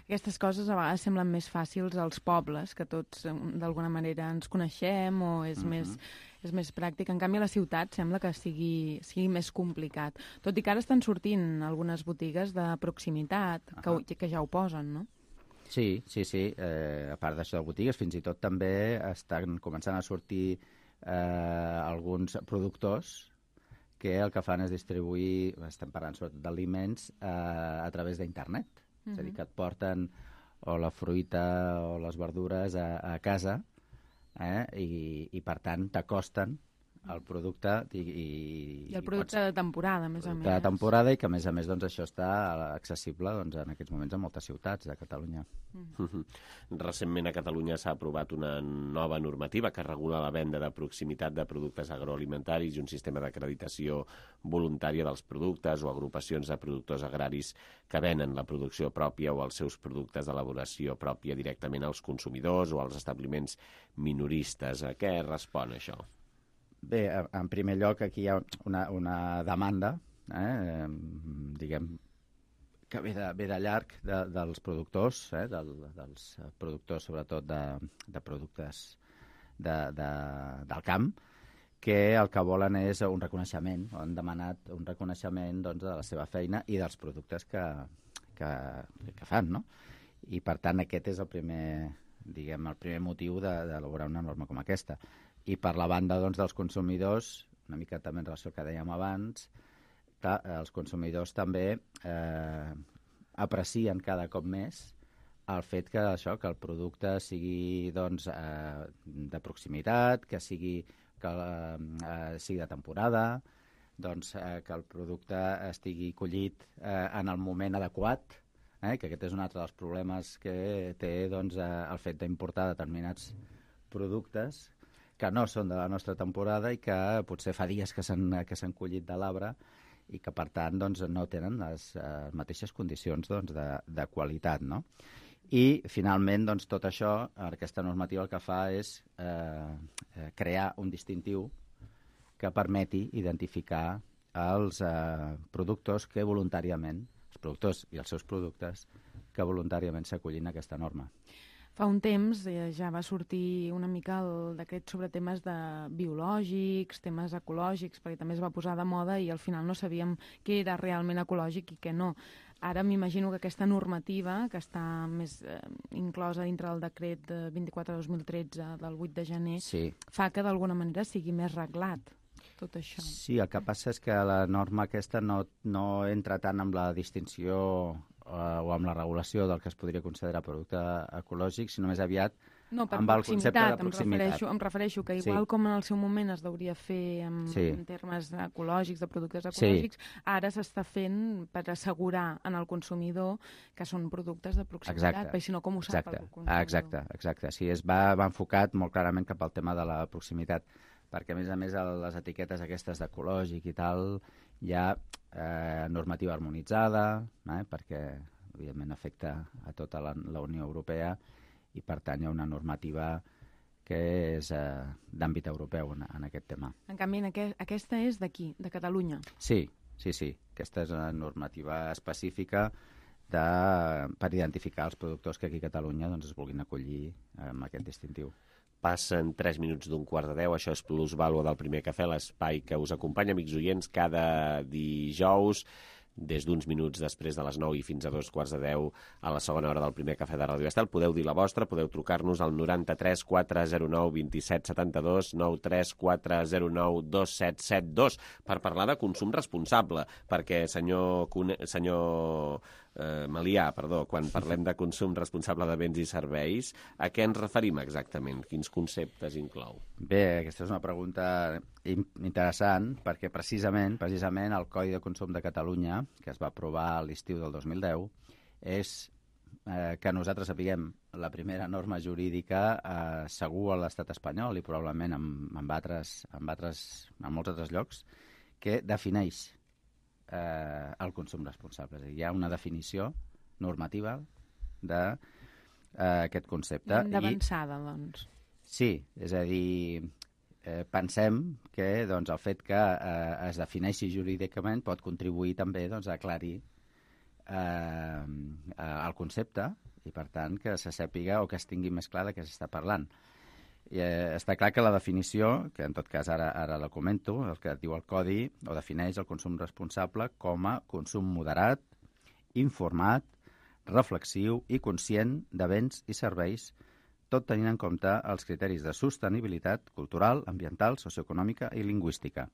Aquestes coses a vegades semblen més fàcils als pobles, que tots d'alguna manera ens coneixem o és més pràctic. En canvi, a la ciutat sembla que sigui més complicat. Tot i que ara estan sortint algunes botigues de proximitat que ja ho posen, no? Sí. A part d'això de botigues, fins i tot també estan començant a sortir alguns productors que el que fan és distribuir, estem parlant sobretot d'aliments, a través d'internet. És a dir, que et porten o la fruita o les verdures a casa i per tant, t'acosten el producte i el producte de temporada, a més a més. De temporada, i que a més això està accessible en aquests moments a moltes ciutats de Catalunya. Recentment a Catalunya s'ha aprovat una nova normativa que regula la venda de proximitat de productes agroalimentaris i un sistema d'acreditació voluntària dels productes o agrupacions de productors agraris que venen la producció pròpia o els seus productes d'elaboració pròpia directament als consumidors o als establiments minoristes. A què respon això? Bé, en primer lloc, aquí hi ha una demanda, diguem, que ve de llarg dels productors, dels productors sobretot de productes del camp, que el que volen és un reconeixement, han demanat un reconeixement de la seva feina i dels productes que fan, no? I per tant aquest és el primer motiu d'elaborar una norma com aquesta. I per la banda dels consumidors, una mica també en relació al que dèiem abans, que els consumidors també aprecien cada cop més el fet que el producte sigui de proximitat, que sigui de temporada, que el producte estigui collit en el moment adequat, que aquest és un altre dels problemes que té el fet d'importar determinats productes que no són de la nostra temporada i que potser fa dies que s'han collit de l'arbre i que, per tant, no tenen les mateixes condicions de qualitat, no? I, finalment, tot això, aquesta normativa el que fa és crear un distintiu que permeti identificar els productors que voluntàriament, els productors i els seus productes, que voluntàriament s'acollin a aquesta norma. Fa un temps ja va sortir una mica el decret sobre temes de biològics, temes ecològics, perquè també es va posar de moda i al final no sabíem què era realment ecològic i què no. Ara m'imagino que aquesta normativa, que està més inclosa dintre del decret 24/2013 del 8 de gener, fa que d'alguna manera sigui més reglat tot això. Sí, el que passa és que la norma aquesta no entra tant amb la distinció o amb la regulació del que es podria considerar producte ecològic, sinó més aviat amb el concepte de proximitat. Em refereixo que igual com en el seu moment es hauria fer en termes ecològics, de productes ecològics, ara s'està fent per assegurar en el consumidor que són productes de proximitat, perquè si no com ho sap el consumidor? Exacte. Sí, va enfocat molt clarament cap al tema de la proximitat, perquè a més les etiquetes aquestes d'ecològic i tal hi ha normativa harmonitzada, perquè evidentment afecta a tota la Unió Europea i per tant hi ha una normativa que és d'àmbit europeu en aquest tema. En canvi, aquesta és d'aquí, de Catalunya. Sí. Aquesta és una normativa específica per identificar els productors que aquí a Catalunya es vulguin acollir amb aquest distintiu. Passen 3 minuts d'un 9:45, això és Plusvàlua del Primer Cafè, l'espai que us acompanya, amics oients, cada dijous, des d'uns minuts després de les 9 i fins a 2:15 a la segona hora del Primer Cafè de Ràdio Estel. Podeu dir la vostra, podeu trucar-nos al 93 409 27 72, 93 409 2772, per parlar de consum responsable, perquè senyor Melià, quan parlem de consum responsable de béns i serveis, a què ens referim exactament? Quins conceptes inclou? Bé, aquesta és una pregunta interessant, perquè precisament el Codi de Consum de Catalunya, que es va aprovar a l'estiu del 2010, és que nosaltres sapiguem la primera norma jurídica segur a l'estat espanyol i probablement en molts altres llocs, que defineix el consum responsable. És a dir, hi ha una definició normativa d'aquest concepte. D'avançada, doncs. Sí, és a dir, pensem que el fet que es defineixi jurídicament pot contribuir també a aclarir el concepte i, per tant, que se sàpiga o que es tingui més clar de què s'està parlant. Està clar que la definició, que en tot cas ara la comento, el que diu el Codi, o defineix el consum responsable com a consum moderat, informat, reflexiu i conscient de béns i serveis, tot tenint en compte els criteris de sostenibilitat cultural, ambiental, socioeconòmica i lingüística.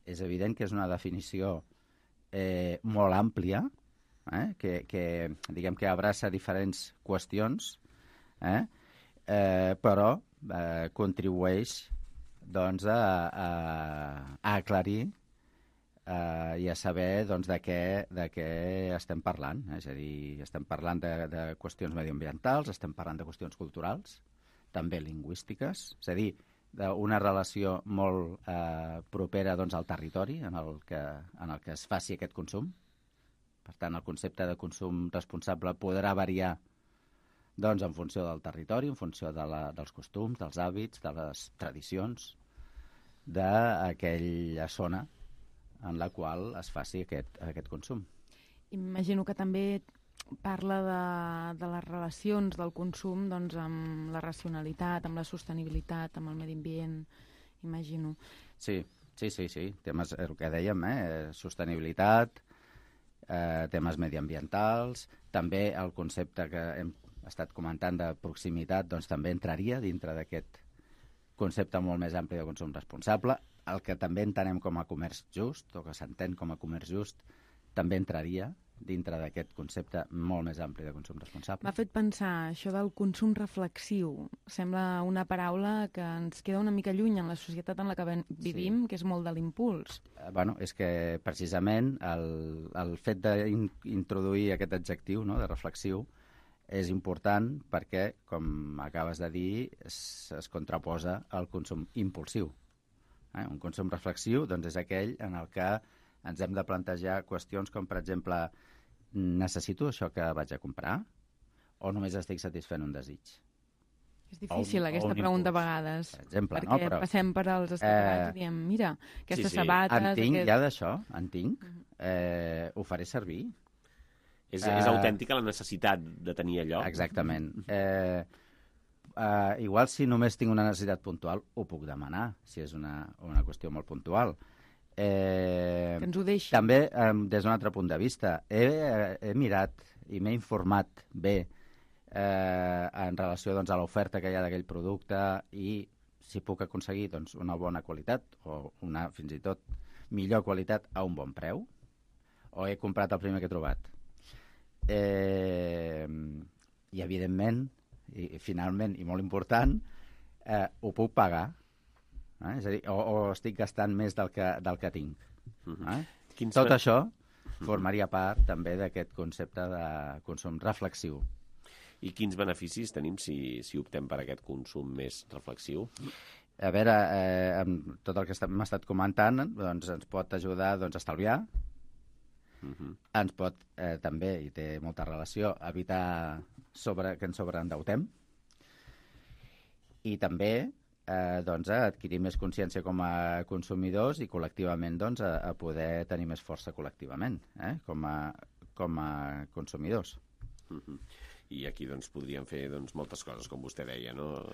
És evident que és una definició molt àmplia, que diguem que abraça diferents qüestions, però contribueix a aclarir i a saber de què estem parlant. És a dir, estem parlant de qüestions mediambientals, estem parlant de qüestions culturals, també lingüístiques, és a dir, d'una relació molt propera al territori en el que es faci aquest consum. Per tant, el concepte de consum responsable podrà variar en funció del territori, en funció dels costums, dels hàbits, de les tradicions d'aquella zona en la qual es faci aquest consum. Imagino que també parla de les relacions del consum amb la racionalitat, amb la sostenibilitat, amb el medi ambient, imagino. Sí. Temes, el que dèiem, sostenibilitat, temes mediambientals, també el concepte que hem estat comentant de proximitat, també entraria dintre d'aquest concepte molt més ampli de consum responsable. El que també entenem com a comerç just, o que s'entén com a comerç just, també entraria dintre d'aquest concepte molt més ampli de consum responsable. M'ha fet pensar això del consum reflexiu. Sembla una paraula que ens queda una mica lluny en la societat en la que vivim, que és molt de l'impuls. És que precisament el fet d'introduir aquest adjectiu de reflexiu és important perquè, com acabes de dir, es contraposa al consum impulsiu. Un consum reflexiu és aquell en el que ens hem de plantejar qüestions com, per exemple, necessito això que vaig a comprar o només estic satisfent un desig? És difícil aquesta pregunta a vegades, per exemple, perquè passem per als escaparats i diem, mira, aquestes sabates... En tinc, ja d'això, ho faré servir. És autèntica la necessitat de tenir allò? Exactament. Igual si només tinc una necessitat puntual, ho puc demanar, si és una qüestió molt puntual. Que ens ho deixi. També, des d'un altre punt de vista, he mirat i m'he informat bé en relació doncs, a l'oferta que hi ha d'aquell producte i si puc aconseguir doncs, una bona qualitat o una, fins i tot, millor qualitat a un bon preu, o he comprat el primer que he trobat. I, evidentment, i finalment, i molt important, ho puc pagar. És a dir, o estic gastant més del que tinc. Tot això formaria part també d'aquest concepte de consum reflexiu. I quins beneficis tenim si optem per aquest consum més reflexiu? A veure, amb tot el que hem estat comentant, doncs, ens pot ajudar a estalviar, ens pot també, i té molta relació, evitar que ens sobreendeutem, i també a adquirir més consciència com a consumidors i col·lectivament a poder tenir més força col·lectivament com a consumidors. I aquí podríem fer moltes coses, com vostè deia, no?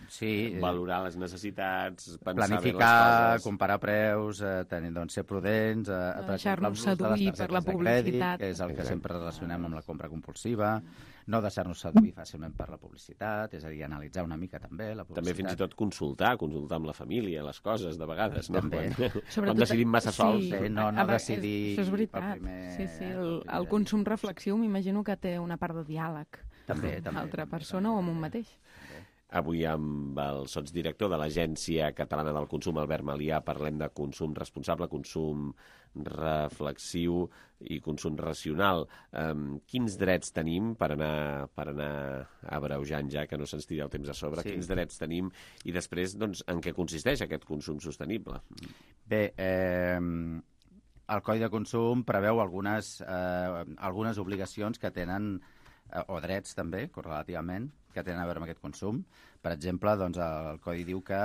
Sí. Valorar les necessitats, pensar planificar, bé les coses. comparar preus, ser prudents, deixar-nos seduir per la publicitat. Que és el que sempre relacionem amb la compra compulsiva, no deixar-nos seduir fàcilment per la publicitat, és a dir, analitzar una mica també la publicitat. També fins i tot consultar amb la família, les coses, de vegades, no? També. Quan decidim massa sols. No decidir... Això és veritat. Sí, el consum reflexiu m'imagino que té una part de diàleg. També. Amb l'altra persona o amb un mateix. Avui amb el sotsdirector de l'Agència Catalana del Consum, Albert Malià, parlem de consum responsable, consum reflexiu i consum racional. Quins drets tenim per anar abreujant ja, que no se'ns tiri el temps a sobre? Sí. Quins drets tenim i després en què consisteix aquest consum sostenible? Bé, el Codi de Consum preveu algunes obligacions que tenen o drets també, correlativament, que tenen a veure amb aquest consum. Per exemple, el Codi diu que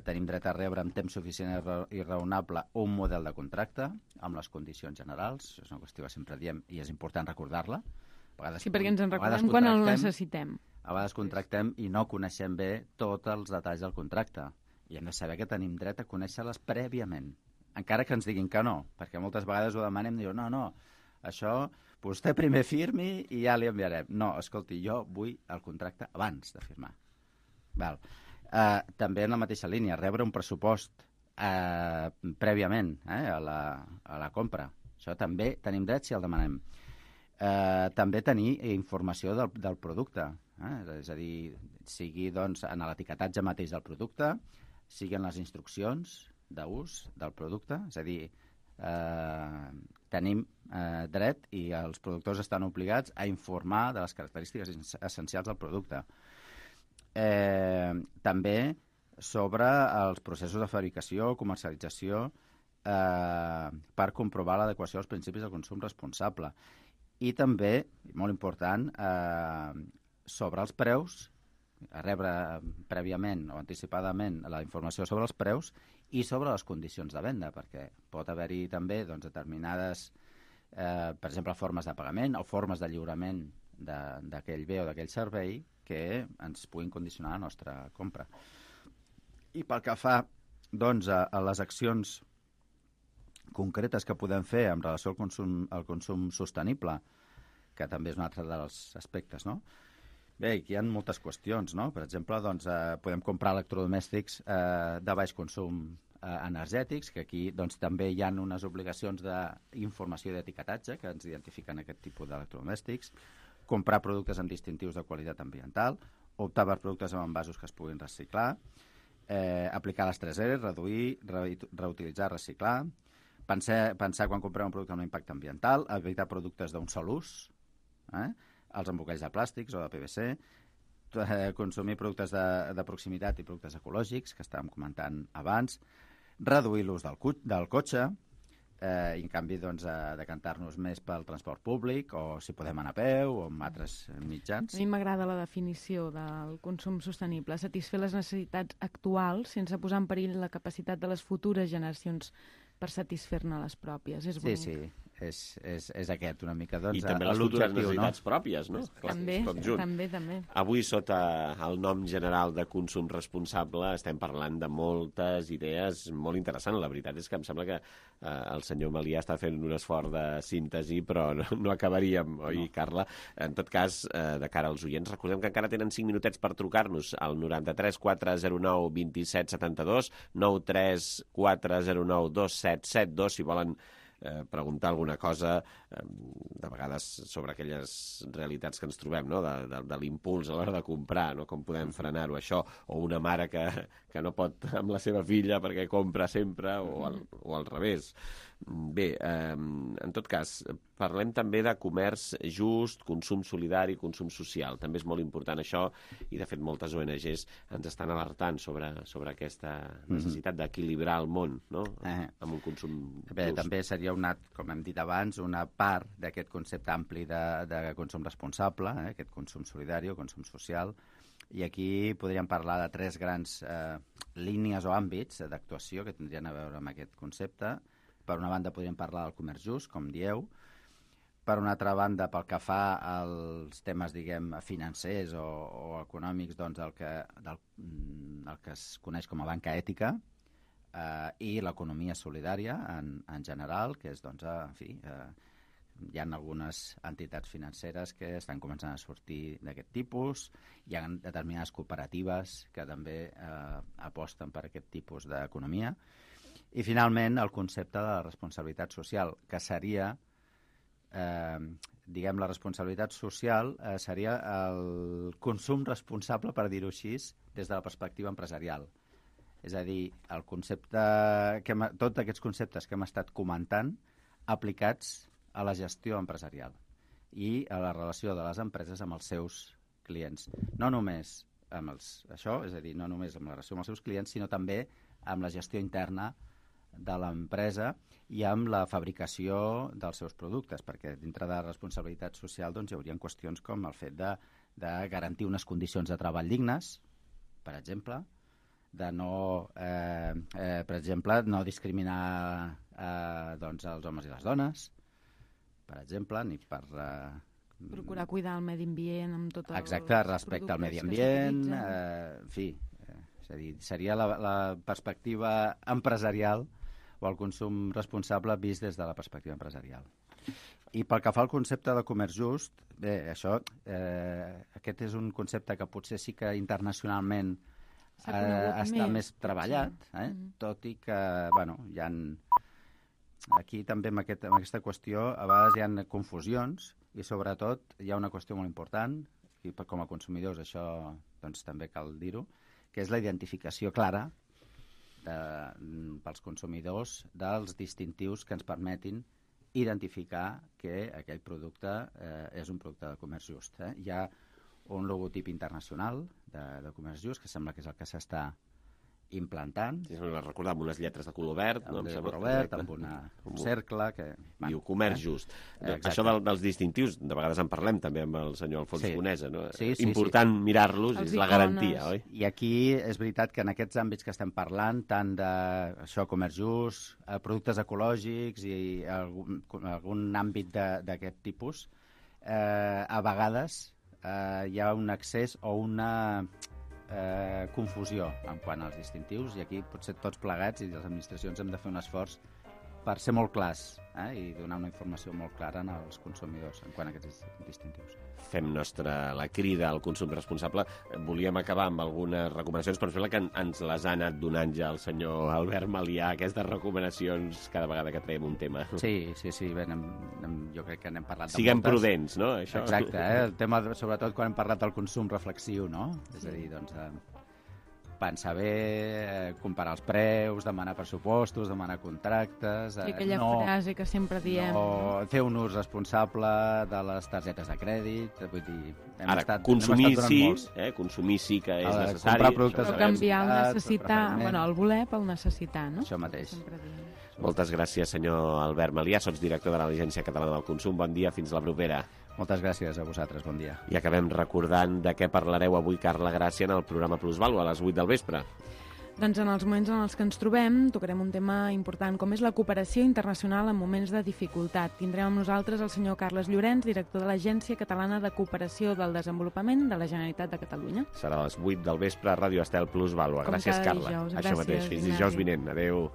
tenim dret a rebre en temps suficient i raonable un model de contracte amb les condicions generals. És una qüestió que sempre diem i és important recordar-la. Sí, perquè ens en recordem quan el necessitem. A vegades contractem i no coneixem bé tots els detalls del contracte. I hem de saber que tenim dret a conèixer-les prèviament, encara que ens diguin que no, perquè moltes vegades ho demanem i diuen no, això vostè primer firmi i ja li enviarem. No, escolti, jo vull el contracte abans de firmar. També en la mateixa línia, rebre un pressupost prèviament a la compra. Això també tenim dret si el demanem. També tenir informació del producte, és a dir, sigui en l'etiquetatge mateix del producte, sigui en les instruccions d'ús del producte, és a dir, tenim dret i els productors estan obligats a informar de les característiques essencials del producte. També sobre els processos de fabricació o comercialització per comprovar l'adequació als principis del consum responsable. I també, molt important, sobre els preus, a rebre prèviament o anticipadament la informació sobre els preus i sobre les condicions de venda, perquè pot haver-hi també determinades, per exemple, formes de pagament o formes de lliurament d'aquell bé o d'aquell servei que ens puguin condicionar la nostra compra. I pel que fa a les accions concretes que podem fer en relació al consum sostenible, que també és un altre dels aspectes, no? Bé, aquí hi ha moltes qüestions, no? Per exemple, podem comprar electrodomèstics de baix consum energètics, que aquí també hi ha unes obligacions d'informació i d'etiquetatge que ens identifiquen aquest tipus d'electrodomèstics, comprar productes amb distintius de qualitat ambiental, optar per productes amb envasos que es puguin reciclar, aplicar les 3 R's, reduir, reutilitzar, reciclar, pensar quan comprem un producte amb impacte ambiental, evitar productes d'un sol ús, els embolcalls de plàstics o de PVC, consumir productes de proximitat i productes ecològics, que estàvem comentant abans, reduir l'ús del cotxe, i en canvi decantar-nos més pel transport públic o si podem anar a peu o amb altres mitjans. A mi m'agrada la definició del consum sostenible, satisfer les necessitats actuals sense posar en perill la capacitat de les futures generacions per satisfer-ne les pròpies. És bonic. Sí, és aquest, una mica. Doncs, I també les futures necessitats pròpies, no? També, també. Avui, sota el nom general de consum responsable, estem parlant de moltes idees molt interessants. La veritat és que em sembla que el senyor Melià està fent un esforç de síntesi, però no acabaríem, oi, Carla? En tot cas, de cara als oients, recordem que encara tenen 5 minutets per trucar-nos al 93 409 27 72, 93 409 2772, si volen preguntar alguna cosa, de vegades sobre aquelles realitats que ens trobem, no? de l'impuls a l'hora de comprar, no? Com podem frenar-ho, això, o una mare que no pot amb la seva filla perquè compra sempre, o al revés. Bé, en tot cas, parlem també de comerç just, consum solidari, consum social. També és molt important això, i de fet moltes ONGs ens estan alertant sobre aquesta necessitat d'equilibrar el món, no? Amb un consum Bé, just. També seria com hem dit abans, una part d'aquest concepte ampli de consum responsable, aquest consum solidari o consum social, i aquí podríem parlar de 3 grans línies o àmbits d'actuació que tindrien a veure amb aquest concepte. Per una banda podríem parlar del comerç just, com dieu. Per una altra banda, pel que fa als temes, diguem, financers o econòmics, doncs el que es coneix com a banca ètica i l'economia solidària en general, que és, doncs, en fi, hi ha algunes entitats financeres que estan començant a sortir d'aquest tipus, hi ha determinades cooperatives que també aposten per aquest tipus d'economia. I, finalment, el concepte de la responsabilitat social, que seria, diguem, la responsabilitat social seria el consum responsable, per dir-ho així, des de la perspectiva empresarial. És a dir, el concepte, tots aquests conceptes que hem estat comentant aplicats a la gestió empresarial i a la relació de les empreses amb els seus clients. No només amb això, és a dir, no només amb la relació amb els seus clients, sinó també amb la gestió interna de l'empresa i amb la fabricació dels seus productes, perquè dintre de la responsabilitat social doncs, hi haurà qüestions com el fet de garantir unes condicions de treball dignes, per exemple, de no, per exemple, no discriminar doncs, els homes i les dones, per exemple, ni per... procurar cuidar el medi ambient amb tot el... Exacte, respecte al medi ambient, en fi, és a dir, seria la perspectiva empresarial o el consum responsable vist des de la perspectiva empresarial. I pel que fa al concepte de comerç just, bé, això, aquest és un concepte que potser sí que internacionalment està més treballat, tot i que, bueno, hi ha... Aquí també amb aquesta qüestió a vegades hi ha confusions i sobretot hi ha una qüestió molt important, i com a consumidors això doncs, també cal dir-ho, que és la identificació clara pels consumidors dels distintius que ens permetin identificar que aquell producte és un producte de comerç just. Hi ha un logotip internacional de comerç just que sembla que és el que s'està implantant. Sí, recordar amb unes lletres de color verd. De color verd, amb un cercle que... Diu comerç just. Això dels distintius, de vegades en parlem també amb el senyor Alfons Conesa, no? Important mirar-los, és la garantia, oi? I aquí és veritat que en aquests àmbits que estem parlant, tant d'això, comerç just, productes ecològics i algun àmbit d'aquest tipus, a vegades hi ha un accés o una confusió en quant als distintius, i aquí potser tots plegats i les administracions hem de fer un esforç per ser molt clars i donar una informació molt clara als consumidors en quant a aquests distintius. Fem nostra la crida al consum responsable. Volíem acabar amb algunes recomanacions, però sembla que ens les ha anat donant ja el senyor Albert Melià, aquestes recomanacions cada vegada que traiem un tema. Sí, bé, jo crec que n'hem parlat de Siguem prudents, no? Això. Exacte, el tema, sobretot quan hem parlat del consum reflexiu, no? És a dir, doncs, pensar bé, comparar els preus, demanar pressupostos, demanar contractes... I aquella frase que sempre diem... No, fer un ús responsable de les targetes de crèdit, vull dir... Ara, consumir sí que és necessari. Comprar productes... Però canviar el necessitar, bueno, el voler pel necessitar, no? Això mateix. Moltes gràcies, senyor Albert Melià, sots director de l'Agència Catalana del Consum. Bon dia, fins la propera. Moltes gràcies a vosaltres, bon dia. I acabem recordant de què parlareu avui, Carla Gràcia, en el programa Plusvàlua, a les 8 del vespre. Doncs en els moments en els que ens trobem tocarem un tema important, com és la cooperació internacional en moments de dificultat. Tindrem amb nosaltres el senyor Carles Llorenç, director de l'Agència Catalana de Cooperació del Desenvolupament de la Generalitat de Catalunya. Serà a les 8 del vespre a Ràdio Estel Plus Vàlua. Gràcies, Carla. Dijous. Això mateix. Fins dijous vinent. Adéu.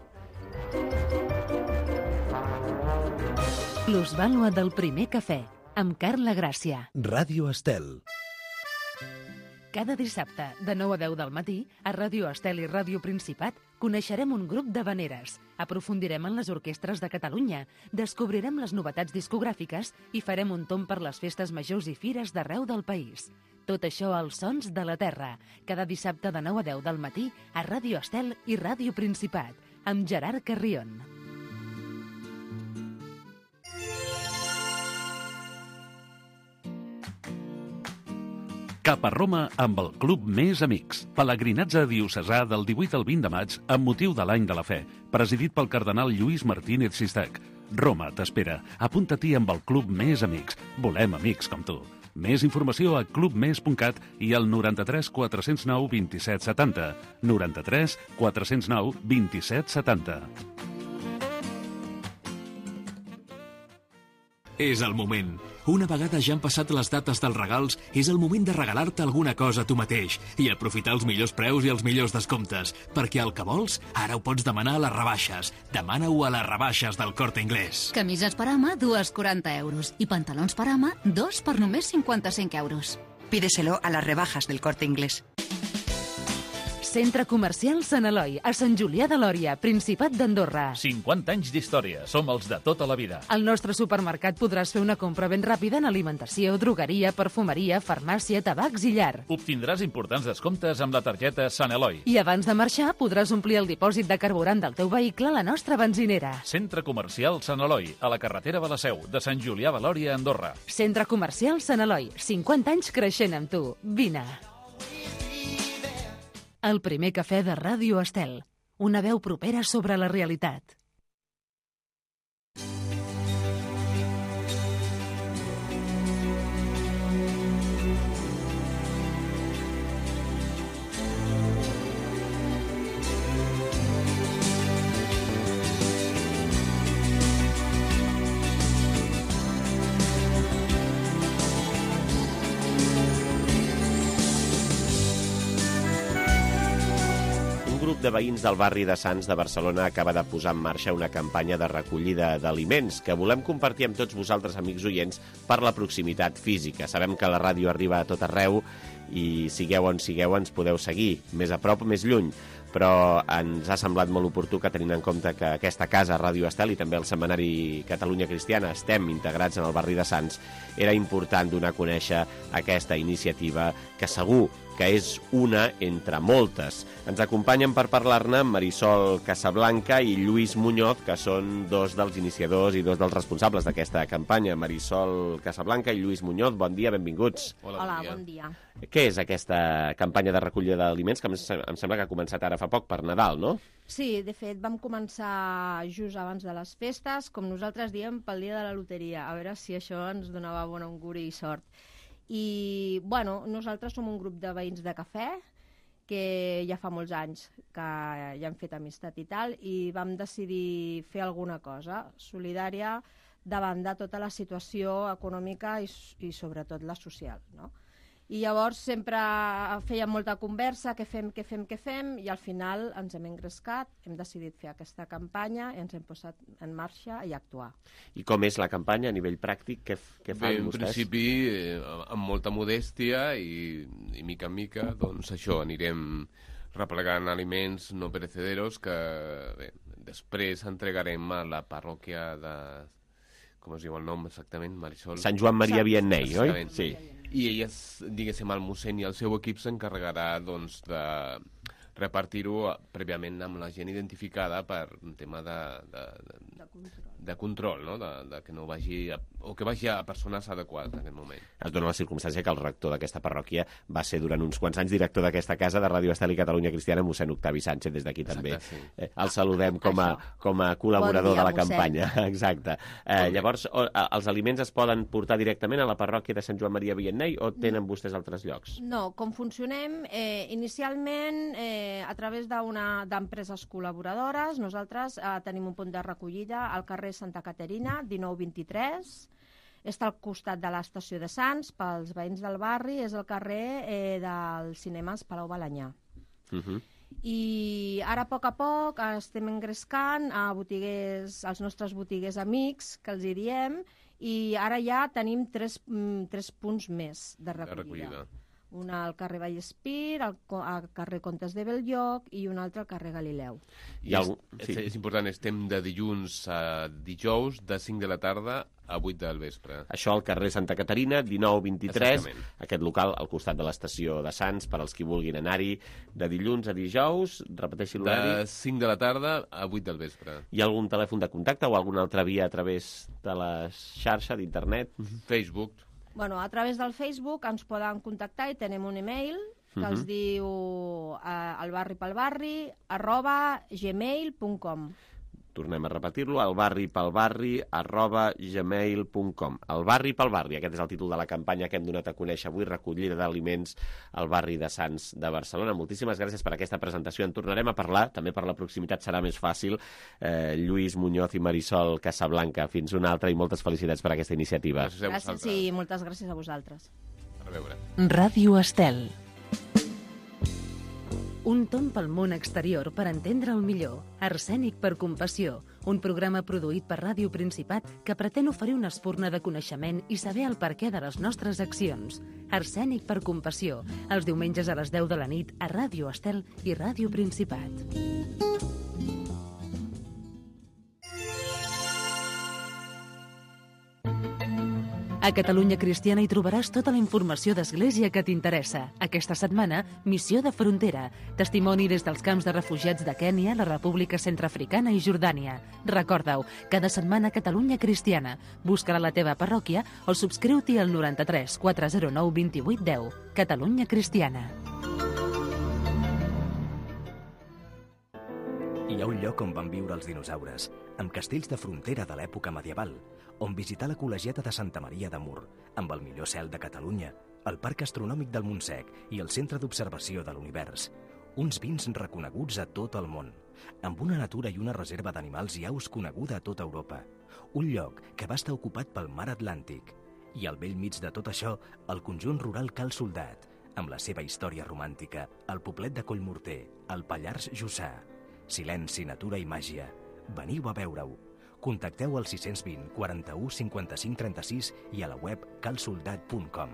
Plus Vàlua del primer cafè, amb Carla Gràcia. Ràdio Estel. Cada dissabte, de 9 a 10 del matí, a Ràdio Estel i Ràdio Principat, coneixerem un grup d'havaneres, aprofundirem en les orquestres de Catalunya, descobrirem les novetats discogràfiques i farem un tomb per les festes majors i fires d'arreu del país. Tot això als Sons de la Terra, cada dissabte de 9 a 10 del matí, a Ràdio Estel i Ràdio Principat, amb Gerard Carrion. Cap a Roma amb el Club Més Amics. Pelegrinatge diocesà del 18 al 20 de maig amb motiu de l'Any de la Fe, presidit pel cardenal Lluís Martínez Sistach. Roma t'espera. Apunta-t'hi amb el Club Més Amics. Volem amics com tu. Més informació a clubmes.cat i al 93 409 27 70. 93 409 27 70. És el moment. Una vegada ja han passat les dates dels regals, és el moment de regalar-te alguna cosa a tu mateix i aprofitar els millors preus i els millors descomptes, perquè el que vols ara ho pots demanar a les rebaixes. Demana-ho a les rebaixes del Corte Inglés. Camises per home, 2,40 euros. I pantalons per home, 2 per només 55 euros. Pídeselo a las rebajas del Corte Inglés. Centre Comercial Sant Eloi, a Sant Julià de Lòria, Principat d'Andorra. 50 anys d'història, som els de tota la vida. Al nostre supermercat podràs fer una compra ben ràpida en alimentació, drogueria, perfumeria, farmàcia, tabacs i llar. Obtindràs importants descomptes amb la targeta Sant Eloi. I abans de marxar podràs omplir el dipòsit de carburant del teu vehicle a la nostra benzinera. Centre Comercial Sant Eloi, a la carretera de la Seu, de Sant Julià de Lòria, Andorra. Centre Comercial Sant Eloi, 50 anys creixent amb tu. Vine. El primer cafè de Ràdio Estel. Una veu propera sobre la realitat. De veïns del barri de Sants de Barcelona acaba de posar en marxa una campanya de recollida d'aliments que volem compartir amb tots vosaltres, amics oients, per la proximitat física. Sabem que la ràdio arriba a tot arreu i sigueu on sigueu ens podeu seguir, més a prop o més lluny, però ens ha semblat molt oportú que, tenint en compte que aquesta casa, Ràdio Estel, i també el Setmanari Catalunya Cristiana, estem integrats en el barri de Sants, era important donar a conèixer aquesta iniciativa que segur que és una entre moltes. Ens acompanyen per parlar-ne Marisol Casablanca i Lluís Muñoz, que són dos dels iniciadors i dos dels responsables d'aquesta campanya. Marisol Casablanca i Lluís Muñoz, bon dia, benvinguts. Hola, bon dia. Què és aquesta campanya de recollida d'aliments, que em sembla que ha començat ara fa poc per Nadal, no? Sí, de fet, vam començar just abans de les festes, com nosaltres diem, pel dia de la loteria, a veure si això ens donava bon auguri i sort. I, bueno, nosaltres som un grup de veïns de cafè que ja fa molts anys que ja hem fet amistat i tal, i vam decidir fer alguna cosa solidària davant de tota la situació econòmica i sobretot la social, no? I llavors sempre fèiem molta conversa, què fem, i al final ens hem engrescat, hem decidit fer aquesta campanya i ens hem posat en marxa i actuar. I com és la campanya a nivell pràctic? Què fan vostès? En principi, amb molta modèstia i mica en mica, doncs això, anirem replegant aliments no perecederos que després entregarem a la parròquia de... Com es diu el nom exactament, Marisol? Sant Joan Maria Vianney, oi? Sí. I elles, diguéssim, el mossèn i el seu equip s'encarregarà doncs, de repartir-ho prèviament amb la gent identificada per un tema de control, no? De que no vagi o que vagi a persones adequades en aquest moment. Es dona la circumstància que el rector d'aquesta parròquia va ser durant uns quants anys director d'aquesta casa de Ràdio Estel i Catalunya Cristiana, mossèn Octavi Sánchez, des d'aquí també. Exacte, sí. El saludem com a col·laborador de la campanya. Exacte. Llavors, els aliments es poden portar directament a la parròquia de Sant Joan Maria Vianney o tenen vostès altres llocs? No, com funcionem, inicialment a través d'empreses col·laboradores, nosaltres tenim un punt de recollida al carrer Santa Caterina, 1923, està al costat de l'estació de Sants, pels veïns del barri, és el carrer dels cinemes Palau Balanyà. I ara, a poc, estem engrescant a botiguers, als nostres botiguers amics, que els hi diem, i ara ja tenim tres punts més de recollida. Una al carrer Vallespir, al carrer Comtes de Belllloc i una altra al carrer Galileu. És important, estem de dilluns a dijous, de 5 de la tarda a 8 del vespre. Això al carrer Santa Caterina, 1923, aquest local al costat de l'estació de Sants, per als qui vulguin anar-hi, de dilluns a dijous, repeteixi l'horari. De 5 de la tarda a 8 del vespre. Hi ha algun telèfon de contacte o alguna altra via a través de la xarxa d'internet? Facebook. Bueno, a través del Facebook ens poden contactar i tenim un email que els diu albarripelbarri@gmail.com. Tornem a repetir-lo, albarripelbarri@gmail.com. El barri pel barri, aquest és el títol de la campanya que hem donat a conèixer avui, recollida d'aliments al barri de Sants de Barcelona. Moltíssimes gràcies per aquesta presentació. En tornarem a parlar, també per la proximitat serà més fàcil. Lluís Muñoz i Marisol Casablanca, fins una altra i moltes felicitats per aquesta iniciativa. Gràcies i moltes gràcies a vosaltres. A veure. Ràdio Estel. Un tomb pel món exterior per entendre'l millor. Arsènic per compassió. Un programa produït per Ràdio Principat que pretén oferir una espurna de coneixement i saber el perquè de les nostres accions. Arsènic per compassió. Els diumenges a les 10 de la nit a Ràdio Estel i Ràdio Principat. A Catalunya Cristiana hi trobaràs tota la informació d'Església que t'interessa. Aquesta setmana, Missió de Frontera. Testimoni des dels camps de refugiats de Kènia, la República Centreafricana i Jordània. Recorda-ho, cada setmana Catalunya Cristiana. Busca-la a la teva parròquia o subscriu-t'hi al 93 409 28 10. Catalunya Cristiana. Hi ha un lloc on van viure els dinosaures, amb castells de frontera de l'època medieval, on visitar la col·legiata de Santa Maria de Mur, amb el millor cel de Catalunya, el Parc Astronòmic del Montsec i el Centre d'Observació de l'Univers. Uns vins reconeguts a tot el món, amb una natura i una reserva d'animals i aus coneguda a tota Europa. Un lloc que va estar ocupat pel mar Atlàntic. I al bell mig de tot això, el conjunt rural Cal Soldat, amb la seva història romàntica, el poblet de Collmorter, el Pallars Jussà. Silenci, natura i màgia. Veniu a veure-ho. Contacteu al 620 41 55 36 i a la web calsoldat.com.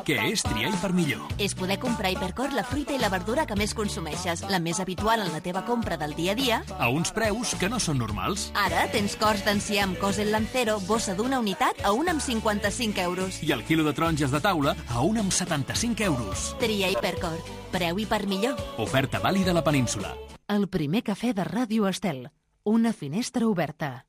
Què és triar Hipermillor? És poder comprar a Hipercor la fruita i la verdura que més consumeixes, la més habitual en la teva compra del dia a dia. A uns preus que no són normals. Ara tens cors d'enciam amb cos en Lancero, bossa d'una unitat a 1 amb 55 euros. I el quilo de taronges de taula a 1 amb 75 euros. Tria Hipercor. Preu Hipermillor. Oferta vàlida a la península. El primer cafè de Ràdio Estel. Una finestra oberta.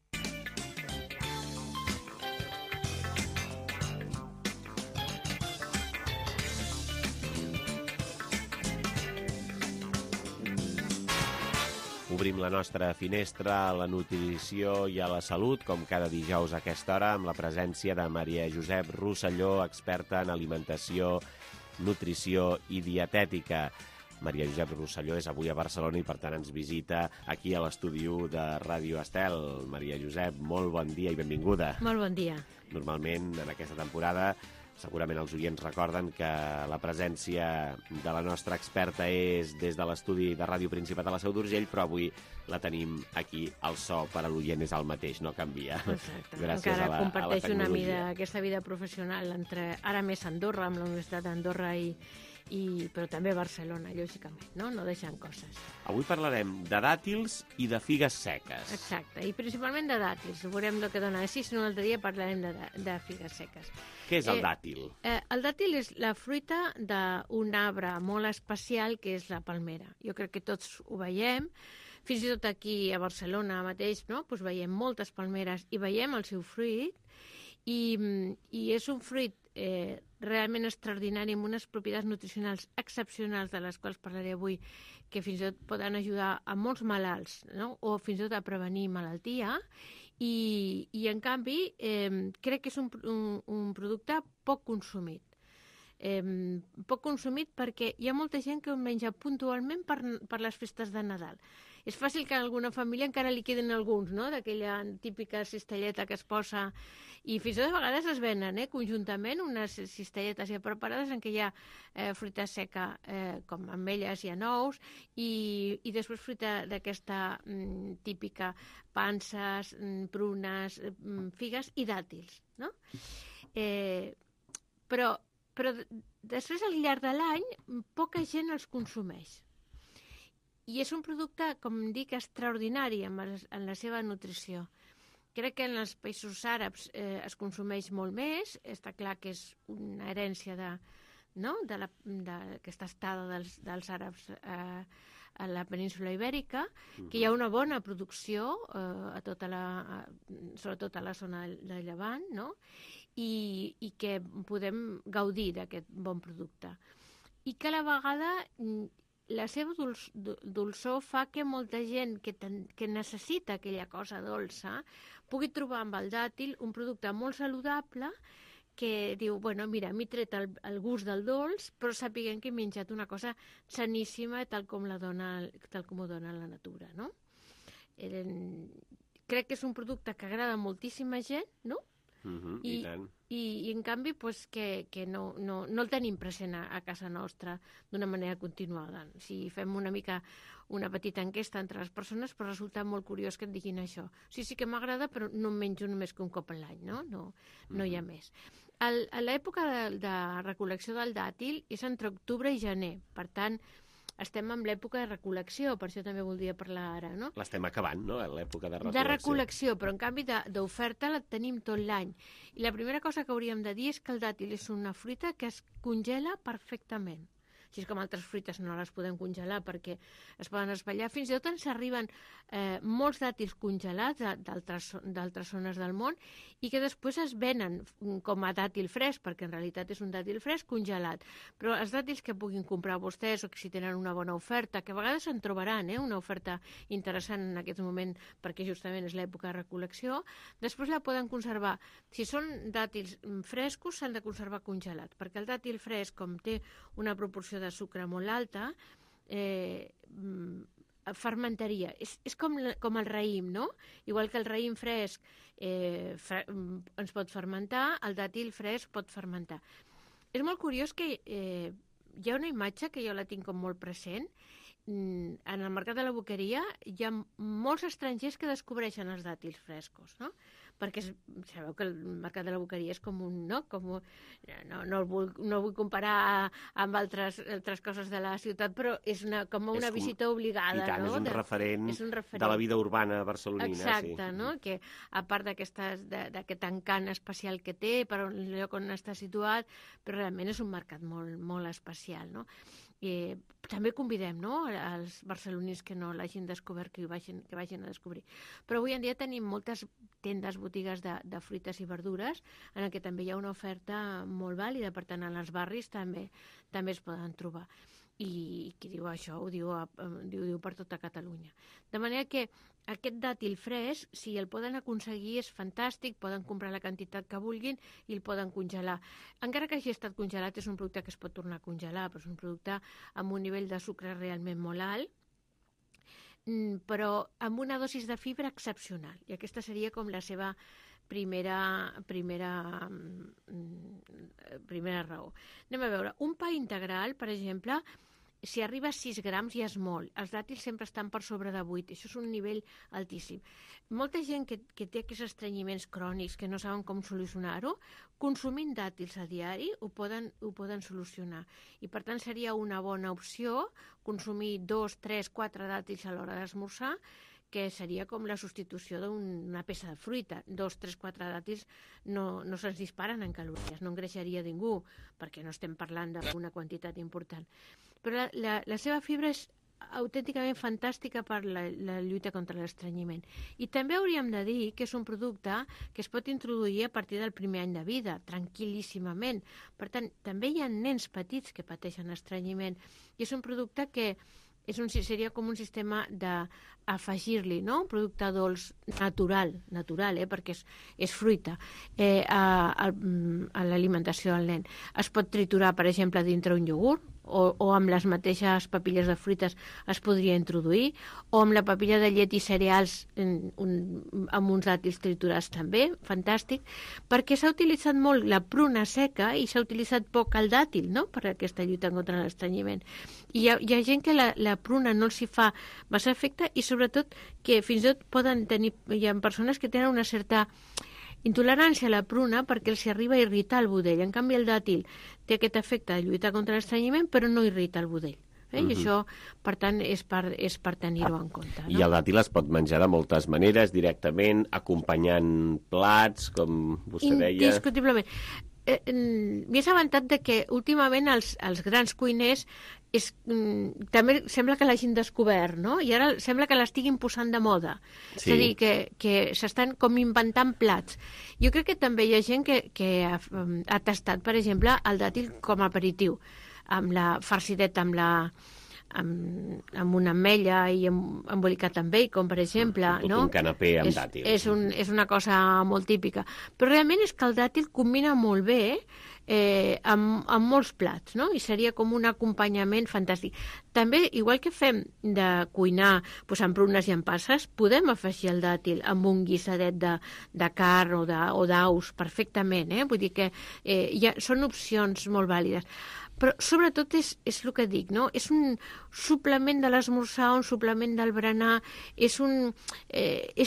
Obrim la nostra finestra a la nutrició i a la salut, com cada dijous a aquesta hora, amb la presència de Maria Josep Rosselló, experta en alimentació, nutrició i dietètica. Maria Josep Rosselló és avui a Barcelona i, per tant, ens visita aquí a l'estudi de Ràdio Estel. Maria Josep, molt bon dia i benvinguda. Molt bon dia. Normalment, en aquesta temporada, segurament els oients recorden que la presència de la nostra experta és des de l'estudi de Ràdio Principat a la Seu d'Urgell, però avui la tenim aquí. El so per a l'oient és el mateix, no canvia. Exacte. Gràcies encara a la comparteixo tecnologia. aquesta vida professional entre ara més Andorra, amb la Universitat d'Andorra però també Barcelona, lògicament, no deixant coses. Avui parlarem de dàtils i de figues seques. Exacte, i principalment de dàtils. Veurem el que dona així, si no un altre dia parlarem de figues seques. Què és el dàtil? El dàtil és la fruita d'un arbre molt especial que és la palmera. Jo crec que tots ho veiem. Fins i tot aquí a Barcelona mateix, no? Pues veiem moltes palmeres i veiem el seu fruit, i és un fruit realment extraordinari, amb unes propietats nutricionals excepcionals, de les quals parlaré avui, que fins i tot poden ajudar a molts malalts, no? O fins i tot a prevenir malaltia, i en canvi crec que és un producte poc consumit. Poc consumit perquè hi ha molta gent que ho menja puntualment per les festes de Nadal. És fàcil que a alguna família encara li queden alguns, no?, d'aquella típica cistelleta que es posa, i fins i tot a vegades es venen conjuntament unes cistelletes ja preparades en què hi ha fruita seca com ametlles i anous, i després fruita d'aquesta típica, panses, prunes, figues i dàtils, no? Però després, al llarg de l'any, poca gent els consumeix. I és un producte, com dic, extraordinari en la seva nutrició. Crec que en els països àrabs es consumeix molt més. Està clar que és una herència d'aquesta estada dels àrabs a la península Ibèrica, que hi ha una bona producció, sobretot a la zona de Llevant, no? I que podem gaudir d'aquest bon producte. I que a la vegada la seva dolçor fa que molta gent que necessita aquella cosa dolça pugui trobar amb el dàtil un producte molt saludable, que diu, bueno, mira, m'he tret el gust del dolç, però sàpiguen que he menjat una cosa saníssima tal com ho dona la natura, no? Crec que és un producte que agrada a moltíssima gent, no? I tant. I en canvi que no el tenim present a casa nostra d'una manera continuada. Si fem una petita enquesta entre les persones, però resulta molt curiós que et diguin això. Sí que m'agrada, però no em menjo només que un cop a l'any, no? No hi ha més. A l'època de recol·lecció del dàtil és entre octubre i gener, per tant, estem en l'època de recol·lecció, per això també voldria parlar ara, no? L'estem acabant, no?, l'època de recol·lecció. De recol·lecció, però en canvi d'oferta la tenim tot l'any. I la primera cosa que hauríem de dir és que el dàtil és una fruita que es congela perfectament. Així com altres fruites no les podem congelar perquè es poden espatllar. Fins i tot ens arriben molts dàtils congelats d'altres zones del món i que després es venen com a dàtil fresc, perquè en realitat és un dàtil fresc congelat. Però els dàtils que puguin comprar vostès, o que si tenen una bona oferta, que a vegades en trobaran una oferta interessant en aquest moment perquè justament és l'època de recol·lecció, després la poden conservar. Si són dàtils frescos, s'han de conservar congelats, perquè el dàtil fresc, com té una proporció de sucre molt alta, fermentaria. És com el raïm, no? Igual que el raïm fresc ens pot fermentar, el dàtil fresc pot fermentar. És molt curiós que hi ha una imatge que jo la tinc com molt present. En el mercat de la boqueria hi ha molts estrangers que descobreixen els dàtils frescos, no? Perquè sabeu que el mercat de la boqueria és com un... No el vull comparar amb altres coses de la ciutat, però és com una visita obligada. I tant, no? És un referent de la vida urbana barcelonina. Exacte, no? Que a part d'aquest encant especial que té, per el lloc on està situat, però realment és un mercat molt, molt especial, no? També convidem, no?, als barcelonins que no l'hagin descobert, que vagin a descobrir. Però avui en dia tenim moltes tendes, botigues de fruites i verdures en què també hi ha una oferta molt vàlida, per tant, en els barris també es poden trobar. I qui diu això ho diu per tota Catalunya. De manera que aquest dàtil fresc, si el poden aconseguir, és fantàstic, poden comprar la quantitat que vulguin i el poden congelar. Encara que hagi estat congelat, és un producte que es pot tornar a congelar, però és un producte amb un nivell de sucre realment molt alt, però amb una dosis de fibra excepcional. I aquesta seria com la seva primera raó. Anem a veure, un pa integral, per exemple, si arriba a 6 grams ja és molt. Els dàtils sempre estan per sobre de 8. Això és un nivell altíssim. Molta gent que té aquests estrenyiments crònics que no saben com solucionar-ho, consumint dàtils a diari ho poden solucionar. I per tant seria una bona opció consumir 2, 3, 4 dàtils a l'hora d'esmorzar, que seria com la substitució d'una peça de fruita. 2, 3, 4 dàtils no se'ns disparen en calories, no engreixaria ningú, perquè no estem parlant d'una quantitat important. Però la seva fibra és autènticament fantàstica per la lluita contra l'estrenyiment. I també hauríem de dir que és un producte que es pot introduir a partir del primer any de vida, tranquil·líssimament. Per tant, també hi ha nens petits que pateixen estrenyiment. I és un producte que seria com un sistema d'afegir-li, no? Un producte dolç natural, perquè és fruita, a l'alimentació del nen. Es pot triturar, per exemple, dintre un iogurt, o amb les mateixes papilles de fruites es podria introduir, o amb la papilla de llet i cereals amb uns dàtils triturats també, fantàstic, perquè s'ha utilitzat molt la pruna seca i s'ha utilitzat poc el dàtil, no?, per aquesta lluita contra l'estrenyiment. I hi ha gent que la pruna no els hi fa massa efecte i sobretot que fins i tot hi ha persones que tenen una certa intolerància a la pruna perquè els arriba a irritar el budell. En canvi, el dàtil té aquest efecte de lluitar contra l'estrenyiment, però no irrita el budell. I això, per tant, és per tenir-ho en compte. I el dàtil es pot menjar de moltes maneres, directament, acompanyant plats, com vostè deia. Indiscutiblement. M'he assabentat de que últimament els grans cuiners també sembla que l'hagin descobert, no? I ara sembla que l'estiguin posant de moda. Sí. És a dir, que s'estan com inventant plats. Jo crec que també hi ha gent que ha tastat, per exemple, el dàtil com a aperitiu, amb la farcideta, amb una ametlla i embolicat amb bacon, per exemple. Un canapé amb dàtils. És una cosa molt típica. Però realment és que el dàtil combina molt bé amb molts plats, no? I seria com un acompanyament fantàstic. També, igual que fem de cuinar amb prunes i amb passes, podem afegir el dàtil amb un guisadet de carn o d'aus perfectament, Vull dir que són opcions molt vàlides. Però sobretot és el que dic, no? És un suplement de l'esmorzar, un suplement del berenar, és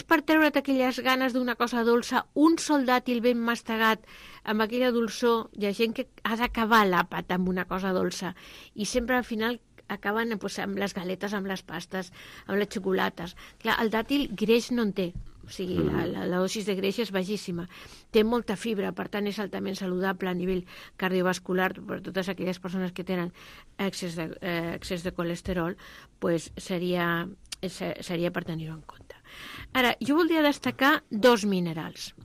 per treure't aquelles ganes d'una cosa dolça, un sol dàtil ben mastegat amb aquella dolçor. Hi ha gent que ha d'acabar l'àpat amb una cosa dolça i sempre al final acaben amb les galetes, amb les pastes, amb les xocolates. Clar, el dàtil greix no en té. O sigui, la dosis de greix és baixíssima. Té molta fibra, per tant és altament saludable a nivell cardiovascular per totes aquelles persones que tenen excés de colesterol, doncs seria per tenir-ho en compte. Ara, jo voldria destacar 2 minerals.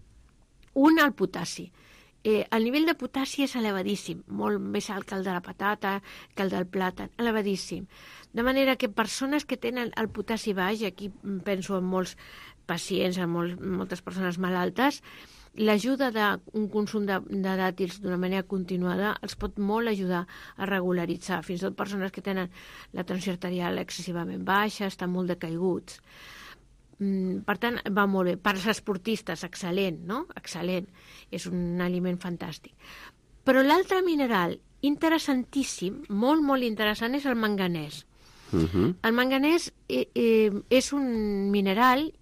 Un, el potassi. El nivell de potassi és elevadíssim, molt més alt que el de la patata, que el del plàtan, elevadíssim. De manera que persones que tenen el potassi baix, aquí penso en molts pacients, en moltes persones malaltes, l'ajuda d'un consum de dàtils d'una manera continuada els pot molt ajudar a regularitzar. Fins i tot persones que tenen la tensió arterial excessivament baixa, estan molt decaiguts. Per tant, va molt bé. Per als esportistes, excel·lent, no? Excel·lent. És un aliment fantàstic. Però l'altre mineral interessantíssim, molt, molt interessant, és el manganès. El manganès és un mineral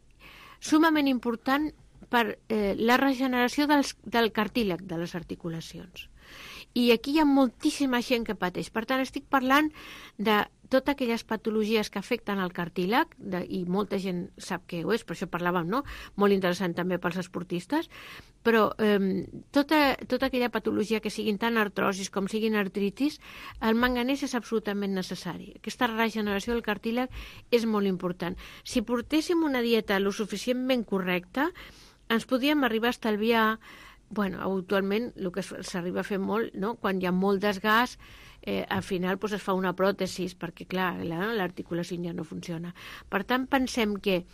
sumament important per la regeneració del cartílag de les articulacions. I aquí hi ha moltíssima gent que pateix. Per tant, estic parlant de totes aquelles patologies que afecten el cartílag, i molta gent sap què ho és, per això parlàvem, no? Molt interessant també pels esportistes, però tota aquella patologia que siguin tant artrosis com siguin artritis, el manganès és absolutament necessari. Aquesta regeneració del cartílag és molt important. Si portéssim una dieta lo suficientment correcta, ens podríem arribar a estalviar. Actualment el que s'arriba a fer molt, no? Quan hi ha molt desgast, al final es fa una pròtesi, perquè clar, l'articulació ja no funciona. Per tant, pensem que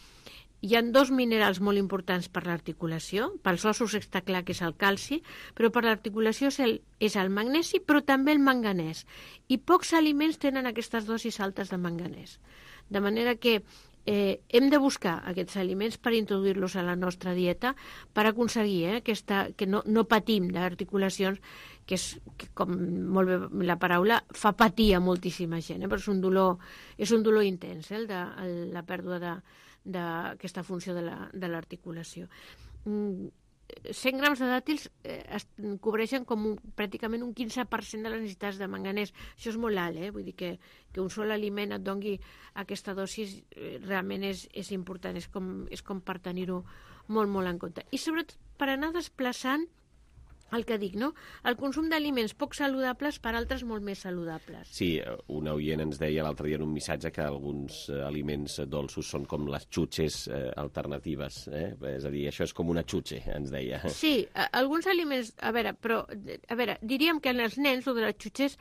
hi ha 2 minerals molt importants per l'articulació. Pels ossos està clar que és el calci, però per l'articulació és el magnesi, però també el manganès. I pocs aliments tenen aquestes dosis altes de manganès. De manera que hem de buscar aquests aliments per introduir-los a la nostra dieta per aconseguir que no patim d'articulacions, que com molt bé la paraula, fa patir a moltíssima gent, però és un dolor intens, la pèrdua d'aquesta funció de l'articulació. 100 grams de dàtils cobreixen pràcticament un 15% de les necessitats de manganès. Això és molt alt, vull dir que un sol aliment et doni aquesta dosis realment és important, és com per tenir-ho molt, molt en compte. I sobretot per anar desplaçant el que dic, no? El consum d'aliments poc saludables per altres molt més saludables. Sí, un oient ens deia l'altre dia en un missatge que alguns aliments dolços són com les xutxes alternatives. És a dir, això és com una xutxe, ens deia. Sí, alguns aliments... A veure, diríem que en els nens, el de les xutxes,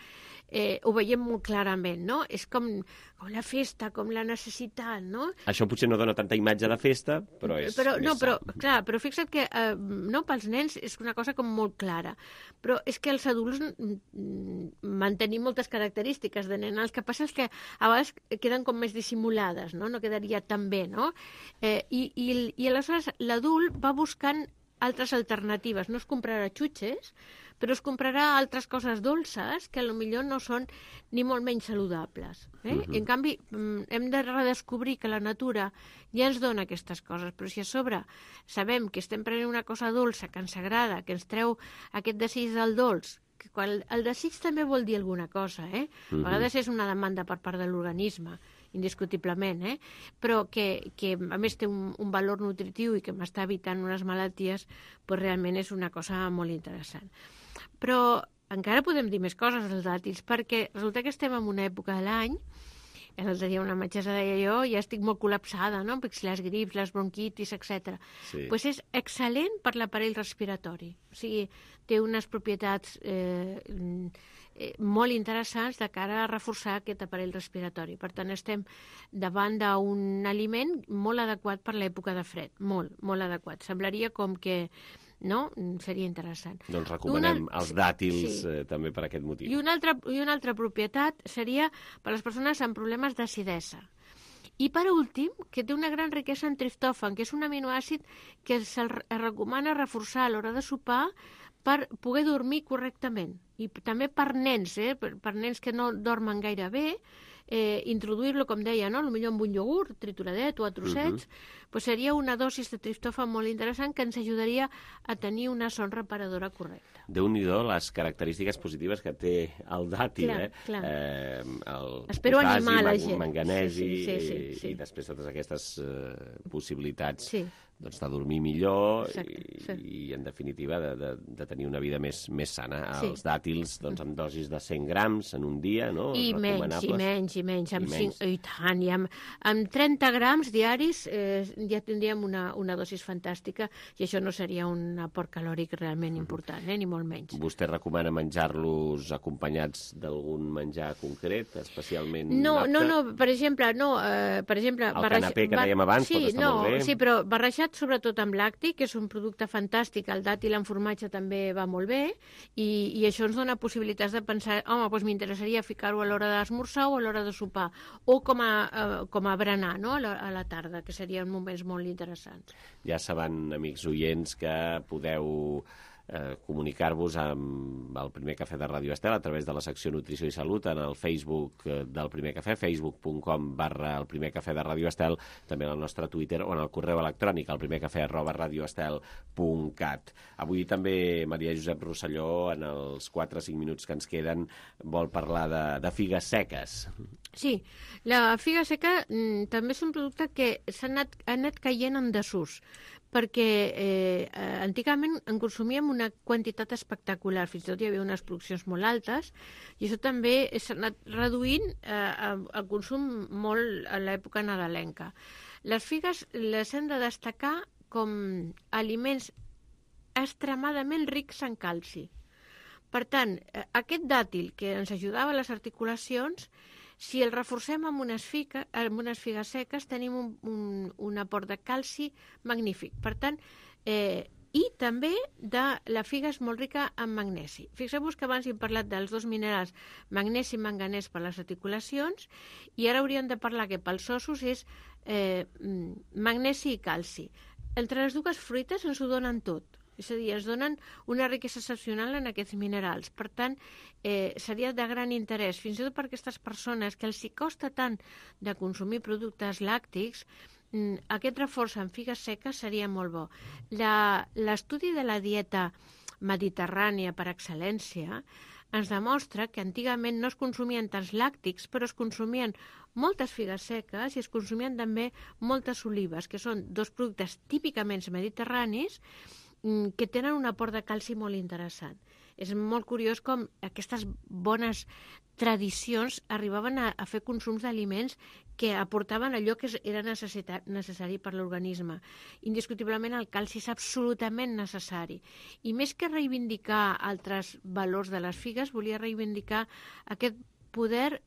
ho veiem molt clarament, no? És com la festa, com la necessitat, no? Això potser no dona tanta imatge de festa, però és però fixa't que pels nens és una cosa com molt clara. Però és que els adults mantenim moltes característiques de nen. El que passa és que a vegades queden com més dissimulades, no? No quedaria tan bé, no? I aleshores l'adult va buscant altres alternatives. No es comprarà xutxes, però es comprarà altres coses dolces que potser no són ni molt menys saludables. I en canvi, hem de redescobrir que la natura ja ens dona aquestes coses, però si a sobre sabem que estem prenent una cosa dolça, que ens agrada, que ens treu aquest desig del dolç, que el desig també vol dir alguna cosa, A vegades és una demanda per part de l'organisme, indiscutiblement, però que a més té un valor nutritiu i que m'està evitant unes malalties, doncs realment és una cosa molt interessant. Però encara podem dir més coses dels dàtils, perquè resulta que estem en una època de l'any, l'altre dia una metgessa deia jo, ja estic molt col·lapsada, no? Perquè les grips, les bronquitis, etc. Doncs és excel·lent per l'aparell respiratori. O sigui, té unes propietats molt interessants de cara a reforçar aquest aparell respiratori. Per tant, estem davant d'un aliment molt adequat per l'època de fred. Molt, molt adequat. Semblaria com que seria interessant. Doncs recomanem els dàtils també per aquest motiu. I una altra propietat seria per les persones amb problemes d'acidesa. I per últim, que té una gran riquesa en triptòfan, que és un aminoàcid que es recomana reforçar a l'hora de sopar per poder dormir correctament. I també per nens, per nens que no dormen gaire bé, introduir-lo, com deia, potser amb un iogurt trituradet o a trossets, doncs seria una dosis de triptòfan molt interessant que ens ajudaria a tenir una son reparadora correcta. Déu-n'hi-do les característiques positives que té el dàtil, Espero animar la gent. Manganesi i després totes aquestes possibilitats de dormir millor i en definitiva de tenir una vida més sana. Els dàtils amb dosis de 100 grams en un dia, no? I menys. I tant, amb 30 grams diaris ja tindríem una dosis fantàstica i això no seria un aport calòric realment important, ni molt menys. Vostè recomana menjar-los acompanyats d'algun menjar concret, especialment No, per exemple... El canapé que dèiem abans pot estar molt bé. Sí, però barrejat sobretot amb làctic, que és un producte fantàstic, el dàtil en formatge també va molt bé, i això ens dona possibilitats de pensar, doncs m'interessaria ficar-ho a l'hora d'esmorzar o a l'hora de sopar, o com a berenar, no?, a la tarda, que serien moments molt interessants. Ja saben, amics oients, que podeu comunicar-vos amb el Primer Cafè de Ràdio Estel a través de la secció Nutrició i Salut en el Facebook del Primer Cafè, facebook.com/el Primer Cafè de Ràdio Estel, també en el nostre Twitter o en el correu electrònic al primercafè@radioestel.cat. Avui també Maria Josep Rosselló, en els 4-5 minuts que ens queden, vol parlar de figues seques. Sí, la figa seca també és un producte que ha anat caient en desús, perquè antigament en consumíem una quantitat espectacular, fins i tot hi havia unes produccions molt altes, i això també s'ha anat reduint el consum molt a l'època nadalenca. Les figues les hem de destacar com aliments extremadament rics en calci. Per tant, aquest dàtil que ens ajudava a les articulacions, si el reforcem amb unes figues seques, tenim un aport de calci magnífic. Per tant, i també la figa és molt rica en magnesi. Fixeu-vos que abans hem parlat dels dos minerals, magnesi i manganès per les articulacions, i ara hauríem de parlar que pels ossos és magnesi i calci. Entre les dues fruites ens ho donen tot. És a dir, ens donen una riquesa excepcional en aquests minerals. Per tant, seria de gran interès, fins i tot per aquestes persones que els hi costa tant de consumir productes làctics, aquest reforç en figues seques seria molt bo. L'estudi de la dieta mediterrània per excel·lència ens demostra que antigament no es consumien tants làctics, però es consumien moltes figues seques i es consumien també moltes olives, que són dos productes típicament mediterranis que tenen un aport de calci molt interessant. És molt curiós com aquestes bones tradicions arribaven a fer consums d'aliments que aportaven allò que era necessari per l'organisme. Indiscutiblement el calci és absolutament necessari. I més que reivindicar altres valors de les figues, volia reivindicar aquest poder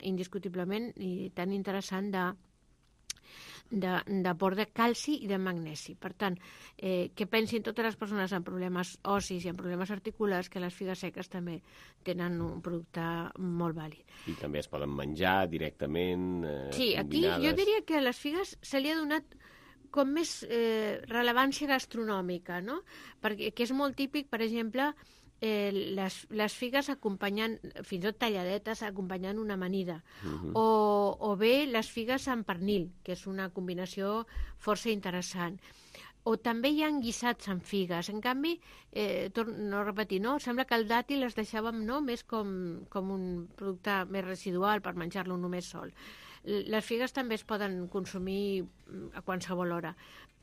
indiscutiblement i tan interessant d'aport de calci i de magnesi. Per tant, que pensin totes les persones amb problemes ossis i amb problemes articulars que les figues seques també tenen un producte molt vàlid. I també es poden menjar directament, sí, aquí jo diria que a les figues se li ha donat com més rellevància gastronòmica, no? Perquè és molt típic, per exemple, les figues acompanyant, fins i tot talladetes, acompanyant una amanida. O bé les figues amb pernil, que és una combinació força interessant. O també hi ha guisats amb figues. En canvi, torno a repetir, no? Sembla que el dàtil es deixàvem més com un producte més residual per menjar-lo només sol. Les figues també es poden consumir a qualsevol hora.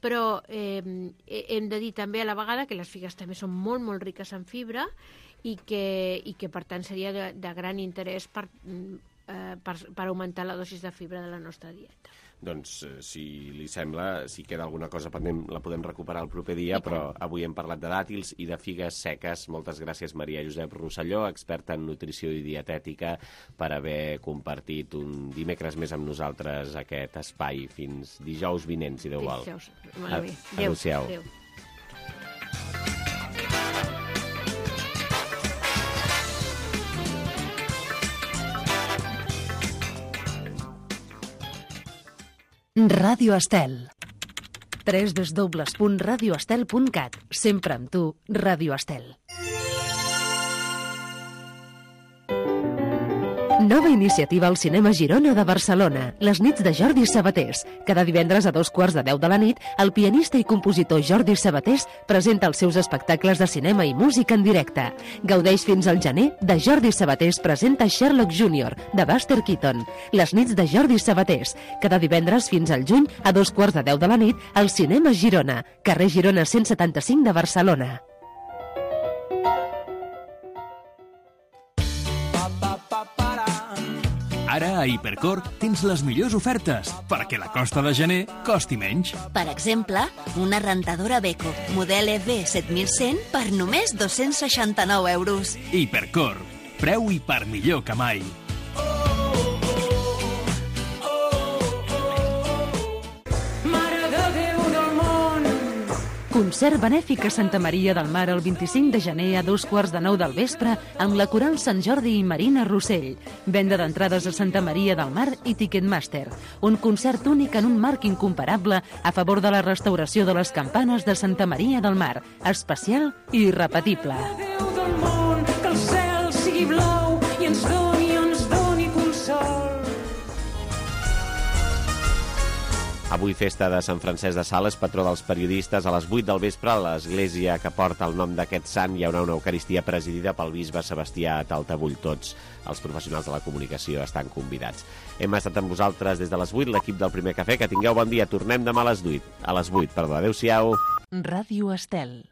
Però hem de dir també a la vegada que les figues també són molt, molt riques en fibra i que per tant seria de gran interès per augmentar la dosis de fibra de la nostra dieta. Doncs, si li sembla, si queda alguna cosa pendent, la podem recuperar el proper dia, però avui hem parlat de dàtils i de figues seques. Moltes gràcies, Maria Josep Rosselló, experta en nutrició i dietètica, per haver compartit un dimecres més amb nosaltres aquest espai. Fins dijous vinent, si Déu vol. Adéu-siau. Adéu. Ràdio Estel. www.radioestel.cat. Sempre amb tu, Ràdio Estel. Nova iniciativa al Cinema Girona de Barcelona, les nits de Jordi Sabatés. Cada divendres a 2:15 de la nit, el pianista i compositor Jordi Sabatés presenta els seus espectacles de cinema i música en directe. Gaudeix fins al gener de Jordi Sabatés presenta Sherlock Jr., de Buster Keaton. Les nits de Jordi Sabatés. Cada divendres fins al juny a 2:15 de la nit, al Cinema Girona, carrer Girona 175 de Barcelona. Ara a Hipercor tens les millors ofertes perquè la costa de gener costi menys. Per exemple, una rentadora Beko, model EV 7100 per només 269 euros. Hipercor, preu i per millor que mai. Concert benèfic a Santa Maria del Mar el 25 de gener a 8:45 del vespre amb la Coral Sant Jordi i Marina Rossell. Venda d'entrades a Santa Maria del Mar i Ticketmaster. Un concert únic en un marc incomparable a favor de la restauració de les campanes de Santa Maria del Mar. Especial i irrepetible. Déu del món, que el cel sigui blau i ens doni consol. Avui festa de Sant Francesc de Sales, patró dels periodistes. A les 8 del vespre, a l'església que porta el nom d'aquest sant hi haurà una eucaristia presidida pel bisbe Sebastià Taltabull. Tots els professionals de la comunicació estan convidats. Hem estat amb vosaltres des de les 8, l'equip del Primer Cafè. Que tingueu bon dia. Tornem demà a les 8. Adéu-siau. Ràdio Estel.